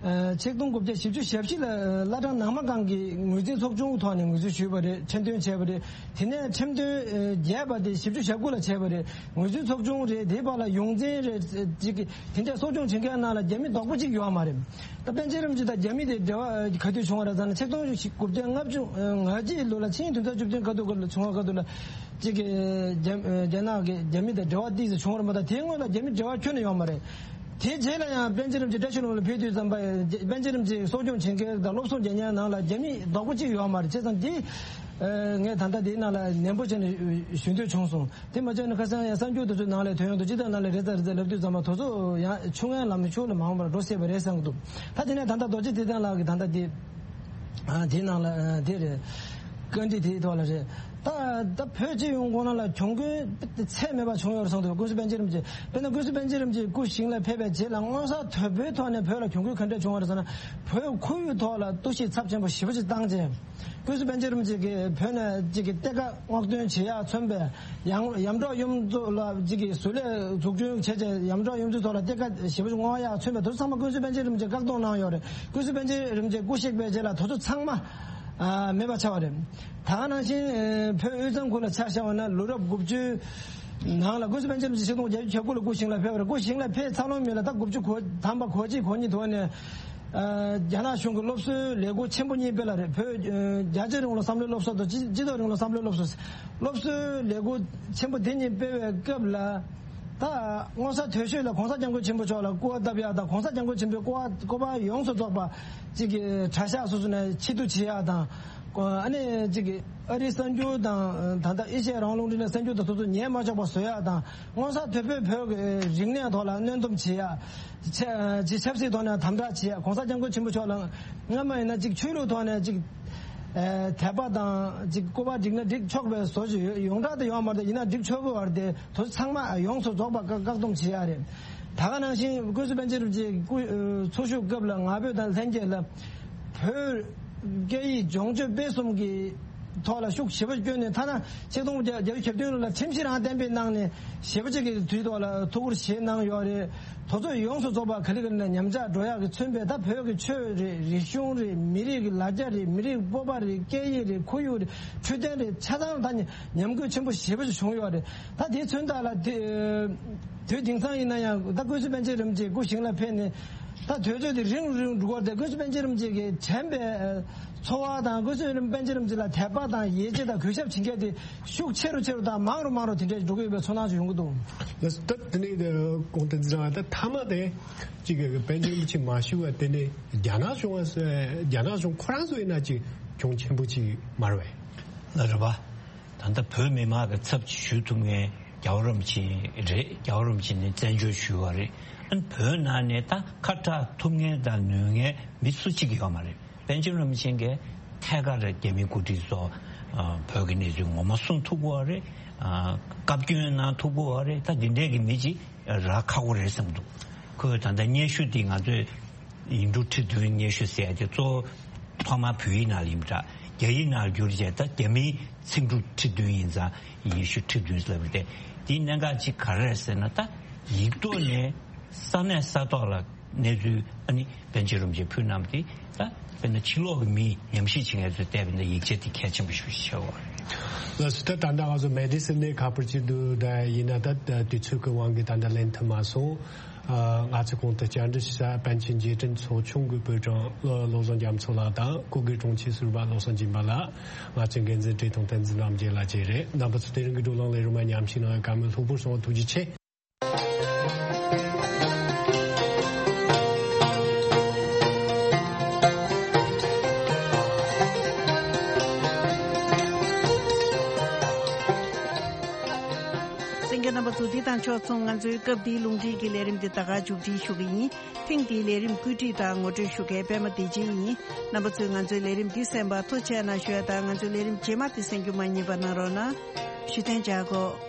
ཨ་ཆིག་སྟོང་དགུ་བརྒྱ་བཞི་བཅུ་ཞེ་བཞི་ལ་བླ་བྲང་ནང་མ་སྒང་གི་ངོས་འཛིན་ཚོགས་ཆུང་ཐོག་ནས་ངོས་འཛིན་ཞུས་པ་རེད། ཁྲིམས་དོན་བྱས་པ་རེད། དེ་ནས་ཁྲིམས་དོན་ཨ་བརྒྱད་པ་དེ་བཞི་བཅུ་ཞེ་དགུ་ལ་བྱས་པ་རེད། ངོས་འཛིན་ཚོགས་ཆུང་རེད། དེའི་བར་ལ་ཡོངས་འཛིན་རེད། ཅིག་དེ་འདྲས་གསོ་སྐྱོང་བྱེད་མཁན་ནང་ལ་རྒྱ་མི་རྡོག་པོ་གཅིག་ཡོད་མ་རེད། ད་པཎ་ཆེན་རིན་པོ་ཆེ་དང་རྒྱ་མི་དེ་འབྲེལ་བ་ག་དུས་བྱུང་བ་རེད་ཟེར་ན། ཆིག་སྟོང་དགུ་བརྒྱ་ལྔ་བཅུ་ང་གཅིག་ལོ་ལ་ཆིག་སྟོང་བདུན་བརྒྱ་བཅུ་བདུན་ག་དུས་ག་ལ་བྱུང་བ་ག་དུས་ལ་ཅིག་གི་རྒྱ་རྒྱ་ནག་གི་རྒྱ་མི་དང་འབྲེལ་བ་ཏོག་ཙམ་བྱུང་བ་རེད་མ་གཏོགས། དེའི་སྔོན་ལ་རྒྱ་མི་འབྲེལ་བ་ཁྱོན་ནས་ཡོད་མ་རེད། དེའི་རྗེས་ལ་ཡང་པཎ་ཆེན་རིན་པོ་ཆེ་བཀྲ་ཤིས་ལྷུན་པོ་ལ་ཕེབས་དུས་ཙམ་པ། པཎ་ཆེན་རིན་པོ་ཆེ་གསོ་སྐྱོང་བྱེད་མཁན་དང་སློབ་གསོ་རྒྱག་མཁན་ནང་ལ་རྒྱ་མི་རྡོག་པོ་གཅིག་ཡོད་མ་རེད། བྱས་ཙང་འདི་ངས་ད་ལྟ་འདིའི་ནང་ལ་ནན་པོ་བྱས་ནས་ཞུ་འདོད་བྱུང་སོང་། དེ་མ་བྱས་ན་ཁ་སང་ཡང་གསར་འགྱུར་དེ་ཚོའི་ནང་ལ་ཐོན་ཡོང་དུས། སྤྱི་ཚོགས་ནང་ལ་རེད་ཙང་རེད་ཙང་ལབ་དུས་ཙམ་པ། དེ་ཚོ་ཡང་ཆུང་ངན་ལམ་ཆུང་ལ་མང་བར་འགྲོ་སྲིད་པ་རེད་བསམ་གྱི་འདུག་ད་དེ་ནས་ད་ལྟ་རྡོ་རྗེ་ཐེག་ཆེན་ལགས་ཀྱིས་ད་ལྟ་དེ་ཨ་དེའི་ནང་ལ་ཨ་དེ་རེད། བཀའ་འདྲི་དེའི་ཐོག་ལ་རེད། ད་ད་བོད་སྤྱི་ཡོངས་ཁོངས་ནང་ལ་གྱོང་གུན་ཚད་མེད་པ་བྱུང་ཡོད་རེད་བསམ་གྱི་འདུག་སྐུ་ཚེ་པཎ་ཆེན་རིན་པོ་ཆེ། དཔེར་ན་སྐུ་ཚེ་པཎ་ཆེན་རིན་པོ་ཆེ་སྐུ་ཞིང་ལ་ཕེབས་པའི་རྗེས་ལ་མངོན་གསལ་དོད་པོའི་ཐོག་ནས་བོད་ལ་གྱོང་གུན་ག་འདྲས་བྱུང་བ་རེད་ཟེར་ན། བོད་ཁོར་ཡུག་ཐོག་ལ་གཏོར་བཤིག་ཚབས་ཆེན་པོ་ཞེ་པོ་ཅིག་བཏང་རྗེས། སྐུ་ཚེ་པཎ་ཆེན་རིན་པོ་ཆེ་གིས་བོད་ནས་ཅིག་གི་གཏེར་ཁ་སྔོག་འདོན་བྱེད་ཡག་མཚོན་པའི་ཡང་ཡམ་གྲོག་གཡུ་མཚོ་ལ་ཅིག་གི་བཟོ་ལས་འཛུགས་སྐྲུན་བྱས་རྗེས། ཡམ་གྲོག་གཡུ་མཚོའི་ཐོག་ལ་གཏེར་ཁ་ཞེ་པོ་ཅིག་སྔོག་ཡག་མཚོན་པའི་དེ་ཚོ་ཚང་མ་སྐུ་ཚེ་པཎ་ཆེན་རིན་པོ་ཆེས་བཀག་སྡོམ་གནང་ཡོད་རེད། སྐུ་ཚེ་པཎ་ཆེན་རིན་པོ་ཆེ་སྐུ་གཤེགས་པའི་རྗེས་ལ་དེ་ཚོ་ཚང་མ་ཨ་མེད་པ་ཆགས་པ་རེད། ད་ག་ནང་བཞིན་ཨ་བོད་དབུས་གཙང་ཁུལ་ལ་ཆ་བཞག་པ་ན། ལོ་རབས་དགུ་བཅུའི་ནང་ལ་སྐུ་ཚེ་པཎ་ཆེན་རིན་པོ་ཆེ་ཆིག་སྟོང་བརྒྱད་བརྒྱ་གྱ་དགུ་ལ་སྐུ་ཞིང་ལ་ཕེབས་པ་རེད། སྐུ་ཞིང་ལ་ཕེབས་ཚར་ལོང་མིན་ལ་ད་དགུ་བཅུ་གོ་ཐམ་པ་གོ་གཅིག་གོ་གཉིས་ཐོག་ནས། ཨ་རྒྱ་ནག་གཞུང་གི་སློབ་གསོའི་ལས་འགུལ་ཆེན་པོ་གཉིས་སྤེལ་ལ་རེད། བོད་ཨ་རྒྱལ་གཅེས་རིང་ལུགས་བསམ་བློའི་སློབ་གསོ་དང་སྤྱི་སྤྱི་ཚོགས་རིང་ལུགས་བསམ་བློའི་སློབ་གསོ། སློབ་གསོའི་ལས་འགུལ་ཆེན་པོ་དེ་གཉིས་སྤེལ་བའི་སྐབས་ལ། ད་མངོན་གསལ་དོད་ཤོས་ལ་གོང་ས་སྐྱབས་མགོན་ཆེན་པོ་མཆོག་ལ་སྐུ་པར་བཏབ་ཡག་དང་། གོང་ས་སྐྱབས་མགོན་ཆེན་པོའི་སྐུ་པར་སྐུ་པར་ཡོངས་སུ་རྫོགས་པ་གཅིག་གི་གྲྭ་ཤག་སོ་སོ་ནས་ཕྱིར་བསྡུ་བྱེད་ཡག་དང་། ཨ་ནི་གཅིག་གི་ཨ་རིའི་གསར་འགྱུར་དང་། ད་ལྟ་ཨེ་ཤ་ཡ་རང་དབང་རླུང་འཕྲིན་ལས་གསར་འགྱུར་དང་སོ་སོ་ཉན་མ་ཆོག་པ་བཟོ་ཡག་དང་། མངོན་གསལ་དོད་པོས་བོད་ཀྱི་རིག་གནས་ཐོག་ལ་གནོན་སྡོམ་བྱེད་ཡག་ཆབ་ཅིག་ཆབ་སྲིད་ཐོག་ནས་དམ་དྲག་བྱེད་ཡག་གོང་ས་སྐྱབས་མགོན་ཆེན་པོ་མཆོག་ལ་སྔ་མ་ཡིན་ན་ཅིག་ཆོས་ལུགས་ཐོག་ནས་ཅིག་ཨ་དད་པ་དང་ཅིག་སྐུ་པར་བསྒྲིགས་ན་འགྲིག་ཆོག་པའི་བཟོ་ཅིག་ཡོད། ཡོངས་གྲགས་དུ་ཡོད་མ་རེད། ཡིན་ན་འགྲིག་ཆོག་གི་བར་དེ་དུས་ཚང་མ་ཡོངས་སུ་རྫོགས་པ་བཀག་བཀག་སྡོམ་བྱེད་ཡག་རེད། ད་ག་ནང་བཞིན་སྐུ་ཚེ་པཎ་ཆེན་རིན་པོ་ཆེ་སྐུ་འཚོ་བཞུགས་སྐབས་ལ་ང་ཕོད་དང་ལྷན་རྒྱས་ལ་བོད་སྐད་ཡིག་སྦྱོང་སྤྱོད་སྤེལ་གསུམ་གྱི་ཐོག་ལ་ཤུགས་ཞེ་པོ་བསྐྱོན་ནས། ཐ་ན་ཆིག་སྟོང་དགུ་བརྒྱ་བརྒྱད་ཅུ་གྱ་བདུན་ལོ་ལ་ཁྲིམས་གཞི་རང་གཏན་འབེབས་གནང་ནས་ཞེ་པོ་ཅིག་གི་དུས་ཐོག་ལ་ཐུགས་ཁུར་བཞེས་གནང་ཡོད་རེད། དེ་ཚོ་ཡོངས་སུ་རྫོགས་པ་ག་ལེ་ག་ལེ་ནས་ཉམས་ཆག་འགྲོ་ཡག་གི་མཚོན་པའི། ད་བོད་ཀྱི་ཆོས་རེད། རིག་གཞུང་རེད། མི་རིགས་ཀྱི་ལ་རྒྱ་རེད། མི་རིགས་སྤོབས་པ་རེད། སྐད་ཡིག་རེད། ཁོར་ཡུག་རེད། འཕྲོད་བསྟེན་རེད། ཆ་ཚང་ད་ཉམས་རྒུད་ཆེན་པོ་ཞེ་པོ་ཅིག་བྱུང་ཡོད་རེད། ད་དེའི་མཚོན་རྟགས་ལ་དེ་དུས་དེང་སང་ཡིན་ན་ཡང་ད་སྐུ་ཚེ་པཎ་ཆེན་རིན་པོ་ཆེ་སྐུ་ཞིང་ལ་ཕེབས་ནས། ད་དུས་ཚོད་དེ་རིང་རུ་རིང་རུ་འགྲོ་གི་རེད། སྐུ་ཚེ་པཎ་ཆེན་རིན་པོ་ཆེ་གིས་དྲན་པའི་འཚོ་བ་དང་། སྐུ་ཚེ་པཎ་ཆེན་རིན་པོ་ཆེ་ལ་དད་པ་དང་ཡིད་ཆེས་དང་གུས་ཞབས་བྱེད་མཁན་དེ་ཤུགས་ཆེ་རུ་ཆེ་རུ་དང་མང་རུ་མང་རུ་དེ་འདྲས་འགྲོ་གི་ཡོད་པའི་ཚོར་སྣང་ཞིག་ཡོང་གི་འདུག་ལགས་སོ། ད་དེ་ནས་ཀོང་བསྟན་འཛིན་ལགས། ད་མཐའ་མ་དེ་གཅིག་གི་པཎ་ཆེན་རིན་པོ་ཆེ་མ་བཞུགས་པ་དེ་ནས་རྒྱ་ནག་གཞུང་བ་སོ་རྒྱ་ནག་གཞུང་ཁོ་རང་ཚོ་ཡིན་ན་ཅིག་གྱོང་ཆེན་པོ་ཅིག་མ་རེད་པས། ལགས་རེད་པ། ད་ལྟ་བོད་མི་མང་གི་ཚབ་ཅིག་ཞུ་ཐུབ་མཁན་རྒྱལ་བ་རིན་པོ་ཆེ་རེད། རྒྱལ་བ་རིན་པོ་ཆེ་ནས་བཙན་བྱོལ་ཞུས་པ་རེད། ཨ་ནི་བོད་ནང་ནས་ད་ཁ་གྲག་ཐུབ་མཁན་དང་ནུས་མཁན་མི་སུ་གཅིག་ཡོད་མ་རེད། པཎ་ཆེན་རིན་པོ་ཆེ་གིས་ཐད་ཀར་རྒྱ་མིའི་འགོ་ཁྲིད་ཚོ་ཨ་བོད་ཀྱི་གནས་ཚུལ་ངོ་མ་གསུང་ཐུབ་ཀྱི་ཡོད་རེད། ཨ་བཀའ་བཀྱོན་གནང་ཐུབ་ཀྱི་ཡོད་རེད། ད་འདི་འདྲས་ཀྱི་མི་གཅིག་རག་ཁག་པོ་རེད་བསམ་འདུག་ཁོས་ད་ལྟ་སྙན་ཞུ་འདི་ང་ཚོས་ཡིག་འབྲུ་ཁྲི་བདུན་སྙན་ཞུ་ཟེར་ཡ་དེ་གཙོ་བོ་ཐོག་མར་བོད་ཡིག་ནང་ལ་ཡིན་པ་འདྲ། རྒྱ་ཡིག་ནང་ལ་བསྒྱུར་རྗེས་ད་རྒྱ་མིའི་ཚིག་འབྲུ་ཁྲི་བདུན་ཡིན་ཙང་སྙན་ཞུ་ཁྲི་བདུན་ཟེར་བ་དེ། དེའི་གནད་འགག་ཅིག་ག་རེ་རེད་ཟེར་ན། ད་ཡིག་ཐོག་ནས་ས་གནས་ས་ཐོག་ལ་གནས་ཚུལ་ཨ་ནི་པཎ་ཆེན་རིན་པོ་ཆེས་ཕུལ་གནང་བ་དེ་ད་དཔེར་ན་ཕྱི་ལོགས་ཀྱི་མིས་ཉམས་ཞིབ་བྱེད་མཁན་ཚོས་བལྟས་པ་ན་ཡིག་ཆ་དེ་གལ་ཆེན་པོ་ཞིག་ཆགས་ཡོད་རེད། ལགས་སོ། ད་ད་ལྟ་ང་ཚོ་མེ་ཌི་སི་ནས་ཁ་པར་ཅིག་འདུག་ད་ཡིན་ན་ད་དུས་ཚོད་ཀྱི་དབང་གིས་ད་ལྟ་ལེན་ཐུབ་མ་སོང་། ཨ་ང་ཚོས་གོང་དུ་བཅར་འདྲི་ཞུ་ས་པཎ་ཆེན་རྗེས་དྲན་ཚོགས་ཆུང་གི་དཔོན་རིགས་བློ་བཟང་རྒྱ་མཚོ་ལགས་དང་སྐུ་སྒེར་དྲུང་ཆེ་ཟུར་པ་བློ་བཟང་སྦྱིན་པ་ལགས། ང་ཚོའི་འགན་འཛིན་བཀྲས་མཐོང་བསྟན་འཛིན་རྣམ་རྒྱལ་ལགས་བཅས་རེད། རྣམ་པ་ཚོ་དེ་རིང་གི་བགྲོ་གླེང་ལས་རིམ་མཉམ་ཞུགས་གནང་བའི་བཀའ་མོལ་ལྷུག་པོར་སོང་བ་ཐུགས་རྗེ་ཆེ། གསན་མཁན་རྣམ་པ་ཚོ། འདི་དང་ཕྱོགས་མཚུངས་ང་ཚོའི་སྐབས་འདིའི་རླུང་འཕྲིན་གྱི་ལས་རིམ་འདི་ད་ག་མཇུག་སྒྲིལ་ཞུ་གི་ཡིན། ཐེངས་འདིའི་ལས་རིམ་བཀོད་སྒྲིག་དང་ངོ་སྤྲོད་ཞུ་མཁན་པད་མ་བདེ་ཆེན་ཡིན། རྣམ་པ་ཚོས་ང་ཚོའི་ལས་རིམ་འདི་གསན་པར་ཐུགས་རྗེ་གནང་ཞུ་ཡ་དང་། ང་ཚོའི་ལས་རིམ་རྗེས་མ་དེ་གསན་རྒྱུ་མ་བསྙེལ་བ་གནང་རོགས་གནང་། ཞུ་ཐེངས་བཅར་གོ།